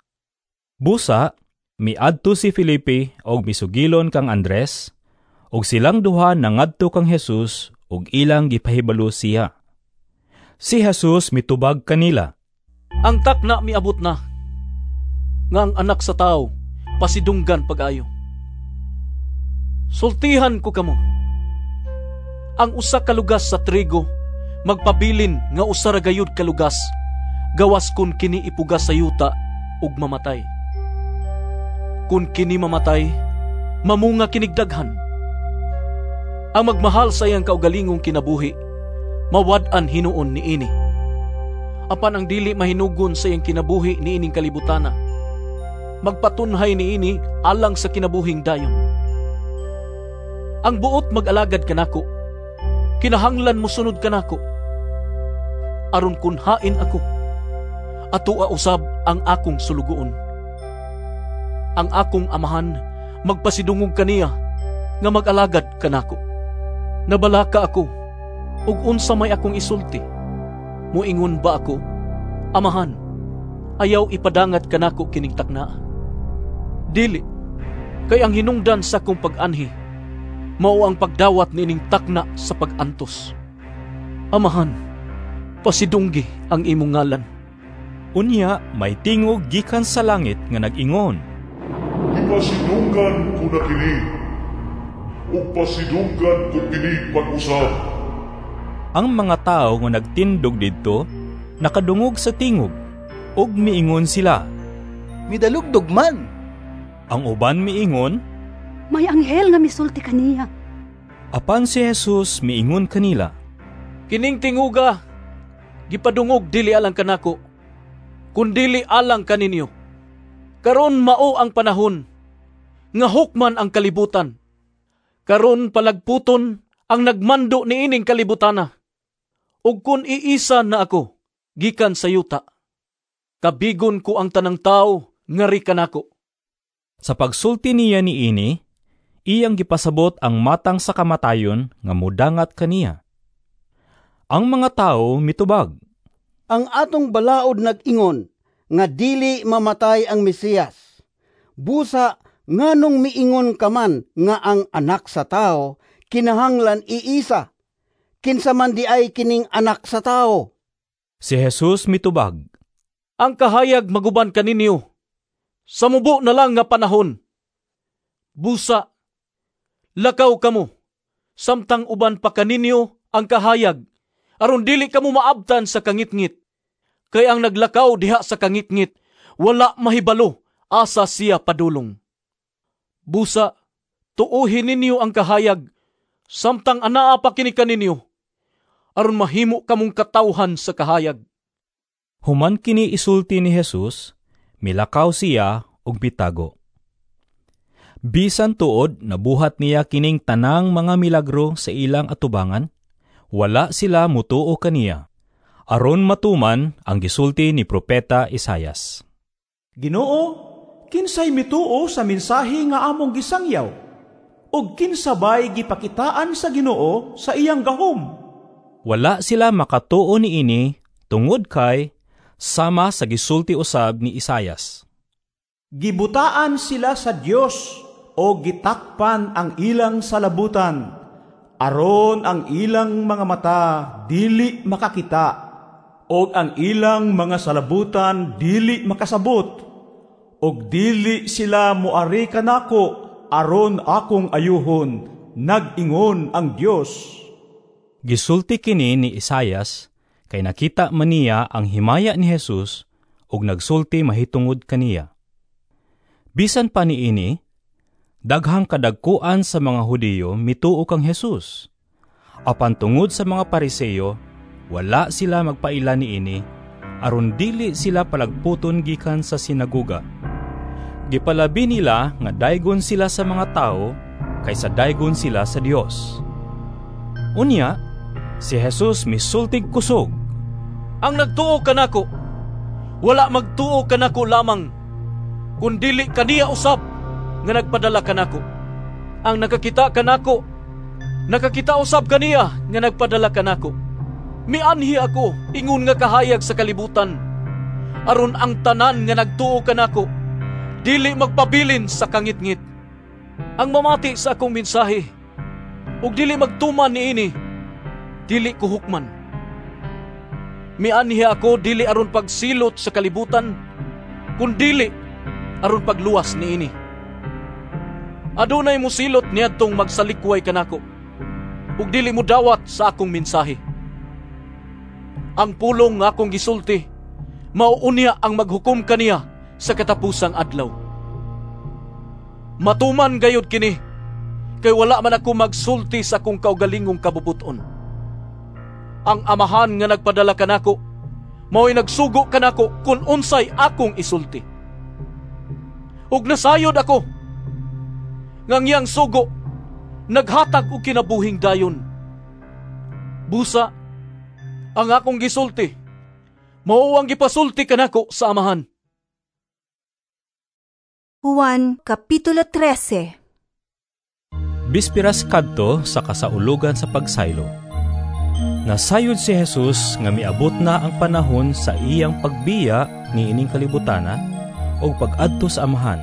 Busa, miadto si Felipe og misugilon kang Andres, ug silang duha nangadto kang Jesus ug ilang gipahibalo siya. Si Jesus mitubag kanila, Ang takna miabot na, nga ang anak sa tao pasidunggan pag-ayo. Sultihan ko kamo, ang usa ka lugas sa trigo magpabilin nga usa ra gayud ka lugas, gawas kun kini ipugas sa yuta ug mamatay. Kun kini mamatay, mamunga kinig daghan. Ang magmahal sa iyang kaugalingong kinabuhi, mawad-an hinuon niini. Apan ang dili mahinugon sa iyang kinabuhi niining kalibutana, magpatunhay niini alang sa kinabuhing dayon. Ang buot mag-alagad kanako, kinahanglan mosunod kanako. Aron kun hain ako, atoa usab ang akong sulugoon. Ang akong amahan magpasidungog kaniya nga mag-alagad kanako. Nabalaka ako, ug unsa may akong isulti? Muingon ba ako, Amahan, ayaw ipadangat kanako kining takna? Dili, kay ang hinungdan sa akong pag-anhi mao ang pagdawat niining takna sa pag-antos. Amahan, pasidunggi ang imong ngalan. Unya may tingog gikan sa langit nga nag-ingon, Gipasidunggan ko na kini, ug pasidunggan ko kini pag-usab. Ang mga tawo nga nagtindog didto nakadungog sa tingog ug miingon sila, Midalugdog man. Ang uban miingon, May anghel nga misulti kaniya. Apan si Jesus miingon kanila, Kining tinguga gipadungog dili alang kanako, kundili alang kaninyo. Karon mao ang panahon nga hukman ang kalibutan. Karon palagputon ang nagmando niining kalibutana. Ug kun iisa na ako gikan sa yuta, kabigon ko ang tanang tawo ngari kanako. Sa pagsulti niya niini, iyang gipasabot ang matang sa kamatayon nga mudangat kaniya. Ang mga tawo mitubag, "Ang atong balaod nag-ingon nga dili mamatay ang Mesiyas. Busa nganong miingon ka man nga ang Anak sa Tawo kinahanglan iisa? Kinsa man di ay kining Anak sa Tawo?" Si Jesus mitubag, "Ang kahayag maguban kaninyo sa mubo na lang nga panahon. Busa, lakaw kamo, samtang uban pa kaninyo ang kahayag, aron dili kamo maabtan sa kangitngit. Kay ang naglakaw diha sa kangitngit, wala mahibalo asa siya padulong. Busa, tuohin ninyo ang kahayag, samtang anaa pa kini kaninyo, aron mahimo kamong katawhan sa kahayag." Human kini isulti ni Jesus, milakaw siya ug mitago. Bisan tuod nabuhat niya kining tanang mga milagro sa ilang atubangan, wala sila mutuo kaniya, aron matuman ang gisulti ni Propeta Isayas. "Ginoo, kinsay mituo sa mensahe nga among gisangyaw? Ug kinsa bay gipakitaan sa Ginoo sa iyang gahom?" Wala sila makatuo niini tungod kay sama sa gisulti usab ni Isayas, "Gibutaan sila sa Dios o gitakpan ang ilang salabutan, aron ang ilang mga mata dili makakita, og ang ilang mga salabutan dili makasabot, og dili sila moari kanako aron akong ayuhon, nag-ingon ang Dios." Gisulti kini ni Isayas kay nakita man niya ang himaya ni Jesus ug nagsulti mahitungod kaniya. Bisan pa niini, daghang kadagkuan sa mga Hudiyo mituo kang Jesus. Apan tungod sa mga Pariseo, wala sila magpaila niini, aron dili sila palagputon gikan sa sinagoga. Gipalabi nila nga daygon sila sa mga tawo kaysa daygon sila sa Dios. Unya, si Jesus misultig kusog, "Ang nagtuo kanako, wala magtuo kanako lamang, kundili kaniya usab nga nagpadala kanako. Ang nakakita kanako, nakakita usab kaniya nga nagpadala kanako. Mianhi ako ingon nga kahayag sa kalibutan, aron ang tanan nga nagtuo kanako dili magpabilin sa kangitngit. Ang mamati sa akong mensahe ug dili magtuman niini, dili ko hukman. Mianhi ako dili aron pagsilot sa kalibutan, kundili aron pagluwas niini. Adunay mosilot niadtong magsalikway kanako, ug dili modawat sa akong mensahe. Ang pulong nga akong gisulti, mao unya ang maghukom kaniya sa katapusang adlaw. Matuman gayud kini, kay wala man ako magsulti sa akong kaugalingong kabubuton. Ang Amahan nga nagpadala kanako, mao'y nagsugo kanako kun unsay akong isulti. Ug nasayod ako nga ang iyang sugo naghatag og kinabuhing dayon. Busa, ang akong gisulti, mao ang gipasulti kanako sa Amahan." Juan Kapitulo trese. Bispiras kadto sa kasaulugan sa pagsaylo. Nasayod si Jesus nga miabot na ang panahon sa iyang pagbiya niining kalibutana og pag-adto sa Amahan.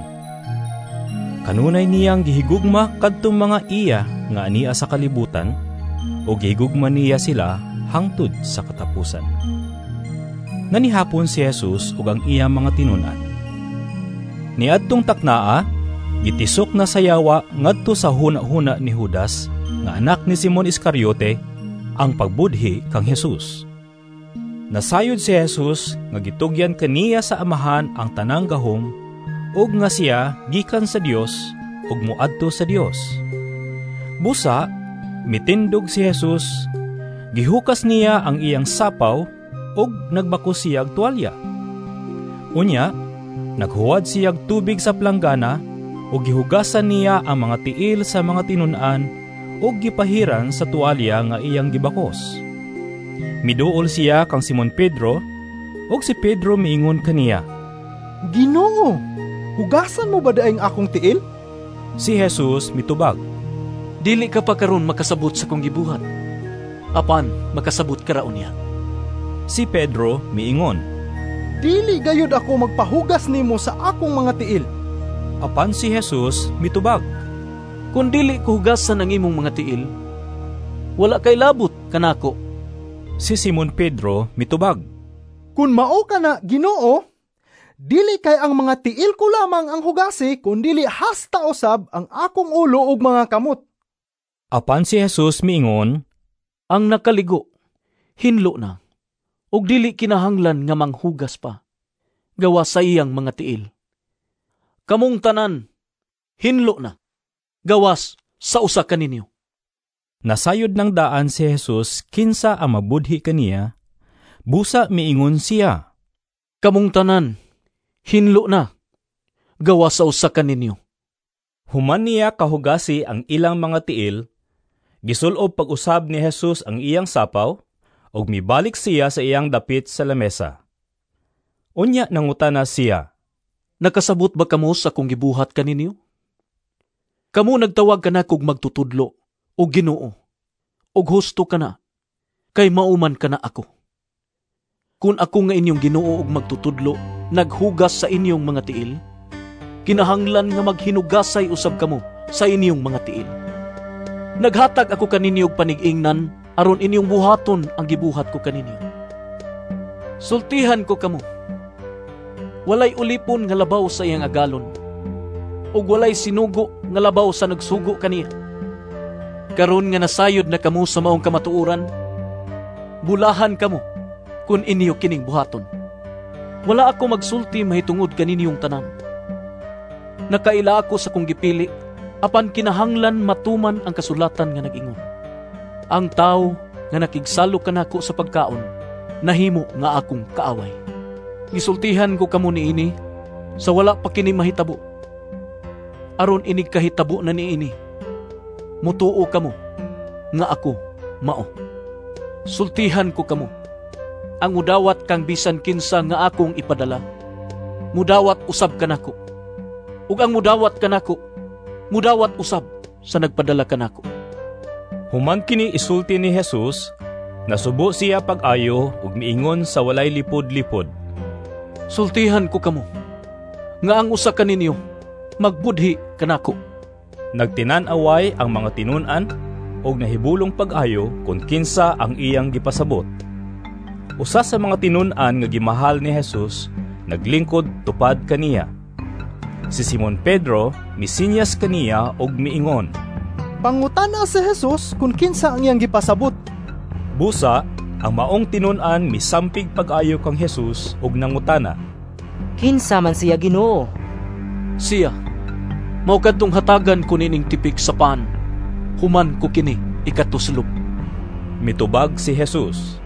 Kanunay niyang gihigugma kadtong mga iya nga ania sa kalibutan, o gihigugma niya sila hangtod sa katapusan. Nanihapon si Jesus ug ang iyang mga tinun-an. Niadtong taknaa, gitisok na sa yawa ngadto sa huna-huna ni Judas nga anak ni Simon Iscariote ang pagbudhi kang Jesus. Nasayod si Jesus nga gitugyan kaniya sa Amahan ang tanang gahom ug nga siya gikan sa Dios ug moadto sa Dios. Busa, mitindog si Jesus, gihukas niya ang iyang sapaw ug nagbakos siyag tuwalya. Unya, naghuwad siyag tubig sa planggana ug gihugasan niya ang mga tiil sa mga tinun-an ug gipahiran sa tuwalya nga iyang gibakos. Miduol siya kang Simon Pedro, ug si Pedro miingon kaniya, "Ginoo, hugasan mo ba daing akong tiil?" Si Jesus mitubag, "Dili ka pa karon makasabot sa kong gibuhat, Apan makasabot ka ra unya. Si Pedro miingon, "Dili gayud ako magpahugas nimo sa akong mga tiil." Apan si Jesus mitubag, "Kun dili ko hugasan ang imong mga tiil, wala kay labot kanako." Si Simon Pedro mitubag, "Kun mao kana, Ginoo, dili kay ang mga tiil ko lamang ang hugasi, kundili hasta usab ang akong ulo ug mga kamot." Apan si Jesus miingon, "Ang nakaligo, hinlo na, ug dili kinahanglan nga manghugas pa, gawas sa iyang mga tiil. Kamong tanan, hinlo na, gawas sa usa kaninyo." Nasayod ng daan si Jesus kinsa ang mabudhi kaniya, busa miingon siya, "Kamong tanan, hinlo na, gawas sa usa kaninyo." Human niya kahugasi ang ilang mga tiil, gisulob pag-usab ni Jesus ang iyang sapaw, ug mibalik siya sa iyang dapit sa lamesa. Unya nangutana siya, "Nakasabot ba kamo sa akong gibuhat kaninyo? Kamo nagtawag kanakog magtutudlo o Ginoo, ug husto kana, kay mauman kana ako. Kun ako nga inyong Ginoo ug magtutudlo naghugas sa inyong mga tiil, kinahanglan nga maghinugasay usab kamo sa inyong mga tiil. Naghatag ako kaninyo og panig-ingnan aron inyong buhaton ang gibuhat ko kaninyo. Sultihan ko kamo, walay ulipon nga labaw sa iyang agalon, ug walay sinugo nga labaw sa nagsugo kaniya. Karon nga nasayod na kamo sa maong kamatuoran, bulahan kamo kun inyo kining buhaton. Wala ako magsulti mahitungod kaninyong tanan. Nakaila ako sa kong gipili, apan kinahanglan matuman ang kasulatan nga nag-ingon, ang tawo nga nakigsalo kanako sa pagkaon, nahimo nga akong kaaway. Gisultihan ko kamo niini sa wala pa kini mahitabo, aron inig kahitabo na niini, mutuo kamo nga ako mao. Sultihan ko kamo, ang mudawat kang bisan kinsa nga akong ipadala, mudawat usab kanako, ug ang mudawat kanako, mudawat usab sa nagpadala kanako." Human kini isulti ni Jesus, nasubo siya pag-ayo ug miingon sa walay lipod-lipod, "Sultihan ko kamo, nga ang usa kaninyo magbudhi kanako." Nagtinan-away ang mga tinun-an ug nahibulong pag-ayo kun kinsa ang iyang gipasabot. Usa sa mga tinun-an nga gimahal ni Jesus naglingkod tupad kaniya. Si Simon Pedro misinyas kaniya ug miingon, "Pangutana si Jesus kung kinsa ang iyang gipasabot." Busa, ang maong tinun-an misampig pag-ayo kang Jesus ug nangutana, "Kinsa man siya, Ginoo?" "Siya, mao kadtong hatagan ko nining tipik sa pan, human ko kini ikatuslob." Mitubag si Jesus.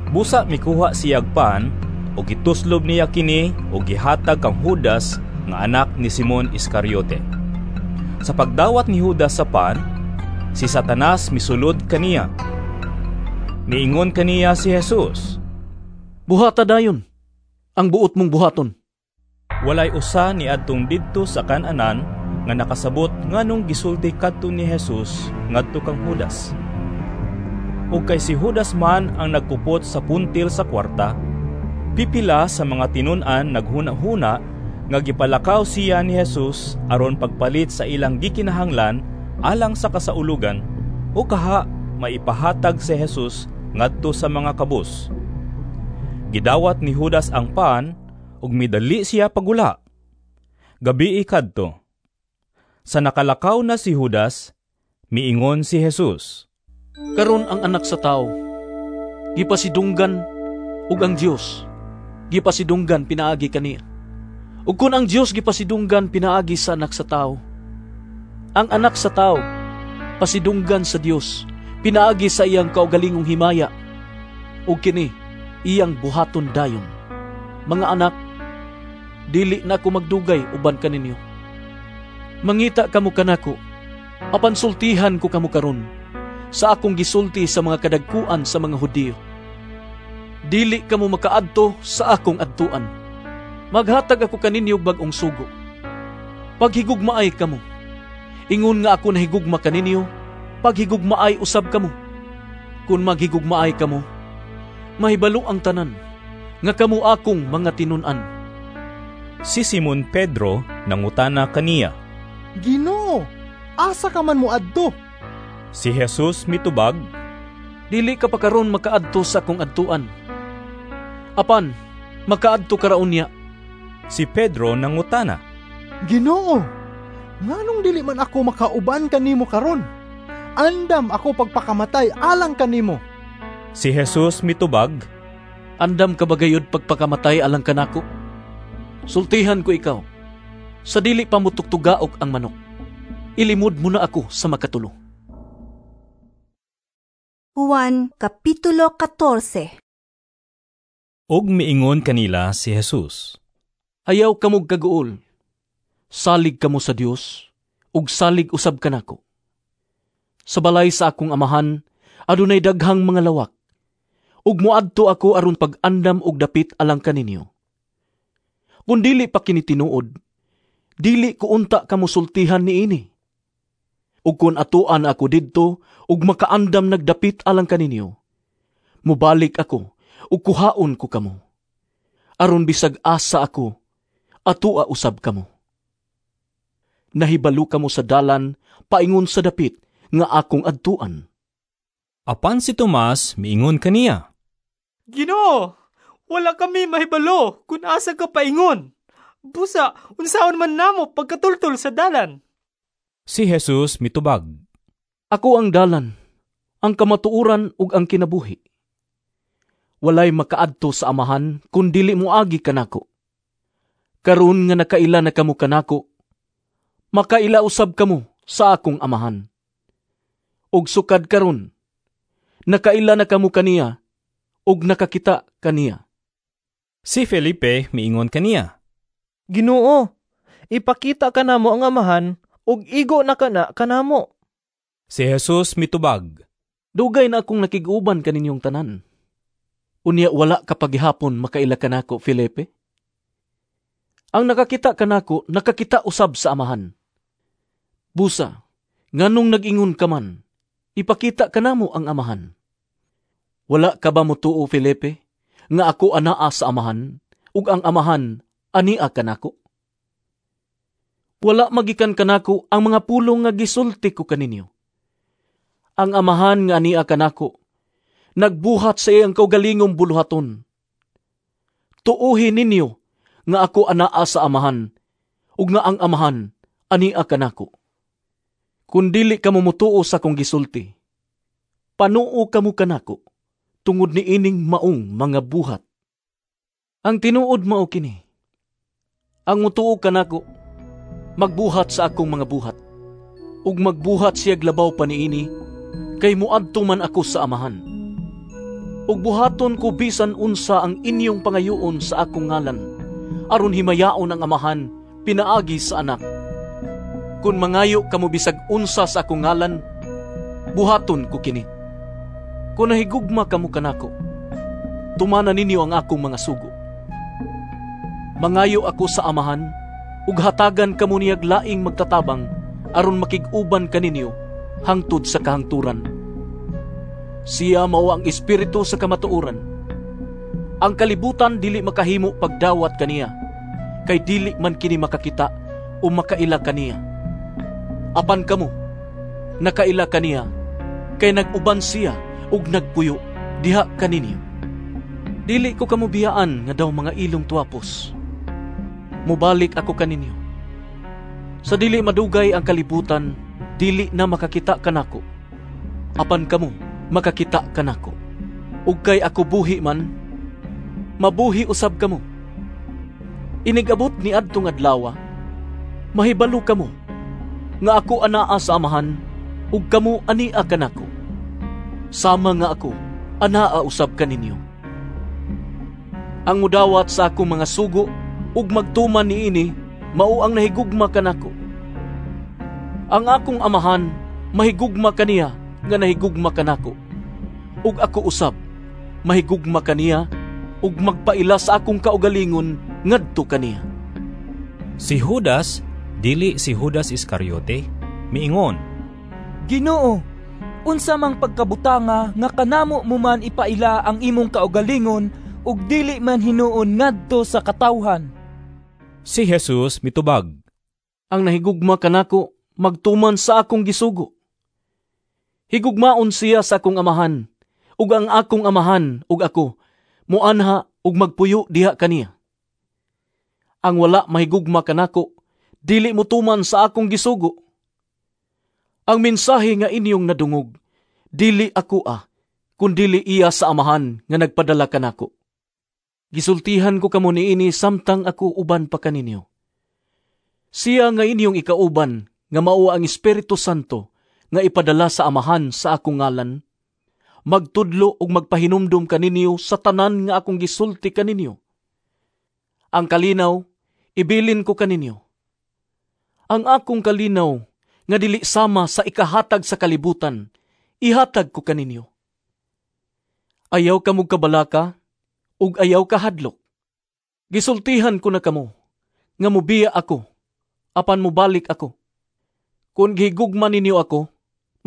Busa mikuha siyag pan ug gituslob niya kini ug gihatag kang Judas nga anak ni Simon Iscariote. Sa pagdawat ni Judas sa pan, si Satanas misulod kaniya. Niingon kaniya si Jesus, "Buhata dayon ang buot mong buhaton." Walay usa ni adtong didto sa kan-anan nga nakasabot nganong gisulti kadto ni Jesus ngadto kang Judas. Ug kay si Judas man ang nagkupot sa puntil sa kwarta, pipila sa mga tinun-an naghuna-huna nga gipalakaw siya ni Jesus aron pagpalit sa ilang gikinahanglan alang sa kasaulugan o kaha maipahatag si Jesus ngadto sa mga kabus. Gidawat ni Judas ang pan ug midali siya pagula. Gabii kadto. Sa nakalakaw na si Judas, miingon si Jesus, "Karon ang anak sa tawo gipasidunggan, ug ang Dios gipasidunggan pinaagi kaniya. Ug kun ang Dios gipasidunggan pinaagi sa anak sa tawo, ang anak sa tawo pasidunggan sa Dios pinaagi sa iyang kaugalingong himaya, ug kini iyang buhaton dayon. Mga anak, dili na ako magdugay uban kaninyo. Mangita kamo kanako, apan sultihan ko kamo karon sa akong gisulti sa mga kadagkuan sa mga Hudiyo. Dili kamo makaadto sa akong adtuan. Maghatag ako kaninyo og bag-ong sugo. Paghigugmaay kamo. Ingon nga ako nahigugma kaninyo, paghigugmaay usab kamo. Kung maghigugmaay kamo, mahibalo ang tanan nga kamo akong mga tinun-an. Si Simon Pedro nangutana kaniya, Ginoo, asa ka man moadto? Si Jesus mitubag, Dili ka pa karon makaadto sa akong adtuan. Apan makaadto ka ra unya. Si Pedro nangutana, Ginoo, nganong dili man ako makauban kanimo karon? Andam ako pagpakamatay alang kanimo. Si Jesus mitubag, Andam ka ba gayud pagpakamatay alang kanako? Sultihan ko ikaw, sa dili pa motugtugaok ang manok, ilimod mo na ako sa makatulo. Juan Kapitulo katorse. Ug miingon kanila si Jesus, Ayaw kamog kaguol. Salig kamo sa Dios, ug salig usab kanako. Sa balay sa akong amahan, adunay daghang mga lawak. Ug moadto ako aron pag-andam og dapit alang kaninyo. Kun dili pa kini tinuod, dili ko unta kamo sultihan niini. Ug kun atuan ako didto ug makaandam nagdapit alang kaninyo, mobalik ako ug kuhaon ko kamo. Aron bisag asa ako, atua usab kamo. Nahibalo kamo sa dalan paingon sa dapit nga akong adtuan. Apan si Tomas miingon kaniya, Ginoo, wala kami mahibalo kung asa ka paingon. Busa, unsaon man namo pagkatultol sa dalan. Si Jesus mitubag, Ako ang dalan, ang kamatuoran ug ang kinabuhi. Walay makaadto sa amahan kun dili moagi kanako. Karon nga nakaila na kamo kanako, makaila usab kamo sa akong amahan. Ug sukad karon, nakaila na kamo kaniya ug nakakita kaniya. Si Felipe miingon kaniya, Ginoo, ipakita kanamo ang amahan ug igo na kana kanamo. Si Jesus mitubag, Dugay na akong nakig-uban kaninyong tanan. Unya wala ka paghihapon makaila kanako, Felipe? Ang nakakita kanako, nakakita usab sa amahan. Busa, nganong nag-ingon ka man, ipakita kanamo ang amahan. Wala ka ba motuo, Felipe, nga ako anaa sa amahan, ug ang amahan ania kanako? Wala magikan kanako ang mga pulong nga gisulti ko kaninyo. Ang amahan nga ania kanako, nagbuhat sa iyang kaugalingong buluhaton. Tuohi ninyo nga ako anaa sa amahan, ug nga ang amahan ania kanako. Kun dili kamo motuo sa akong gisulti, panuo kamo kanako tungod niining maong mga buhat. Ang tinuod mao kini, ang motuo kanako, magbuhat sa akong mga buhat, ug magbuhat siyag labaw pa niini, kay moadto man ako sa amahan. Ug buhaton ko bisan unsa ang inyong pangayoon sa akong ngalan, aron himayaon ang amahan pinaagi sa anak. Kun mangayo kamo bisag unsa sa akong ngalan, buhaton ko kini. Kun nahigugma kamo kanako, tumana ninyo ang akong mga sugo. Mangayo ako sa amahan, ug hatagan kamo niyag laing magtatabang aron makig-uban kaninyo hangtod sa kahangturan. Siya mao ang espiritu sa kamatuoran. Ang kalibutan dili makahimo pagdawat kaniya, kay dili man kini makakita o makaila kaniya. Apan kamo, nakaila kaniya, kay nag-uban siya ug nagpuyo diha kaninyo. Dili ko kamo biyaan nga daw mga ilong tuwapos. Mobalik ako kaninyo. Sa dili madugay ang kalibutan, dili na makakita kanako. Apan kamo, makakita kanako. Ug kay ako buhi man, mabuhi usab kamo. Inigabot ni adtong adlaw, mahibalo kamo nga ako anaa sa amahan ug kamo ania kanako. Sama nga ako anaa usab kaninyo. Ang mudawat sa akong mga sugo ug magtuman niini mao ang nahigugma kanako. Ang akong amahan mahigugma kaniya nga nahigugma kanako, ug ako usab mahigugma kaniya ug magpaila sa akong kaugalingon ngadto kaniya. Si Judas, dili si Judas Iscariote, miingon, Ginoo, Unsa mang pagkabutanga nga kanamo mo man ipaila ang imong kaugalingon ug dili man hinuon ngadto sa katawhan? Si Jesus mitubag, Ang nahigugma kanako magtuman sa akong gisugo. Higugmaon siya sa akong amahan, ug ang akong amahan ug ako muanha ug magpuyo diha kaniya. Ang wala mahigugma kanako dili motuman sa akong gisugo. Ang mensahe nga inyong nadungog, dili ako ah, kundili iya sa amahan nga nagpadala kanako. Gisultihan ko kamo niini samtang ako uban pa kaninyo. Siya nga inyong ikauban, nga mao ang Espiritu Santo, nga ipadala sa amahan sa akong ngalan, magtudlo ug magpahinumdom kaninyo sa tanan nga akong gisulti kaninyo. Ang kalinaw, ibilin ko kaninyo. Ang akong kalinaw, nga dili sama sa ikahatag sa kalibutan, ihatag ko kaninyo. Ayaw kamog kabalaka, ug ayaw kahadlok. Gisultihan ko na kamo, nga mubiya ako, apan mubalik ako. Kung gihigugma ninyo ako,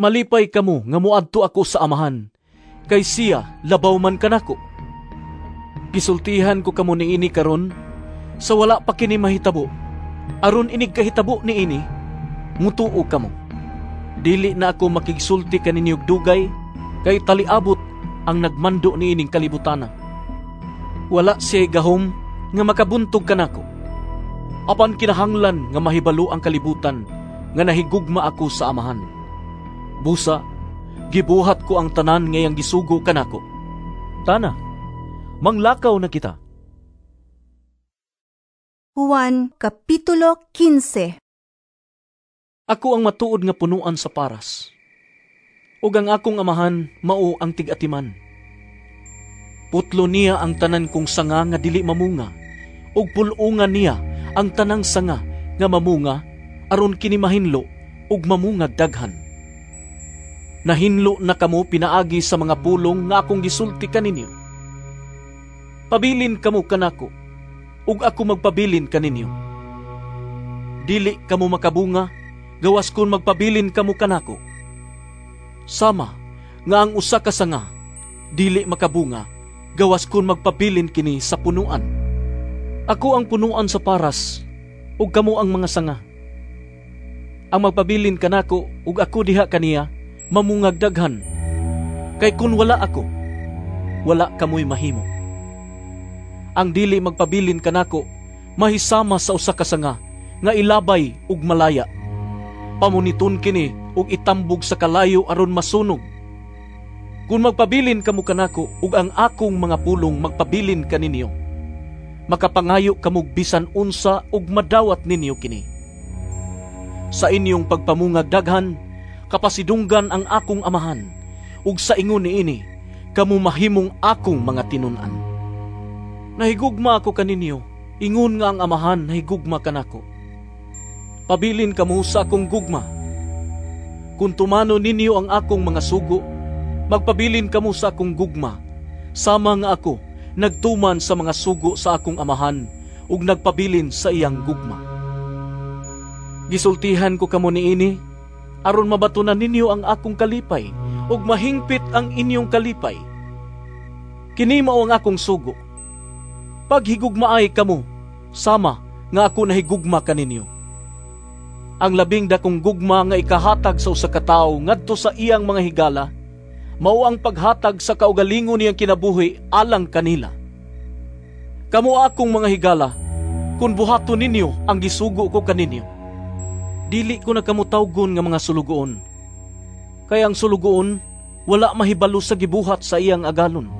malipay kamo nga muadto ako sa amahan, kay siya labaw man kanako. Gisultihan ko kamo niini karon, sa wala pa kini mahitabo, aron inig kahitabo niini, mutuo kamo. Dili na ako makigsulti kaninyo og dugay, kay taliabot ang nagmando niining kalibutana. Wala siya gahom nga makabuntog kanako. Apan kinahanglan nga mahibalo ang kalibutan nga nahigugma ako sa amahan. Busa, gibuhat ko ang tanan ngayang gisugo kanako. Tana, manglakaw na kita. Juan Kapitulo kinse. Ako ang matuod nga punuan sa paras, ug ang akong amahan mao ang tig-atiman. Putlo niya ang tanan kong sanga nga dili mamunga, ug pul-ungan niya ang tanang sanga nga mamunga, aron kini mahinlo ug mamungag daghan. Nahinlo na kamo pinaagi sa mga pulong nga akong gisulti kaninyo. Pabilin kamo kanako, ug ako magpabilin kaninyo. Dili kamo makabunga, gawas kun magpabilin kamo kanako. Sama nga ang usa ka sanga dili makabunga, gawas kun magpabilin kini sa punuan. Ako ang punuan sa paras, ug kamo ang mga sanga. Ang magpabilin kanako ug ako diha kaniya, mamungag daghan. Kay kun wala ako, wala kamoy mahimo. Ang dili magpabilin kanako, mahisama sa usa ka sanga nga ilabay ug malaya. Pamuniton kini ug itambog sa kalayo aron masunog. Kung magpabilin kamo kanako ug ang akong mga pulong magpabilin kaninyo, makapangayo kamo bisan unsa ug madawat ninyo kini. Sa inyong pagpamungag daghan, kapasidunggan ang akong amahan, ug sa ingon niini kamo mahimong akong mga tinun-an. Nahigugma ako kaninyo, ingon nga ang amahan nahigugma kanako. Pabilin kamo sa akong gugma. Kung tumano ninyo ang akong mga sugo, magpabilin kamo sa akong gugma, sama nga ako nagtuman sa mga sugo sa akong amahan ug nagpabilin sa iyang gugma. Gisultihan ko kamo niini aron mabatunan ninyo ang akong kalipay ug mahingpit ang inyong kalipay. Kini mao ang akong sugo. Paghigugmaay kamo, sama nga ako nahigugma kaninyo. Ang labing dakong gugma nga ikahatag sa usa ka tawo ngadto sa iyang mga higala, mao ang paghatag sa kaugalingon niyang kinabuhi alang kanila. Kamo akong mga higala, kun buhaton ninyo ang gisugo ko kaninyo. Dili ko na kamo tawgon nga mga sulugoon. Kay ang sulugoon wala mahibalo sa gibuhat sa iyang agalon.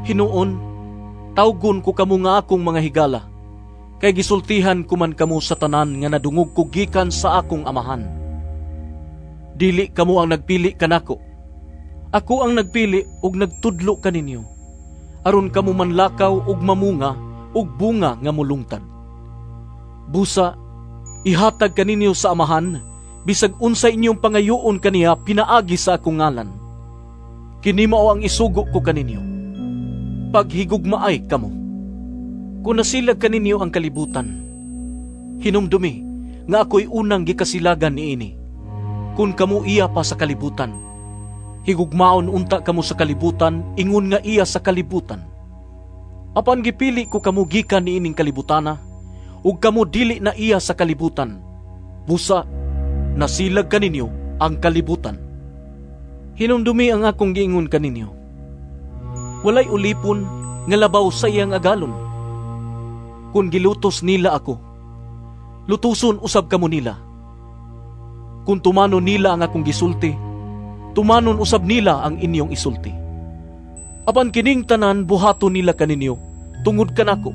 Hinuon, tawgon ko kamo nga akong mga higala, kay gisultihan ko man kamo sa tanan nga nadungog ko gikan sa akong amahan. Dili kamo ang nagpili kanako. Ako ang nagpili ug nagtudlo kaninyo, aron kamo manlakaw ug mamunga ug bunga nga mulungtad. Busa, ihatag kaninyo sa amahan bisag unsa inyong pangayoon kaniya pinaagi sa akong ngalan. Kini mao ang isugo ko kaninyo. Paghigugmaay kamo. Kung nasilag kaninyo ang kalibutan, hinumdumi nga ako'y unang gikasilagan niini. Kung kamo iya pa sa kalibutan, Higugmaon unta kamo sa kalibutan, ingon nga iya sa kalibutan. Apan gipili ko kamo gikan niining kalibutana, ug kamo dili na iya sa kalibutan. Busa, nasilag kaninyo ang kalibutan. Hinumdumi ang akong giingon kaninyo. Walay ulipon nga labaw sa iyang agalon. Kung gilutos nila ako, lutuson usab kamo nila. Kung tumanon nila ang akong gisulti, tumanon usab nila ang inyong isulti. Apan kining tanan buhaton nila kaninyo tungod kanako,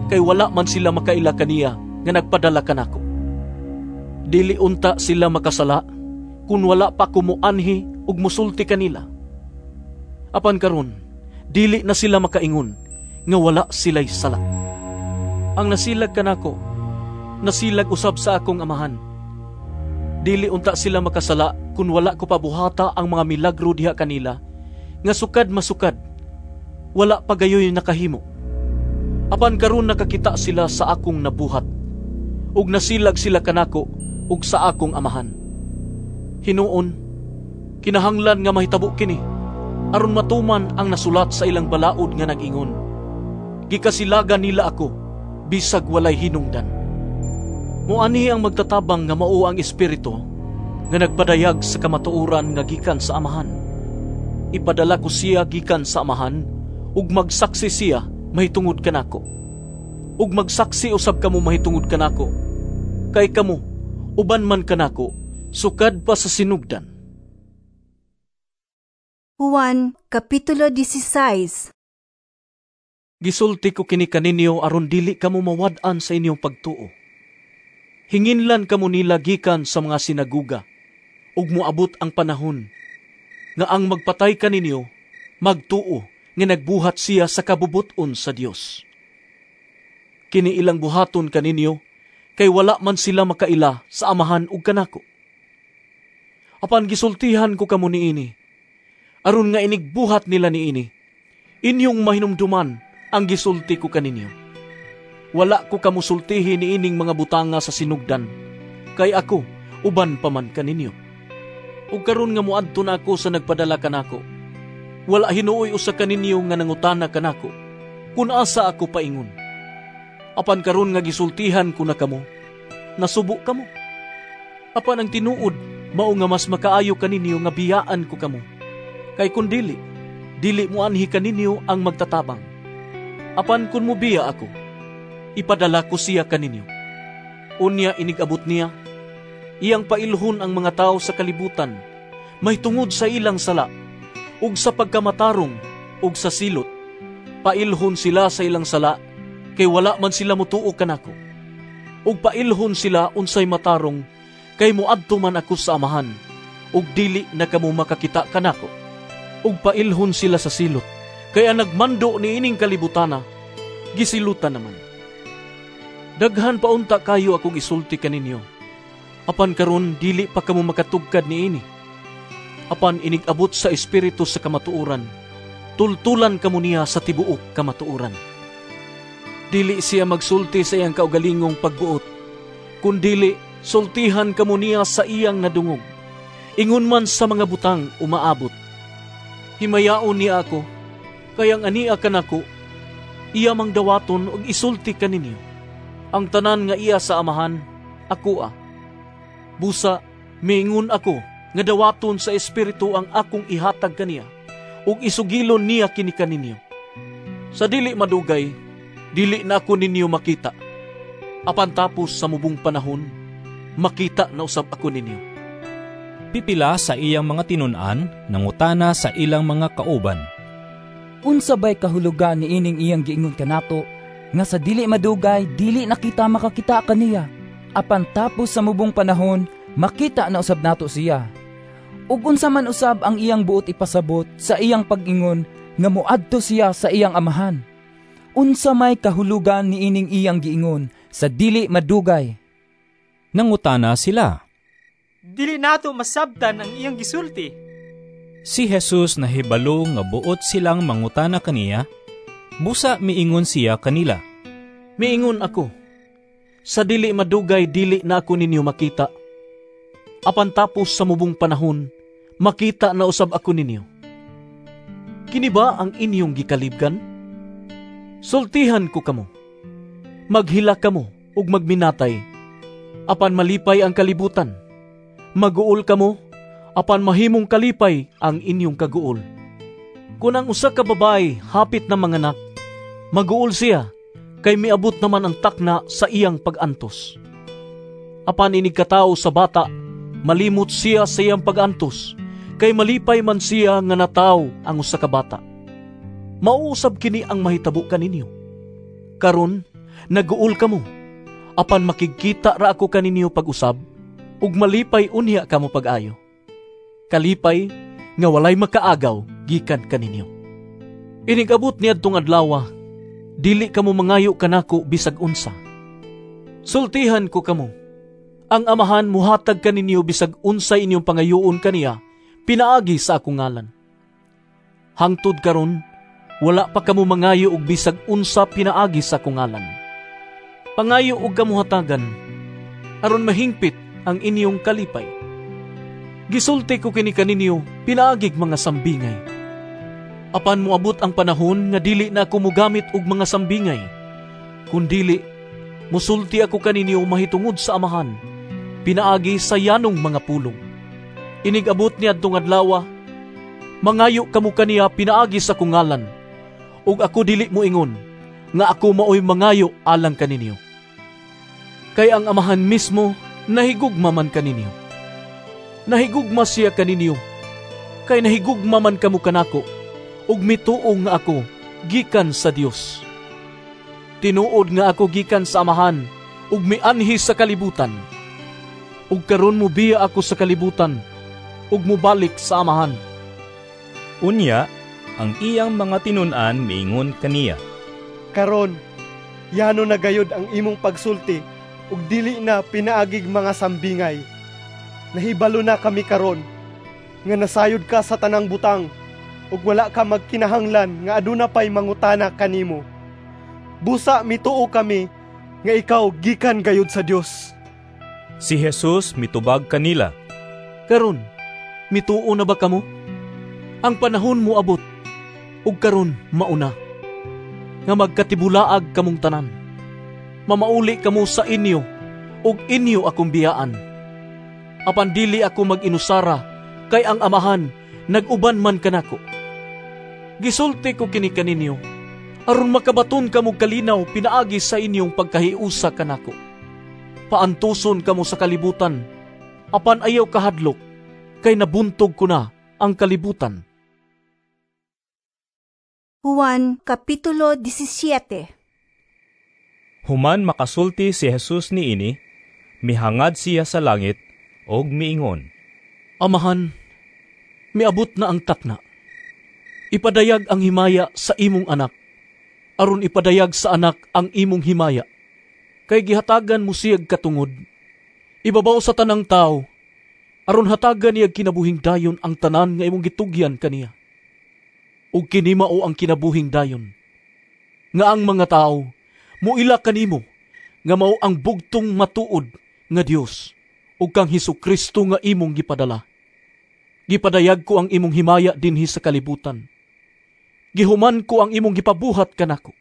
kay wala man sila makaila kaniya nga nagpadala kanako. Dili unta sila makasala kun wala pa ko moanhi ug mosulti kanila. Apan karon, dili na sila makaingon nga wala sila'y sala. Ang nasilag kanako, nasilag usab sa akong amahan. Dili unta sila makasala kun wala ko pabuhata ang mga milagro diha kanila, nga sukad masukad, wala pa gayoy nakahimo. Apan karon nakakita sila sa akong nabuhat, ug nasilag sila kanako ug sa akong amahan. Hinuon, kinahanglan nga mahitabo kini, aron matuman ang nasulat sa ilang balaod nga nag-ingon, gikasilagan nila ako, bisag walay hinungdan. Muani ang magtatabang nga mao ang Espiritu nga nagpadayag sa kamatuoran nga gikan sa Amahan. Ipadala ko siya gikan sa Amahan, ug magsaksi siya mahitungod kanako. Ug magsaksi usab kamo mahitungod kanako, kay kamo uban man kanako sukad pa sa sinugdan. Juan, Kapitulo labing-sais. Gisulti ko kini kaninyo aron dili kamo mawad-an sa inyong pagtuo. Hinginlan kamo nila gikan sa mga sinaguga, ug moabot ang panahon nga ang magpatay kaninyo magtuo nga nagbuhat siya sa kabubut-on sa Dios. Kini ilang buhaton kaninyo kay wala man sila makaila sa Amahan ug kanako. Apan gisultihan ko kamo niini, aron nga inigbuhat nila niini, inyong mahinumduman ang gisulti ko kaninyo. Wala ko kamo sultihi niining mga butanga sa sinugdan, kay ako uban pa man kaninyo. Ug karon nga moadto na ako sa nagpadala kanako, wala hinuoy usa kaninyo nga nangutana kanako kun asa ako paingon. Apan karon nga gisultihan ko na kamo, nasubo kamo. Apan ang tinuod mao nga mas makaayo kaninyo nga biyaan ko kamo. Kay kun dili, dili moanhi kaninyo ang magtatabang. Apan kun mobiya ako, ipadala ko siya kaninyo. Unya inigabot niya, iyang pailhon ang mga tao sa kalibutan, may tungod sa ilang sala, ug sa pagkamatarong, ug sa silot. Pailhon sila sa ilang sala, kay wala man sila mutuo kanako. Ug pailhon sila unsay matarong, kay moadto man ako sa Amahan, ug dili na kamo makakita kanako. Ug pailhon sila sa silot, kay ang nagmando niining kalibutana, gisilutan naman. Daghan paunta kayo akong isulti kaninyo. Apan karon dili pa kamo makatugkad niini. Apan inigabot sa Espiritu sa kamatuoran, tultulan kamo niya sa tibuok kamatuoran. Dili siya magsulti sa iyang kaugalingong pagbuot, kundili sultihan kamo niya sa iyang nadungog, ingon man sa mga butang umaabot. Himayaon niya ako, kay ang ania kanako, iya mang dawaton og isulti kaninyo. Ang tanan nga iya sa Amahan, ako a. Busa, miingon ako nga dawaton sa Espiritu ang akong ihatag kaniya, ug isugilon niya kini kaninyo. Sa dili madugay, dili na ako ninyo makita. Apan tapos sa mubong panahon, makita na usab ako ninyo. Pipila sa iyang mga tinun-an, nangutana sa ilang mga kauban. Unsa bay kahulugan niining iyang giingon kanato, nga sa dili madugay, dili na kita makakita kaniya, apan tapos sa mubong panahon, makita na usab nato siya. Ug unsa man usab ang iyang buot ipasabot sa iyang pag-ingon nga moadto siya sa iyang amahan? Unsa may kahulugan niining iyang giingon sa dili madugay? Nangutana sila. Dili nato masabtan ang iyang gisulti. Si Jesus nahibalo nga buot silang mangutana kaniya, busa miingon siya kanila. Miingon ako, sa dili madugay dili na ako ninyo makita. Apan tapos sa mubong panahon, Makita na usab ako ninyo. Kini ba ang inyong gikalibgan? Sultihan ko kamo. Maghilak kamo ug magminatay, apan malipay ang kalibutan. Maguol kamo, apan mahimong kalipay ang inyong kaguol. Kun ang usa ka babae hapit na manganak, maguol siya kay miabot naman ang takna sa iyang pag-antos. Apan inig katawo sa bata, malimot siya sa iyang pag-antos, kay malipay man siya nga nataw ang usa ka bata. Mauusab kini ang mahitabo kaninyo. Karon, naguol kamo, apan makigkita ra ako kaninyo pag-usab, ug malipay unya kamo pag-ayo. Kalipay nga walay makaagaw gikan kaninyo. Inigabot niadtong adlaw, dili kamo mangayo kanako bisag unsa. Sultihan ko kamo, ang Amahan muhatag kaninyo bisag unsa inyong pangayoon kaniya pinaagi sa akong ngalan. Hangtod karon, wala pa kamo mangayo og bisag unsa pinaagi sa akong ngalan. Pangayo og kamo hatagan, aron mahingpit ang inyong kalipay. Gisulti ko kini kaninyo pinaagig mga sambingay. Apan moabot ang panahon nga dili na ako mogamit og mga sambingay, kundili musulti ako kaninyo mahitungod sa Amahan, pinaagi sa yanong mga pulong. Inigabot niadtong adlaw, mangayo kamo kaniya pinaagi sa akong ngalan, ug ako dili moingon nga ako maoy mangayo alang kaninyo. Kay ang Amahan mismo nahigugma man kaninyo. Nahigugma siya kaninyo, kay nahigugma man kamo kanako, ug mituo nga ako gikan sa Dios. Tinuod nga ako gikan sa Amahan, ug mianhi sa kalibutan. Ug karon mobiya ako sa kalibutan, ug mobalik sa Amahan. Unya, ang iyang mga tinun-an miingon kaniya, Karon, yano na gayod ang imong pagsulti, ug dili na pinaagig mga sambingay. Nahibalo na kami karon nga nasayod ka sa tanang butang, ug wala ka magkinahanglan nga aduna pay mangutana kanimo. Busa mituo kami nga ikaw gikan gayod sa Dios. Si Jesus mitubag kanila, Karon, mituo na ba kamo? Ang panahon moabot, ug karon mauna, nga magkatibulaag kamong tanan. Mamauli kamo sa inyo, ug inyo akong biyaan. Apan dili ako mag-inusara, kay ang Amahan nag-uban man kanako. Gisulti ko kini kaninyo, aron makabaton kamo kalinaw pinaagi sa inyong pagkahiusa kanako. Paantuson kamo sa kalibutan, apan ayaw kahadlok, kay nabuntog ko na ang kalibutan. Juan Kapitulo labing-siyete. Human makasulti si Jesus niini, mihangad siya sa langit og miingon, Amahan, miabot na ang takna. Ipadayag ang himaya sa imong anak, aron ipadayag sa anak ang imong himaya. Kay gihatagan mo siyag katungod, ibabaw sa tanang tao, aron hatagan niyag kinabuhing dayon ang tanan nga imong gitugyan kaniya. Ug kini mao ang kinabuhing dayon, nga ang mga tao muila kanimo nga mao ang bugtong matuod nga Dios ug kang Hesukristo nga imong gipadala. Gipadayag ko ang imong himaya dinhi sa kalibutan. Gihuman ko ang imong gipabuhat kanako.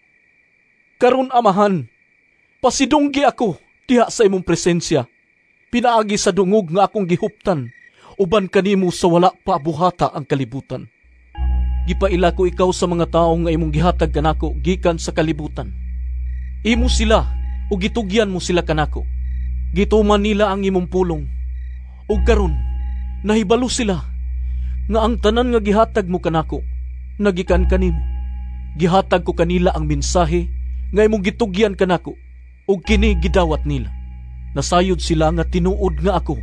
Karon Amahan, pasidunggi ako diha sa imong presensya, pinaagi sa dungog nga akong gihuptan uban kanimo sa wala pa buhata ang kalibutan. Gipaila ko ikaw sa mga tawo nga imong gihatag kanako gikan sa kalibutan. Imo sila ug gitugyan mo sila kanako. Gituman nila ang imong pulong. Ug karon nahibalo sila nga ang tanan nga gihatag mo kanako nagikan kanimo. Gihatag ko kanila ang mensahe nga imong gitugyan kanako, ug kini gidawat nila. Nasayod sila nga tinuod nga ako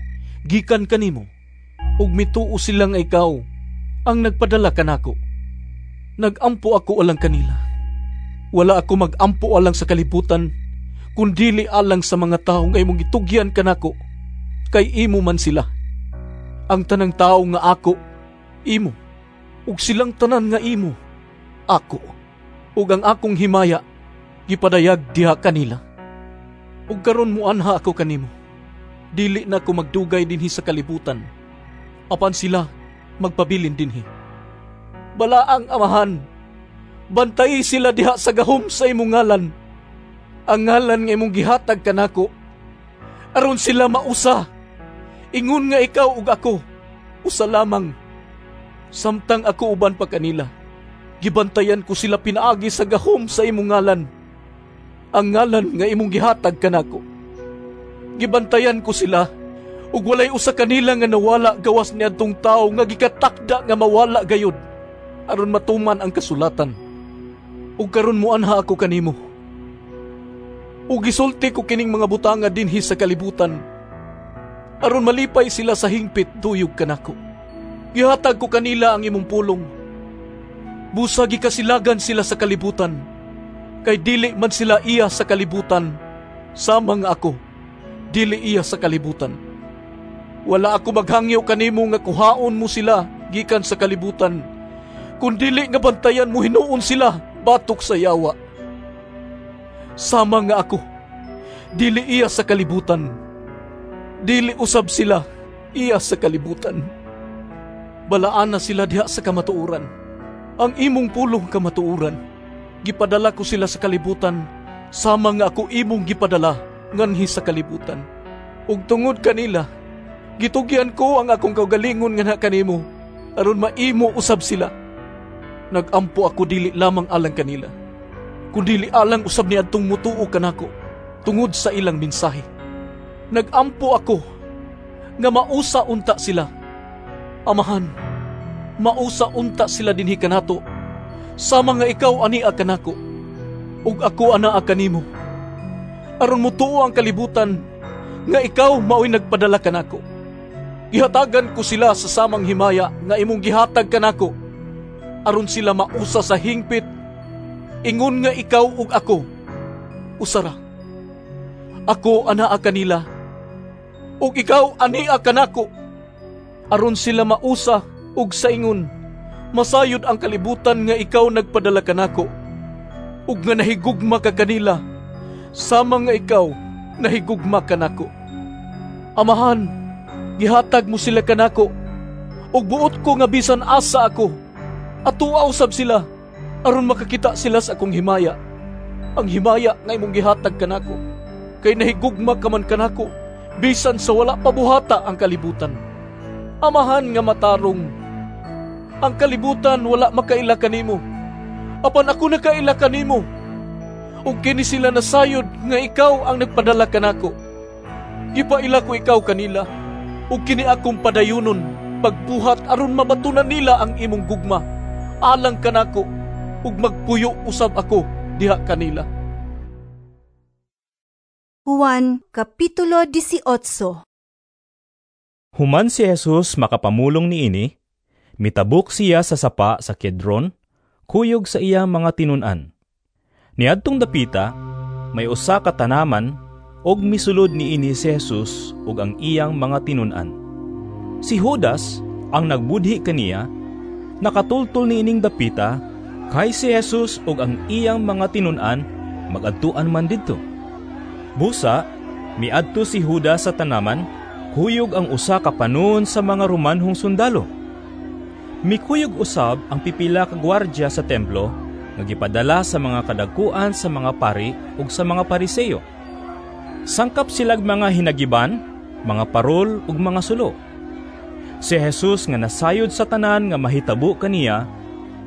gikan kanimo, ug mituo sila nga ikaw ang nagpadala kanako. Nagampo ako alang kanila. Wala ako magampo alang sa kalibutan, kundili alang sa mga tawo nga imong gitugyan kanako, kay imo man sila. Ang tanang tawo nga ako, imo, ug silang tanan nga imo, ako. Ug ang akong himaya gipadayag diha kanila. Ug karon muanha ako kanimo. Dili na ako magdugay dinhi sa kalibutan. Apan sila magpabilin dinhi. Balaang Amahan, bantayi sila diha sa gahom sa imong ngalan, ang ngalan nga imong gihatag kanako, aron sila mausa, ingon nga ikaw ug ako, usa lamang. Samtang ako uban pa kanila, gibantayan ko sila pinaagi sa gahom sa imong ngalan, ang ngalan nga imong gihatag kanako. Gibantayan ko sila, ug walay usa kanila nga nawala gawas niadtong tawo nga gikatakda nga mawala gayud, aron matuman ang kasulatan. Ug karon moanha ako kanimo. Ug gisulti ko kining mga butanga dinhi sa kalibutan, aron malipay sila sa hingpit duyog kanako. Gihatag ko kanila ang imong pulong. Busa gikasilagan sila sa kalibutan, kay dili man sila iya sa kalibutan, sama nga ako dili iya sa kalibutan. Wala ako maghangyo kanimo nga kuhaon mo sila gikan sa kalibutan, kundili nga bantayan mo hinuon sila batok sa yawa. Sama nga ako dili iya sa kalibutan, dili usab sila iya sa kalibutan. Balaan na sila diha sa kamatuoran. Ang imong pulong kamatuoran. Gipadala ko sila sa kalibutan, sama nga ako imong gipadala nganhi sa kalibutan. Ug tungod kanila, gitugyan ko ang akong kaugalingon nganha kanimo, aron maimo usab sila. Nagampo ako dili lamang alang kanila, kundili alang usab niadtong mutuo kanako tungod sa ilang mensahe. Nagampo ako nga mausa unta sila. Amahan, mausa unta sila dinhi kanato, sama nga ikaw ania kanako, ug ako anaa kanimo, aron mutuo ang kalibutan nga ikaw maoy nagpadala kanako. Gihatagan ko sila sa samang himaya nga imong gihatag kanako, aron sila mausa sa hingpit, ingon nga ikaw ug ako usara. Ako anaa kanila, ug ikaw ania kanako, aron sila mausa ug sa ingon masayod ang kalibutan nga ikaw nagpadala kanako, ug nga nahigugma ka kanila, sama nga ikaw nahigugma kanako. Amahan, gihatag mo sila kanako, ug buot ko nga bisan asa ako, atuwa usab sila, aron makakita sila sa akong himaya, ang himaya nga imong gihatag kanako, kay nahigugma ka man kanako, bisan sa wala pa buhata ang kalibutan. Amahan nga matarong, ang kalibutan wala makaila kanimo, apan ako nakaila kanimo, ug kini sila nasayod nga ikaw ang nagpadala kanako. Gipaila ko ikaw kanila, ug kini akong padayunon pagbuhat aron mabatunan nila ang imong gugma alang kanako, ug magpuyo usab ako diha kanila. Juan Kapitulo labing-walo. Human si Jesus makapamulong niini, mitabok siya sa sapa sa Kedron, kuyog sa iya mga tinun-an. Niadtong dapita, may usa ka tanaman, og misulod niini si Jesus ug ang iyang mga tinun-an. Si Judas, ang nagbudhi kaniya, nakatultol niining dapita, kay si Jesus ug ang iyang mga tinun-an magadtuan man didto. Busa, miadto si Judas sa tanaman, kuyog ang usa ka panon sa mga Romanhong sundalo. Mikuyog usab ang pipila ka gwardya sa templo nga gipadala sa mga kadagkuan sa mga pari ug sa mga Pariseo. Sangkap silag mga hinagiban, mga parol ug mga sulo. Si Jesus nga nasayod sa tanan nga mahitabo kaniya,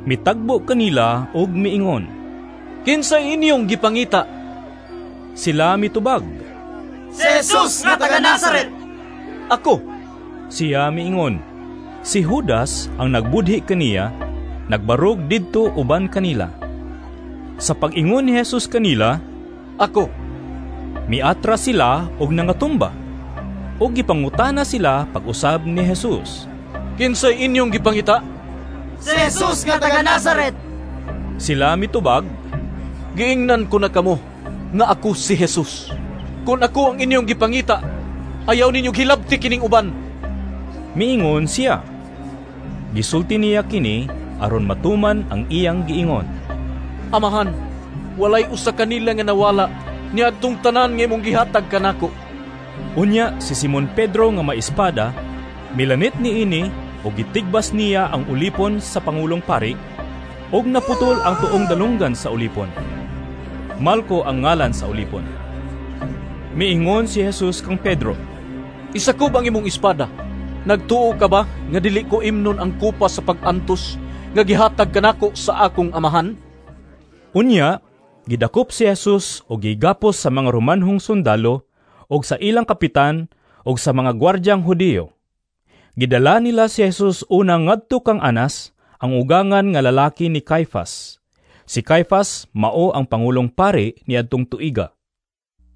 mitagbo kanila ug miingon, "Kinsay inyong gipangita?" Sila mitubag, "Si Jesus nga taga Nazaret." "Ako," siya miingon. Si Judas ang nagbudhi kaniya, nagbarog didto uban kanila. Sa pag-ingon ni Jesus kanila, "Ako," miatra sila og nangatumba. Og gipangutana sila pag-usab ni Jesus, "Kinsay inyong gipangita?" "Si Jesus nga taga Nazaret." Sila mitubag, "Giingnan ko na kamo nga ako si Jesus. Kung ako ang inyong gipangita, ayaw ninyo hilabti kining uban." Miingon siya. Gisulti niya kini aron matuman ang iyang giingon, "Amahan, walay usa kanila nga nawala niadtong tanan nga imong gihatag kanako." Unya si Simon Pedro nga maespada, milanit niini ug gitigbas niya ang ulipon sa pangulong pari, ug naputol ang tuong dalunggan sa ulipon. Malco ang ngalan sa ulipon. Miingon si Jesus kang Pedro, "Isakob ang imong espada. Nagtuo ka ba nga dili ko imnon ang kupa sa pag-antos nga gihatag kanako sa akong amahan?" Unya, gidakop si Jesus og gigapos sa mga Romanhong sundalo og sa ilang kapitan og sa mga gwardyang Hudiyo. Gidala nila si Jesus una ngadto kang Anas, ang ugangan nga lalaki ni Caifas. Si Caifas mao ang pangulong pari niadtong tuiga.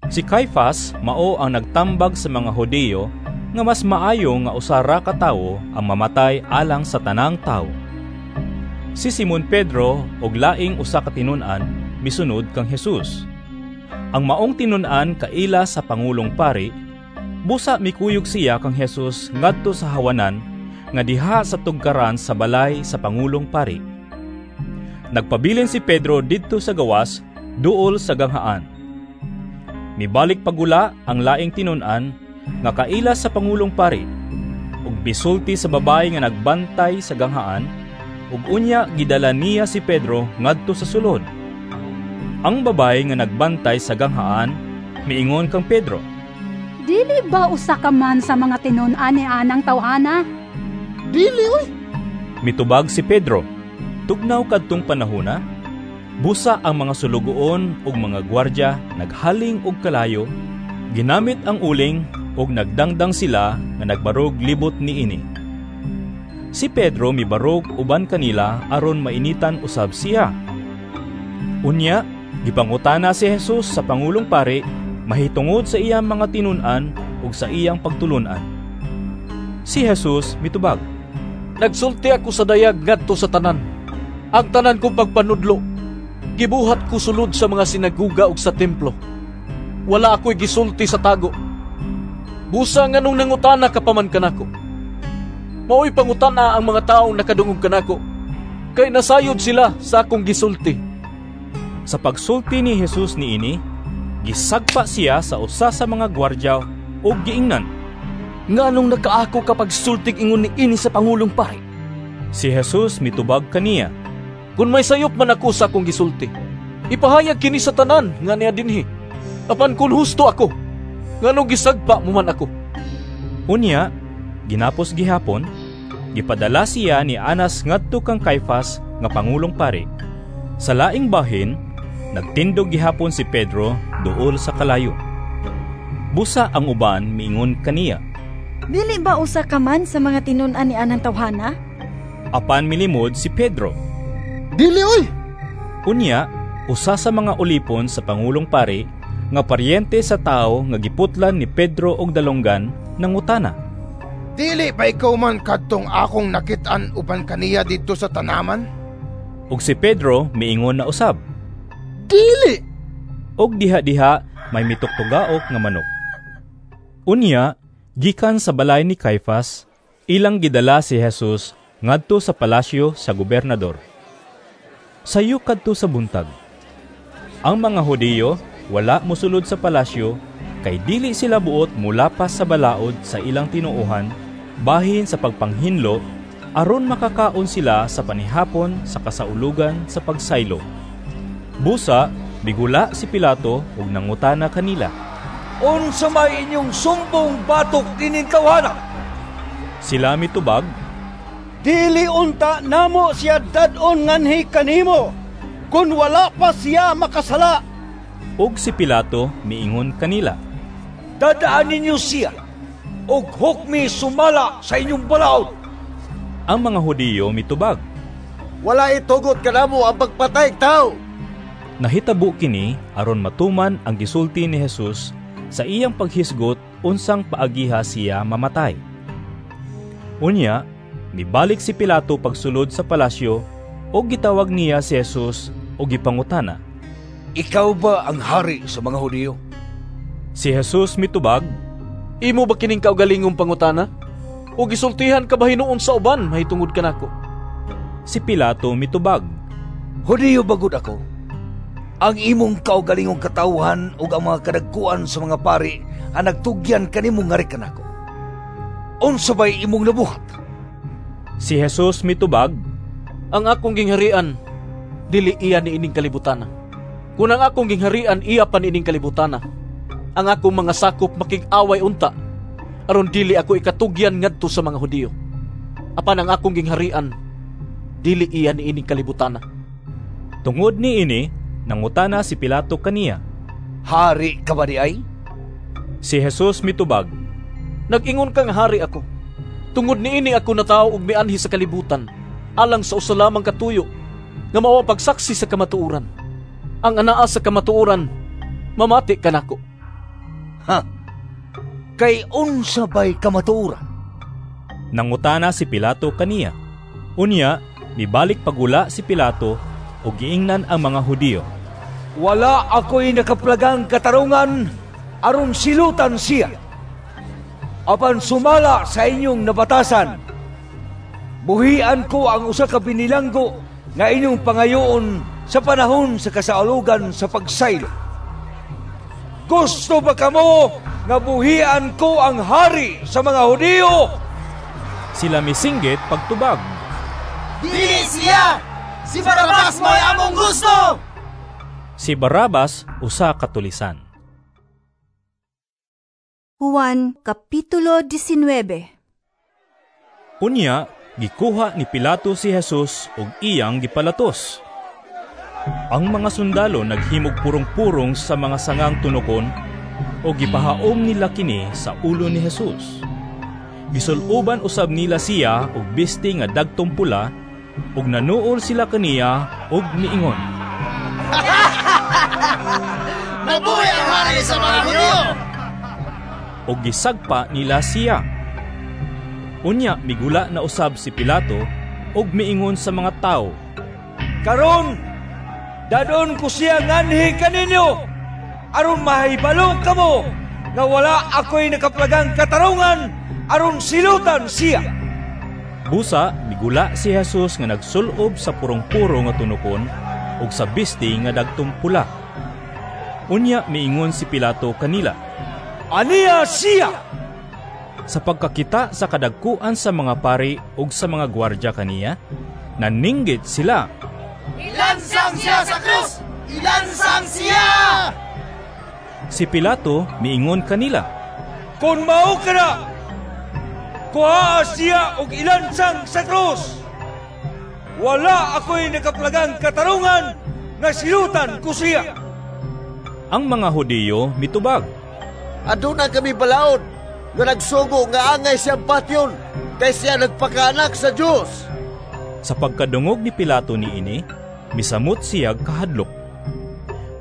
Si Caifas mao ang nagtambag sa mga Hudiyo nga mas maayo nga usa ra ka tawo ang mamatay alang sa tanang tawo. Si Simon Pedro og laing usa ka tinun-an misunod kang Jesus. Ang maong tinun-an kaila sa pangulong pari, busa mikuyog siya kang Jesus ngadto sa hawanan nga diha sa tugkaran sa balay sa pangulong pari. Nagpabilin si Pedro didto sa gawas duol sa ganghaan. Mibalik pagula ang laing tinun-an nga kaila sa pangulong pari, ug bisulti sa babayi nga nagbantay sa ganghaan, ug unya gidala niya si Pedro ngadto sa sulod. Ang babayi nga nagbantay sa ganghaan miingon kang Pedro, "Dili ba usa ka man sa mga tinun-an ni anang tawhana?" "Dili oy!" Mitubag si Pedro. Tugnaw kadtong panahona, busa ang mga sulugoon ug mga gwardya naghaling og kalayo, ginamit ang uling ug nagdangdang sila nga nagbarog libot niini. Si Pedro mibarog uban kanila aron mainitan usab siya. Unya, gipangutana si Jesus sa pangulong pari mahitungod sa iyang mga tinun-an ug sa iyang pagtulun-an. Si Jesus mitubag, "Nagsulti ako sa dayag ngadto sa tanan. Ang tanan kong pagpanudlo gibuhat ko sulod sa mga sinaguga ug sa templo. Wala ako'y gisulti sa tago. Busa nganong nangutana ka pa man kanako. Mao'y pangutana ang mga taong nakadungog kanako, kay nasayod sila sa akong gisulti." Sa pagsulti ni Jesus niini, gisagpa siya sa usa sa mga gwardya ug giingnan, "Nganong nakaako ka pagsultig ingon niini sa pangulong pari?" Si Jesus mitubag kaniya, "Kun may sayop man ako sa akong gisulti, ipahayag kini sa tanan nga niya dinhi. Apan kun husto ako, nganong gisagpa mo man ako?" Unya, ginapos gihapon, gipadala siya ni Anas ngadto kang Caifas nga pangulong pari. Sa laing bahin, nagtindog gihapon si Pedro duol sa kalayo. Busa ang uban miingon kaniya, "Dili ba usa ka man sa mga tinun-an ni anang tawhana?" Apan milimod si Pedro, "Dili oy!" Unya, usa sa mga ulipon sa pangulong pari nga paryente sa tawo nga giputlan ni Pedro og dalonggan nangutana, "Dili ba ikaw man kadtong akong nakit-an uban kaniya didto sa tanaman?" Ug si Pedro miingon na usab, "Dili!" Og diha-diha may mituktugaok nga manok. Unya, gikan sa balay ni Caifas, ilang gidala si Jesus ngadto sa palasyo sa gobernador. Sayo kadto sa buntag. Ang mga Hudiyo wala mosulod sa palasyo kay dili sila buot mulapas sa balaod sa ilang tinuohan bahin sa pagpanghinlo aron makakaon sila sa panihapon sa kasaulugan sa pagsaylo. Busa bigula si Pilato ug nangutana kanila, "Unsa may inyong sumbong batok ining tawhana?" Sila mitubag, "Dili unta namo siya dad-on nganhi kanimo kun wala pa siya makasala." Ug si Pilato miingon kanila, "Dadaan ninyo siya ug hukmi sumala sa inyong balaod." Ang mga Hudiyo mitubag, "Wala itugot kanamo ang pagpatay og tawo." Nahitabo kini aron matuman ang gisulti ni Jesus sa iyang paghisgot unsang paagiha siya mamatay. Unya, mibalik si Pilato pagsulod sa palasyo ug gitawag niya si Jesus ug gipangutana, "Ikaw ba ang hari sa mga Hudiyo?" Si Jesus mitubag, "Imo ba kining kaugalingong pangutana? O gisultihan ka ba hinuon sa uban mahitungod kanako?" Si Pilato mitubag, "Hudiyo ba gud ako? Ang imong kaugalingong katawhan ug ang mga kadagkuan sa mga pari ang nagtugyan kanimo ngari kanako. Unsa bay imong nabuhat?" Si Jesus mitubag, "Ang akong gingharian dili iya niining kalibutana. Kun ang akong gingharian iya pa niining kalibutana, ang akong mga sakop makig-away unta aron dili ako ikatugyan ngadto sa mga Hudiyo. Apan ang akong gingharian dili iya niining kalibutana." Tungod niini, nangutana si Pilato kaniya, "Hari ka ba diay?" Si Jesus mitubag, "Nag-ingon kang hari ako. Tungod niini ako natawo og mianhi sa kalibutan, alang sa usa lamang ka tuyo, nga mao ang pagsaksi sa kamatuoran. Ang anaa sa kamatuoran, mamati kanako." "Ha? Kay unsa bay kamatuoran?" Nangutana si Pilato kaniya. Unya, mibalik pagula si Pilato ug giingnan ang mga Hudiyo, "Wala ako'y nakaplagang katarungan aron silutan siya. Apan sumala sa inyong nabatasan, buhian ko ang usa ka binilanggo nga inyong pangayoon sa panahon sa kasaulogan sa pagsaylo. Gusto ba kamo nga buhian ko ang hari sa mga Hudiyo?" Sila misinggit pagtubag, "Dili siya! Si Barabas mo'y among gusto!" Si Barabas usa ka tulisan. Juan Kapitulo labing-diyasnaybe. Unya, gikuha ni Pilato si Jesus ug iyang gipalatos. Ang mga sundalo naghimog purong-purong sa mga sangang tunokon ug gipahaom nila kini sa ulo ni Jesus. Gisul-uban usab nila siya og bisti nga dagtong pula ug nanuol sila kaniya ug miingon, "Mabuhi ang hari sa mga Hudiyo!" Ug gisagpa nila siya. Unya migula na usab si Pilato ug miingon sa mga tawo, "Karon, dadon ko siya nganhi kaninyo aron mahibalo kamo nga wala ako'y nakaplagang katarungan aron silutan siya." Busa migula si Jesus nga nagsulob sa purong-puro nga tunokon ug sa bisti nga dagtong pula. Unya miingon si Pilato kanila, "Aniya siya!" Sa pagkakita sa kadagkuan sa mga pari ug sa mga gwardya kaniya, naninggit sila. "Ilansang siya sa krus! Ilansang siya!" Si Pilato miingon kanila, "Kung mao ka na, kuhaa siya og ilansang sa krus. Wala ako'y nakaplagang katarungan nga silutan ko siya." Ang mga Hudiyo mitubag, "Aduna kami balaod nga nagsugo nga angay siyang patyon, kay siya nagpakaanak sa Dios." Sa pagkadungog ni Pilato niini, misamot siya kahadlok.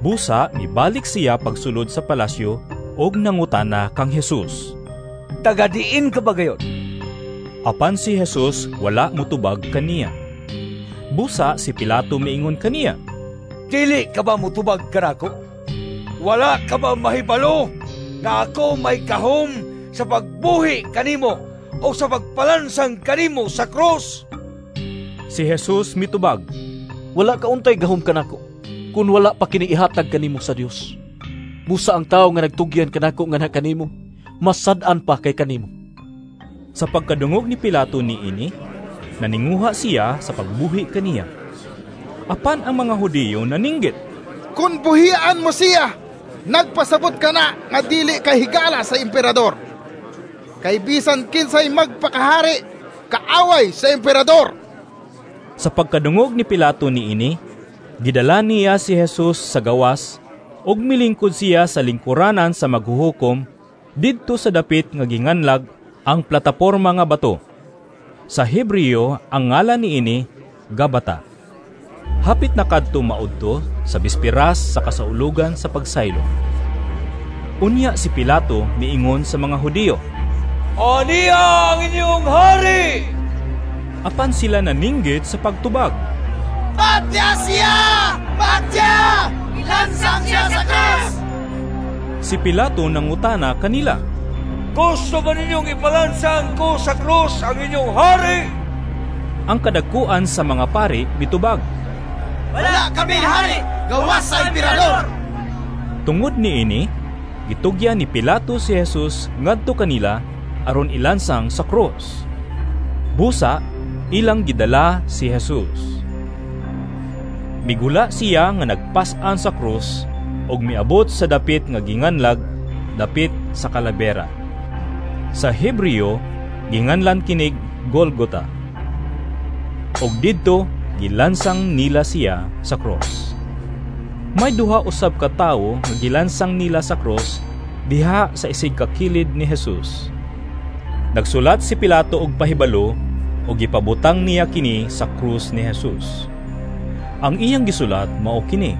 Busa mibalik siya pagsulod sa palasyo og nangutana kang Jesus, "Tagadiin ka ba gayon?" Apan si Jesus wala motubag kaniya. Busa si Pilato miingon kaniya, "Dili ka ba motubag kanako? Wala ka ba mahibalo nga ako may kahom sa pagbuhi kanimo o sa pagpalansang kanimo sa krus?" Si Jesus mitubag, "Wala ka untay gahom kanako kun wala pa kini ihatag kanimo sa Dios. Busa ang tawo nga nagtugyan kanako nga na kanimo, masad-an pa kay kanimo." Sa pagkadungog ni Pilato niini, naninguha siya sa pagbuhi kaniya. Apan ang mga Hudiyo naninggit, "Kun buhian mo siya, nagpasabot ka na nga dili ka higala sa emperador. Kay bisan kinsay magpakahari, kaaway sa emperador." Sa pagkadungog ni Pilato niini, gidala niya si Jesus sa gawas ug milingkod siya sa lingkuranan sa maghuhukom didto sa dapit nga ginganlag ang plataporma nga bato. Sa Hebreo ang ngalan niini Gabata. Hapit na kadto maudto sa bispiras sa kasaulugan sa pagsaylo. Unya si Pilato miingon sa mga Hudiyo, "Aniya ang inyong hari!" Apan sila naninggit sa pagtubag, "Patya siya! Patya! Ilansang siya sa krus!" Si Pilato nangutana kanila, "Gusto ba ninyong ipalansang ko sa krus ang inyong hari?" Ang kadagkuan sa mga pari mitubag, "Wala kami hari, gawas sa emperador!" Tungod niini, gitugyan ni Pilato si Jesus ngadto kanila aron ilansang sa krus. Busa, Ilang gidala si Jesus. Migula siya nga nagpas-an sa krus ug miabot sa dapit nga ginganlag dapit sa Kalabera. Sa Hebreo ginganlan kinig Golgota. Ug didto gilansang nila siya sa krus. May duha usab ka tawo nga gilansang nila sa krus diha sa isig ka kilid ni Jesus. Nagsulat si Pilato og pahibalo ug gipabutang niya kini sa krus ni Jesus. Ang iyang gisulat mao kini: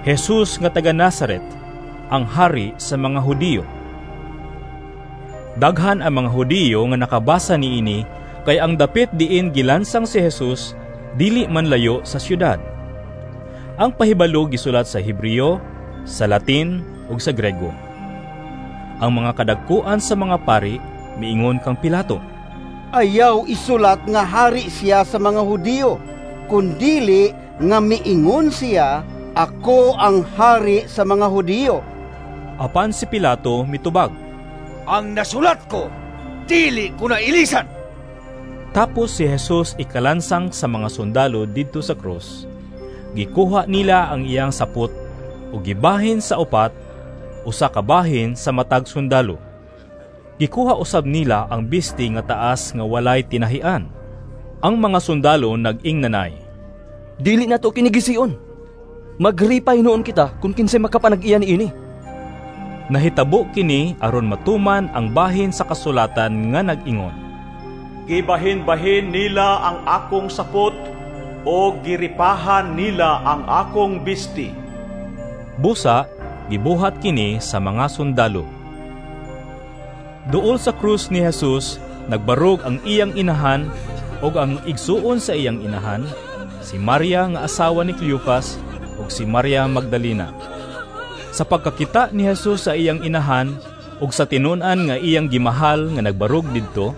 Jesus nga taga Nazaret, ang hari sa mga Hudiyo. Daghan ang mga Hudiyo nga nakabasa niini kay ang dapit diin gilansang si Jesus dili man layo sa syudad. Ang pahibalo gisulat sa Hebreo, sa Latin ug sa Grego. Ang mga kadagkuan sa mga pari miingon kang Pilato, "Ayaw isulat nga hari siya sa mga Hudiyo, kundili nga miingon siya, ako ang hari sa mga Hudiyo." Apan si Pilato mitubag, "Ang nasulat ko, dili ko na ilisan." Tapos si Jesus ikalansang sa mga sundalo didto sa krus. Gikuha nila ang iyang sapot ug gibahin sa upat, usa ka bahin sa matag sundalo. Gikuha usab nila ang bisti nga taas nga walay tinahian. Ang mga sundalo nag-ingnanay, "Dili nato kini gision. Magripay noon kita kung kinsay makapanag-iya niini." Nahitabo kini aron matuman ang bahin sa kasulatan nga nag-ingon, "Gibahin-bahin nila ang akong sapot o giripahan nila ang akong bisti." Busa gibuhat kini sa mga sundalo. Duol sa krus ni Jesus nagbarog ang iyang inahan ug ang igsuon sa iyang inahan, si Maria nga asawa ni Cleopas ug si Maria Magdalena. Sa pagkakita ni Jesus sa iyang inahan ug sa tinun-an nga iyang gimahal nga nagbarog didto,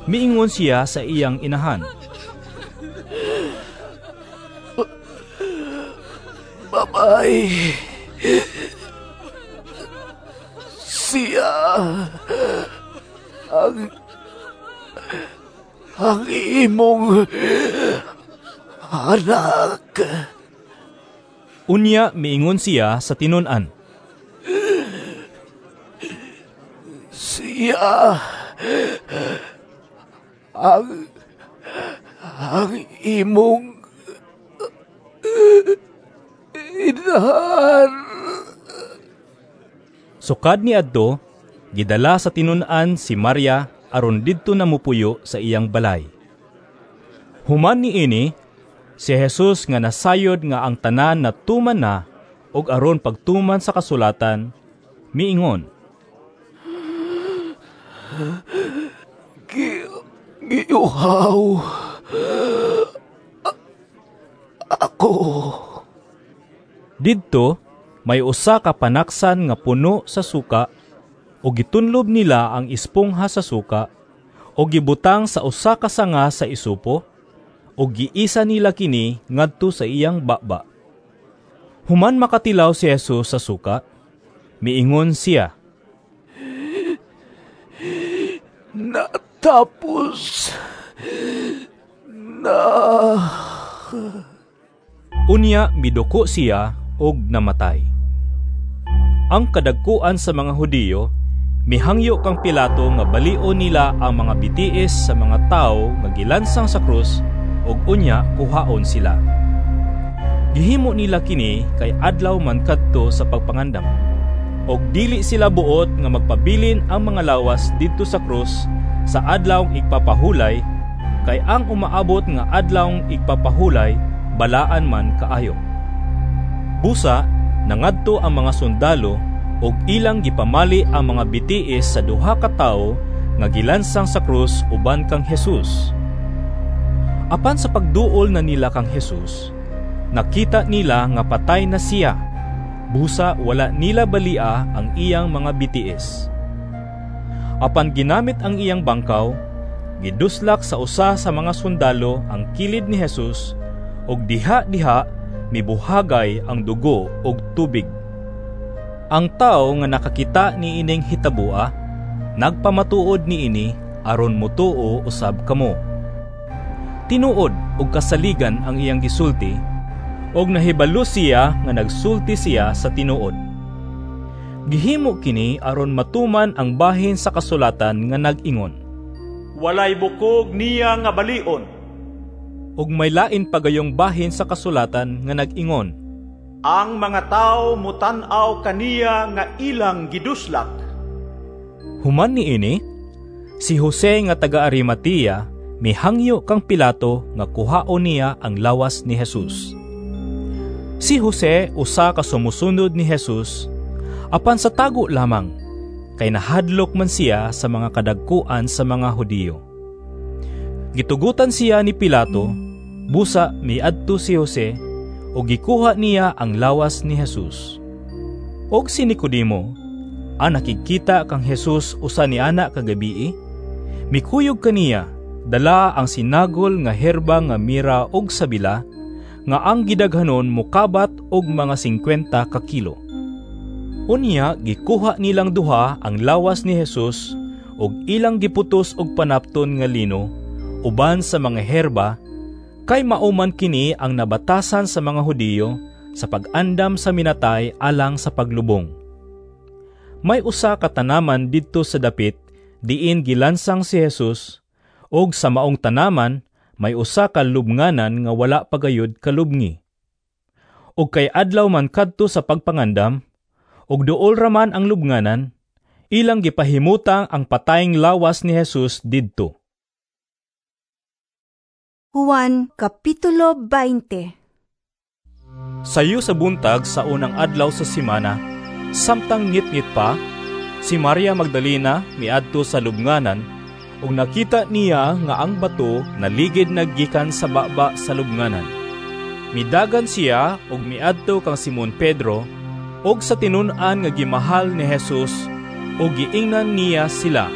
miingon siya sa iyang inahan, "Babay, siya ang ang imong anak." Unya miingon siya sa tinun-an, "Siya ang ang imong inahan." Sukad ni adto, gidala sa tinun-an si Maria aron didto na mupuyo sa iyang balay. Human niini, si Jesus nga nasayod nga ang tanan natuman na og aron pagtuman sa kasulatan, miingon, "Giuhaw ako." Didto may usa ka panaksan nga puno sa suka, o gitunlob nila ang espongha sa suka, o gibutang sa usa ka sanga sa isupo, o giisa nila kini ngadto sa iyang baba. Human makatilaw si Jesus sa suka, miingon siya, "Natapos na." Unya miduko siya og namatay. Ang kadagkuan sa mga Hudiyo mihangyo kang Pilato nga balion nila ang mga bitiis sa mga tawo nga gilansang sa krus ug unya kuhaon sila. Gihimo nila kini kay adlaw man kadto sa pagpangandam. Og dili sila buot nga magpabilin ang mga lawas didto sa krus sa adlawng igpapahulay, kay ang umaabot nga adlawng igpapahulay balaan man kaayo. Busa nangadto ang mga sundalo ug ilang gipamali ang mga bitiis sa duha ka tawo nga gilansang sa krus uban kang Jesus. Apan sa pagduol na nila kang Jesus, nakita nila nga patay na siya. Busa wala nila balia ang iyang mga bitiis. Apan ginamit ang iyang bangkaw, giduslak sa usa sa mga sundalo ang kilid ni Jesus ug diha-diha mibuhagay ang dugo ug tubig. Ang tawo nga nakakita niining hitabua, nagpamatuod niini aron motuo usab kamo. Tinuod og kasaligan ang iyang gisulti, og nahibalo siya nga nagsulti siya sa tinuod. Gihimo kini aron matuman ang bahin sa kasulatan nga nag-ingon, "Walay bukog niya nga balion." Ug may lain pagayong bahin sa kasulatan nga nag-ingon, "Ang mga tawo mutan-aw kaniya nga ilang giduslak." Human niini, si Jose nga taga Arimatea mihangyo kang Pilato nga kuhaon niya ang lawas ni Jesus. Si Jose usa ka sumusunod ni Jesus, apan sa tago lamang, kay nahadlok man siya sa mga kadagkuan sa mga Hudiyo. Gitugutan siya ni Pilato, busa miadto si Jose ug gikuha niya ang lawas ni Jesus. Og si Nicodemo, ang nakikita kang Jesus usa ni ana kagabii, mikuyog kaniya dala ang sinagol nga herba nga mira og sabila, nga ang gidaghanon mokabat og mga singkwenta ka kilo. Unya gikuha nilang duha ang lawas ni Jesus ug ilang giputos og panapton nga lino uban sa mga herba, kay mao man kini ang nabatasan sa mga Hudiyo sa pag-andam sa minatay alang sa paglubong. May usa ka tanaman didto sa dapit diin gilansang si Jesus, ug sa maong tanaman may usa ka lubnganan nga wala pagayod kalubngi. Ug kay adlaw man kadto sa pagpangandam, ug duol ra man ang lubnganan, ilang gipahimutang ang patayng lawas ni Jesus didto. Juan Kapitulo twenty. Sayo sa buntag sa unang adlaw sa semana, samtang ngitngit pa, si Maria Magdalena miadto sa lubnganan, ug nakita niya nga ang bato naligid naggikan sa baba sa lubnganan. Midagan siya ug miadto kang Simon Pedro ug sa tinun-an nga gimahal ni Jesus, ug giingnan niya sila.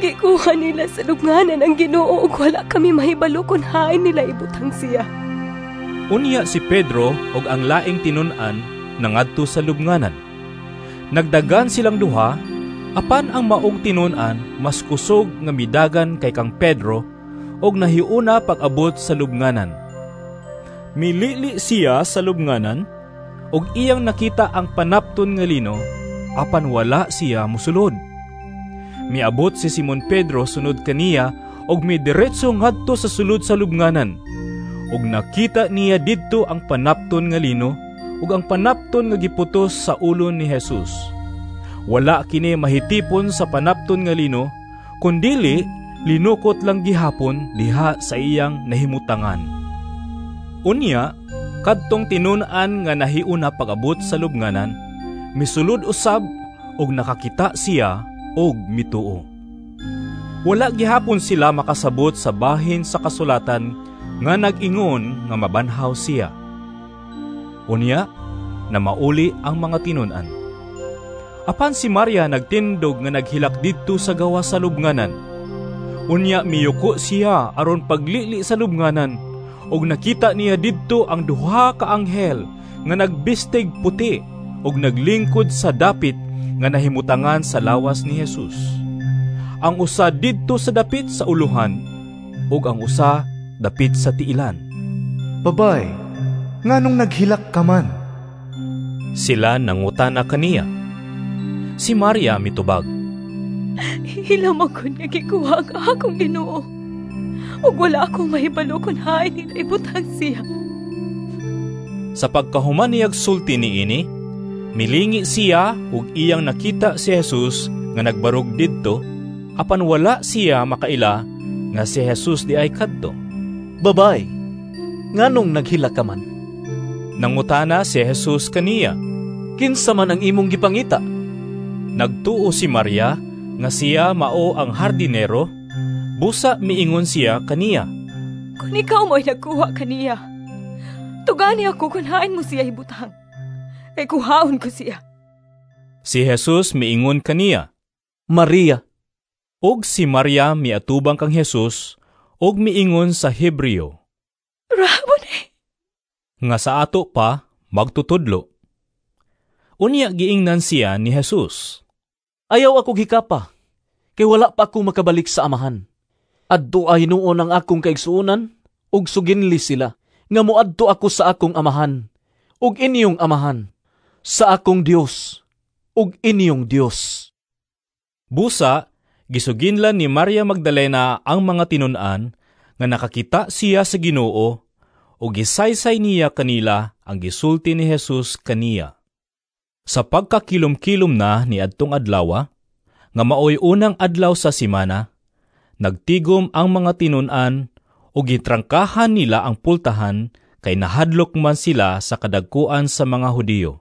Gikuha nila sa lubnganan ang Ginoo ug wala kami mahibalo kun hain nila ibutang siya. Unya si Pedro ug ang laing tinun-an nangadto sa lubnganan. Nagdagan silang duha, apan ang maong tinun-an mas kusog nga midagan kay kang Pedro ug nahiuna pag-abot sa lubnganan. Milili siya sa lubnganan ug iyang nakita ang panapton nga lino, apan wala siya mosulod. Miabot si Simon Pedro sunod kaniya ug midiretso ngadto sa sulod sa lubnganan. Ug nakita niya didto ang panapton nga lino ug ang panapton nga giputos sa ulo ni Jesus. Wala kini mahitipon sa panapton nga lino, kundili linukot lang gihapon diha sa iyang nahimutangan. Unya, kadtong tinun-an nga nahiuna pag-abot sa lubnganan, misulod usab ug nakakita siya og mituo. Wala gihapon sila makasabot sa bahin sa kasulatan nga nag-ingon nga mabanhaw siya. Unya, namauli ang mga tinun-an. Apan si Maria nagtindog nga naghilak didto sa gawas sa lubnganan. Unya miyuko siya aron paglili sa lubnganan, ug nakita niya didto ang duha ka anghel nga nagbistig puti ug naglingkod sa dapit nga nahimutangan sa lawas ni Jesus. Ang usa didto sa dapit sa uluhan ug ang usa dapit sa tiilan. Babay, nganong naghilak ka man? Sila nangutana kaniya. Si Maria mitubag, Hilam ako nga gikuha ang akong Ginoo, ug wala akong mahibalo kung hain nila ibutang siya. Sa pagkahuman niyag sulti niini, milingi siya ug iyang nakita si Jesus nga nagbarog didto, apan wala siya makaila nga si Jesus di ay kadto. Babay, nganong naghilak ka man? Nangutana si Jesus kaniya, Kinsa man ang imong gipangita? Nagtuo si Maria nga siya mao ang hardinero, busa miingon siya kaniya, Kung ikaw mo'y nagkuha kaniya, tugani ako kung hain mo siya ibutang, kay kuhaon ko siya. Si Jesus miingon kaniya, Maria. Og si Maria miatubang kang Jesus og miingon sa Hebreo, Rabone, nga sa ato pa magtutudlo. Unya giingnan siya ni Jesus, Ayaw ako gikapa, kay wala pa ako makabalik sa amahan. Adto ay hinuon ang akong kaigsuonan, Ug suginli sila nga moadto ako sa akong amahan ug inyong amahan, sa akong Dios ug inyong Dios. Busa, gisuginlan ni Maria Magdalena ang mga tinun-an nga nakakita siya sa Ginoo ug gisaysay niya kanila ang gisulti ni Jesus kaniya. Sa pagkakilom-kilom na ni adtong adlaw, nga maoy unang adlaw sa semana, nagtigom ang mga tinun-an ug gitrangkahan nila ang pultahan kay nahadlok man sila sa kadagkuan sa mga Hudiyo.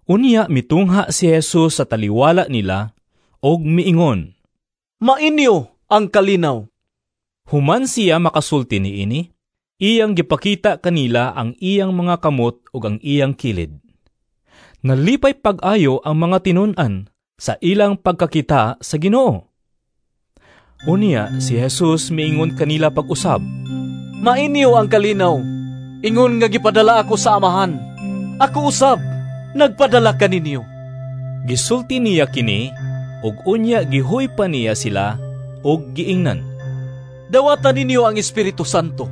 Unya mitungha si Jesus sa taliwala nila og miingon, "Mainyo ang kalinaw." Human siya makasulti niini, iyang gipakita kanila ang iyang mga kamot ug ang iyang kilid. Nalipay pag-ayo ang mga tinun-an sa ilang pagkakita sa Ginoo. Unya si Jesus miingon kanila pag-usab, "Mainyo ang kalinaw, ingon nga gipadala ako sa Amahan. Ako usab nagpadala kaninyo." Gisulti niya kini, ug unya gihuy pa niya sila ug giingnan, "Dawatan ninyo ang Espiritu Santo.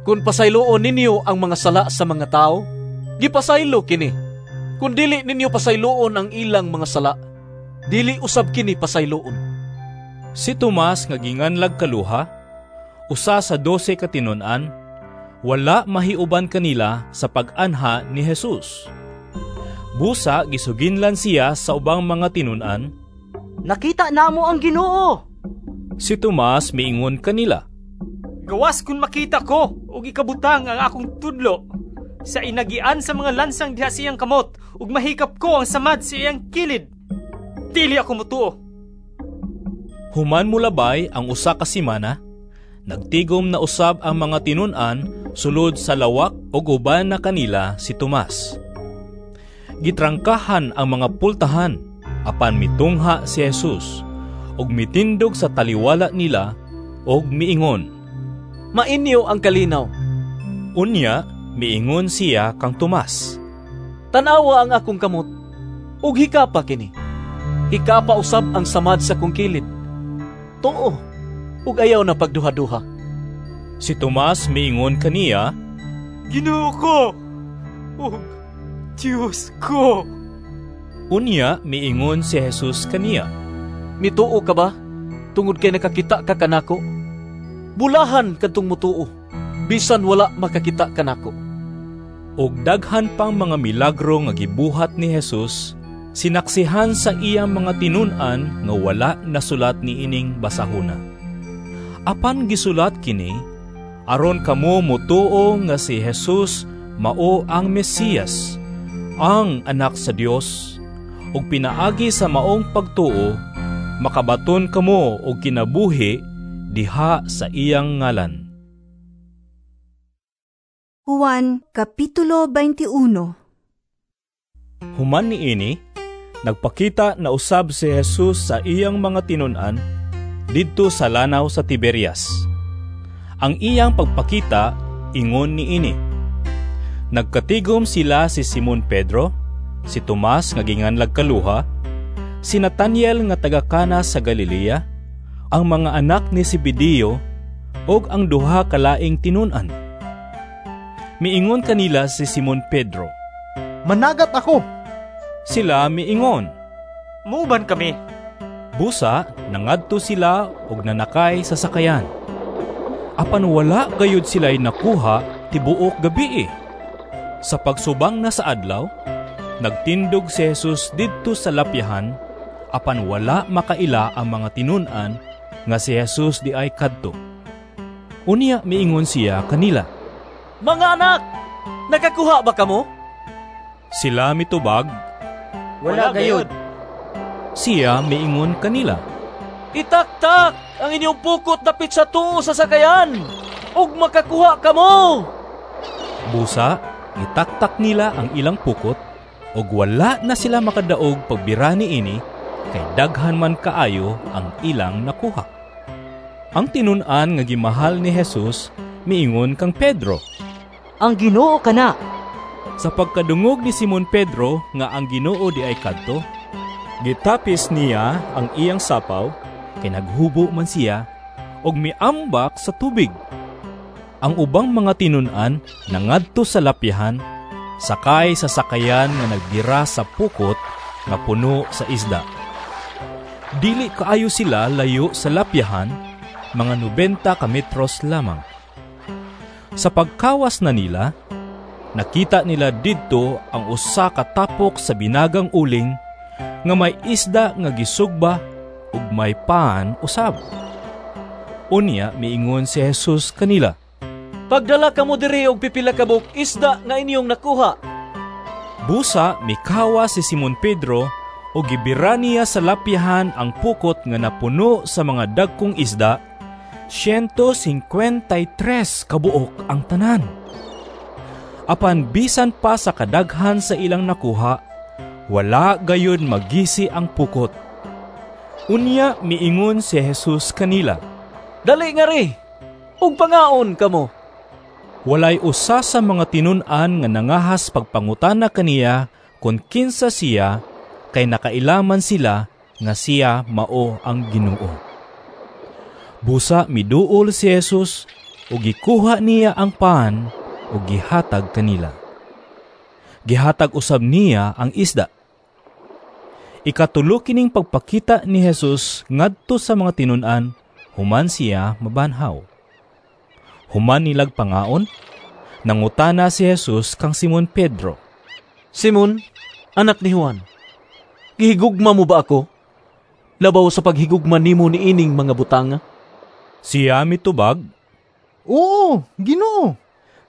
Kung pasayloon ninyo ang mga sala sa mga tao, gipasaylo kini. Kung dili ninyo pasayloon ang ilang mga sala, dili usab kini pasayloon." Si Tomas nga ginganlag Kaluha, usa sa dose ka tinun-an, wala mahiuban kanila sa pag-anha ni Jesus. Busa gisuginlan siya sa ubang mga tinun-an, "Nakita namo ang Ginoo." Si Tomas miingon kanila, "Gawas kun makita ko og ikabutang ang akong tudlo sa inagian sa mga lansang diha siyang kamot ug mahikap ko ang samad sa iyang kilid, dili ako motuo." Human mulabay ang usa ka semana, nagtigom na usab ang mga tinun-an sulod sa lawak ug uban na kanila si Tomas. Gitrangkahan ang mga pultahan, apan mitungha si Jesus ug mitindog sa taliwala nila ug miingon, "Mainyo ang kalinaw." Unya miingon siya kang Tomas, "Tan-awa ang akong kamot ug hikapa kini. Hikapa usab ang samad sa akong kilid. Tuo ug ayaw na pagduha-duha." Si Tomas miingon kaniya, "Ginoo ko ug Dios ko." Unya miingon si Jesus kaniya, "Mituo ka ba tungod kay nakakita ka kanako? Bulahan kadtong mutuo bisan wala makakita kanako." Og daghan pang mga milagro nga gibuhat ni Jesus, sinaksihan sa iyang mga tinun-an nga wala nasulat niining basahona. Apan gisulat kini aron kamo motuo nga si Jesus mao ang Mesiyas, ang anak sa Dios, ug pinaagi sa maong pagtuo makabaton kamo og kinabuhi diha sa iyang ngalan. Juan Kapitulo twenty-one. Human niini, nagpakita na usab si Jesus sa iyang mga tinun-an didto sa lanaw sa Tiberias. Ang iyang pagpakita ingon niini. Nagkatigom sila si Simon Pedro, si Tomas nga ginganlag Kaluha, si Nathaniel nga taga Cana sa Galilea, ang mga anak ni Zebedeo ug ang duha ka laing tinun-an. Miingon kanila si Simon Pedro, "Managat ako." Sila miingon, "Muuban kami." Busa nangadto sila og nanakay sa sakayan. Apan wala gayud sila'y nakuha tibuok gabii. Sa pagsubang na sa adlaw, nagtindog si Jesus didto sa lapyahan, apan wala makaila ang mga tinun-an nga si Jesus di ay kadto. Unya miingon siya kanila, "Mga anak, nakakuha ba kamo?" Sila mitubag, "Wala gayud." Siya miingon kanila, "Itaktak ang inyong pukot dapit sa tuo sa sakayan, ug makakuha kamo." Busa, itaktak nila ang ilang pukot, ug wala na sila makadaog pagbira niini, kay daghan man kaayo ang ilang nakuha. Ang tinun-an nga gimahal ni Jesus miingon kang Pedro, "Ang Ginoo kana." Sa pagkadungog ni Simon Pedro nga ang Ginoo di ay kadto, gitapis niya ang iyang sapaw, kay naghubo man siya, og miambak sa tubig. Ang ubang mga tinun-an nangadto sa lapyahan, sakay sa sakayan nga nagbira sa pukot nga puno sa isda. Dili kaayo sila layo sa lapyahan, mga nobenta ka metros lamang. Sa pagkawas na nila, nakita nila didto ang usa ka tapok sa binagang uling nga may isda nga gisugba ug may pan usab. Unya miingon si Jesus kanila, "Pagdala kamo diri og pipila ka buok isda nga inyong nakuha." Busa mikawa si Simon Pedro ug gibira niya sa lapyahan ang pukot nga napuno sa mga dagkong isda, siyento singkwentay tres kabuok ang tanan. Apan bisan pa sa kadaghan sa ilang nakuha, wala gayud magisi ang pukot. Unya miingon si Jesus kanila, "Dali ngari, ug pangaon kamo." Walay usa sa mga tinun-an nga nangahas pagpangutana kaniya kung kinsa siya, kay nakailaman sila nga siya mao ang Ginoo. Busa miduol si Jesus ug gikuha niya ang pan ug gihatag kanila. Gihatag usab niya ang isda. Ikatulo kining pagpakita ni Jesus ngadto sa mga tinun-an human siya mabanhaw. Human nilag pangaon, nangutana si Jesus kang Simon Pedro, "Simon, anak ni Juan, gihigugma mo ba ako? Labaw sa paghigugma nimo niining mga butanga?" Siya mitubag, "Oo, Ginoo,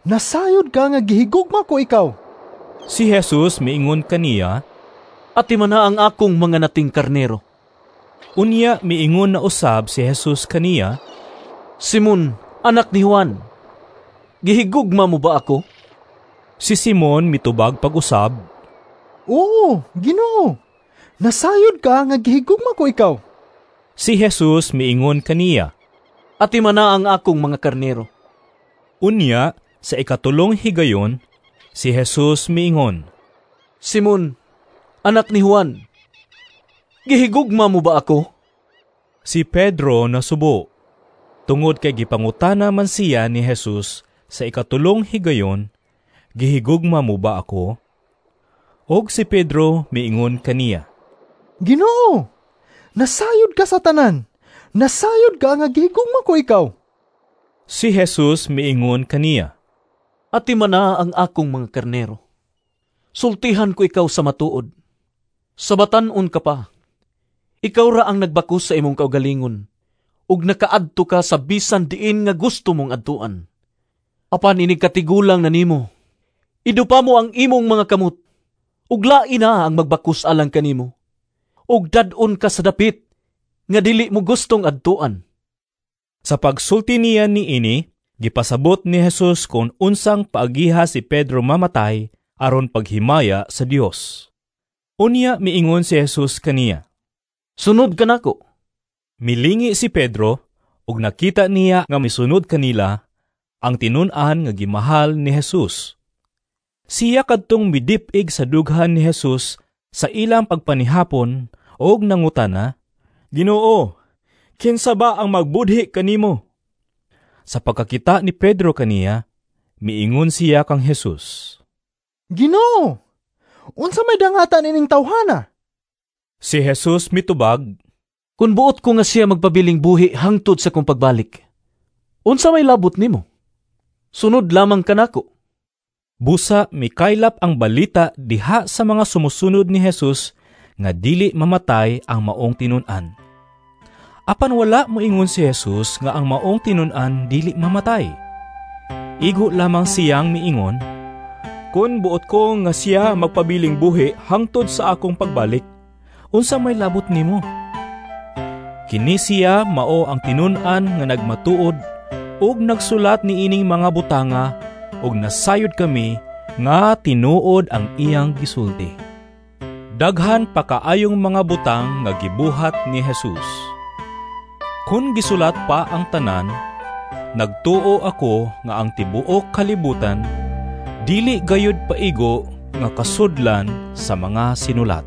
nasayod ka nga gihigugma ko ikaw." Si Jesus miingon kaniya, "Ati man na ang akong mga nating karnero." Unya miingon na usab si Jesus kaniya, "Simon, anak ni Juan, gihigugma mo ba ako?" Si Simon mitubag pag-usab, "Oo, Ginoo, nasayod ka nga gihigugma ko ikaw." Si Jesus miingon kaniya, "Ati man na ang akong mga karnero." Unya, sa ikatulong higayon, si Jesus miingon, "Simon, anak ni Juan, gihigugma mo ba ako?" Si Pedro nasubo, tungod kay gipangutana man siya ni Jesus sa ikatulong higayon, "Gihigugma mo ba ako?" Og si Pedro miingon kaniya, "Ginoo, nasayod ka sa tanan. Nasayod ka nga gihigugma ko ikaw." Si Jesus miingon kaniya, "Ati man na ang akong mga karnero. Sultihan ko ikaw sa matuod. Sa batan-on ka pa, ikaw ra ang nagbakus sa imong kaugalingon, ug nakaadto ka sa bisan diin nga gusto mong adtuan. Apan inig katigulang na nimo, idupa mo ang imong mga kamot, ug lain na ang magbakus alang kanimo, ug dad-on ka sa dapit nga dili mo gustong adtuan." Sa pagsulti niya niini, gipasabot ni Jesus kung unsang paagiha si Pedro mamatay aron paghimaya sa Dios. Unya miingon si Jesus kaniya, "Sunod ka nako." Milingi si Pedro ug nakita niya nga misunod kanila ang tinun-an nga gimahal ni Jesus. Siya kadtong midip-ig sa dughan ni Jesus sa ilang pagpanihapon og nangutana, "Ginoo, kinsa ba ang magbudhi kanimo?" Sa pagkakita ni Pedro kaniya, miingon siya kang Jesus, "Ginoo, unsa may dangatan ining tawhana?" Si Jesus mitubag, "Kun buot ko nga siya magpabiling buhi hangtod sa kong pagbalik, unsa may labot nimo? Sunod lamang kanako." Busa mikaylap ang balita diha sa mga sumusunod ni Jesus nga dili mamatay ang maong tinun-an. Apan wala moingon si Jesus nga ang maong tinun-an dili mamatay. Igo lamang siyang miingon, "Kun buot ko nga siya magpabiling buhi hangtod sa akong pagbalik, unsa may labot nimo?" Kini siya mao ang tinun-an nga nagmatuod ug nagsulat niining mga butanga, ug nasayod kami nga tinuod ang iyang gisulti. Daghan pa kaayong mga butang nga gibuhat ni Jesus. Kun gisulat pa ang tanan, nagtuo ako nga ang tibuok kalibutan dili gayud paigo nga kasudlan sa mga sinulat.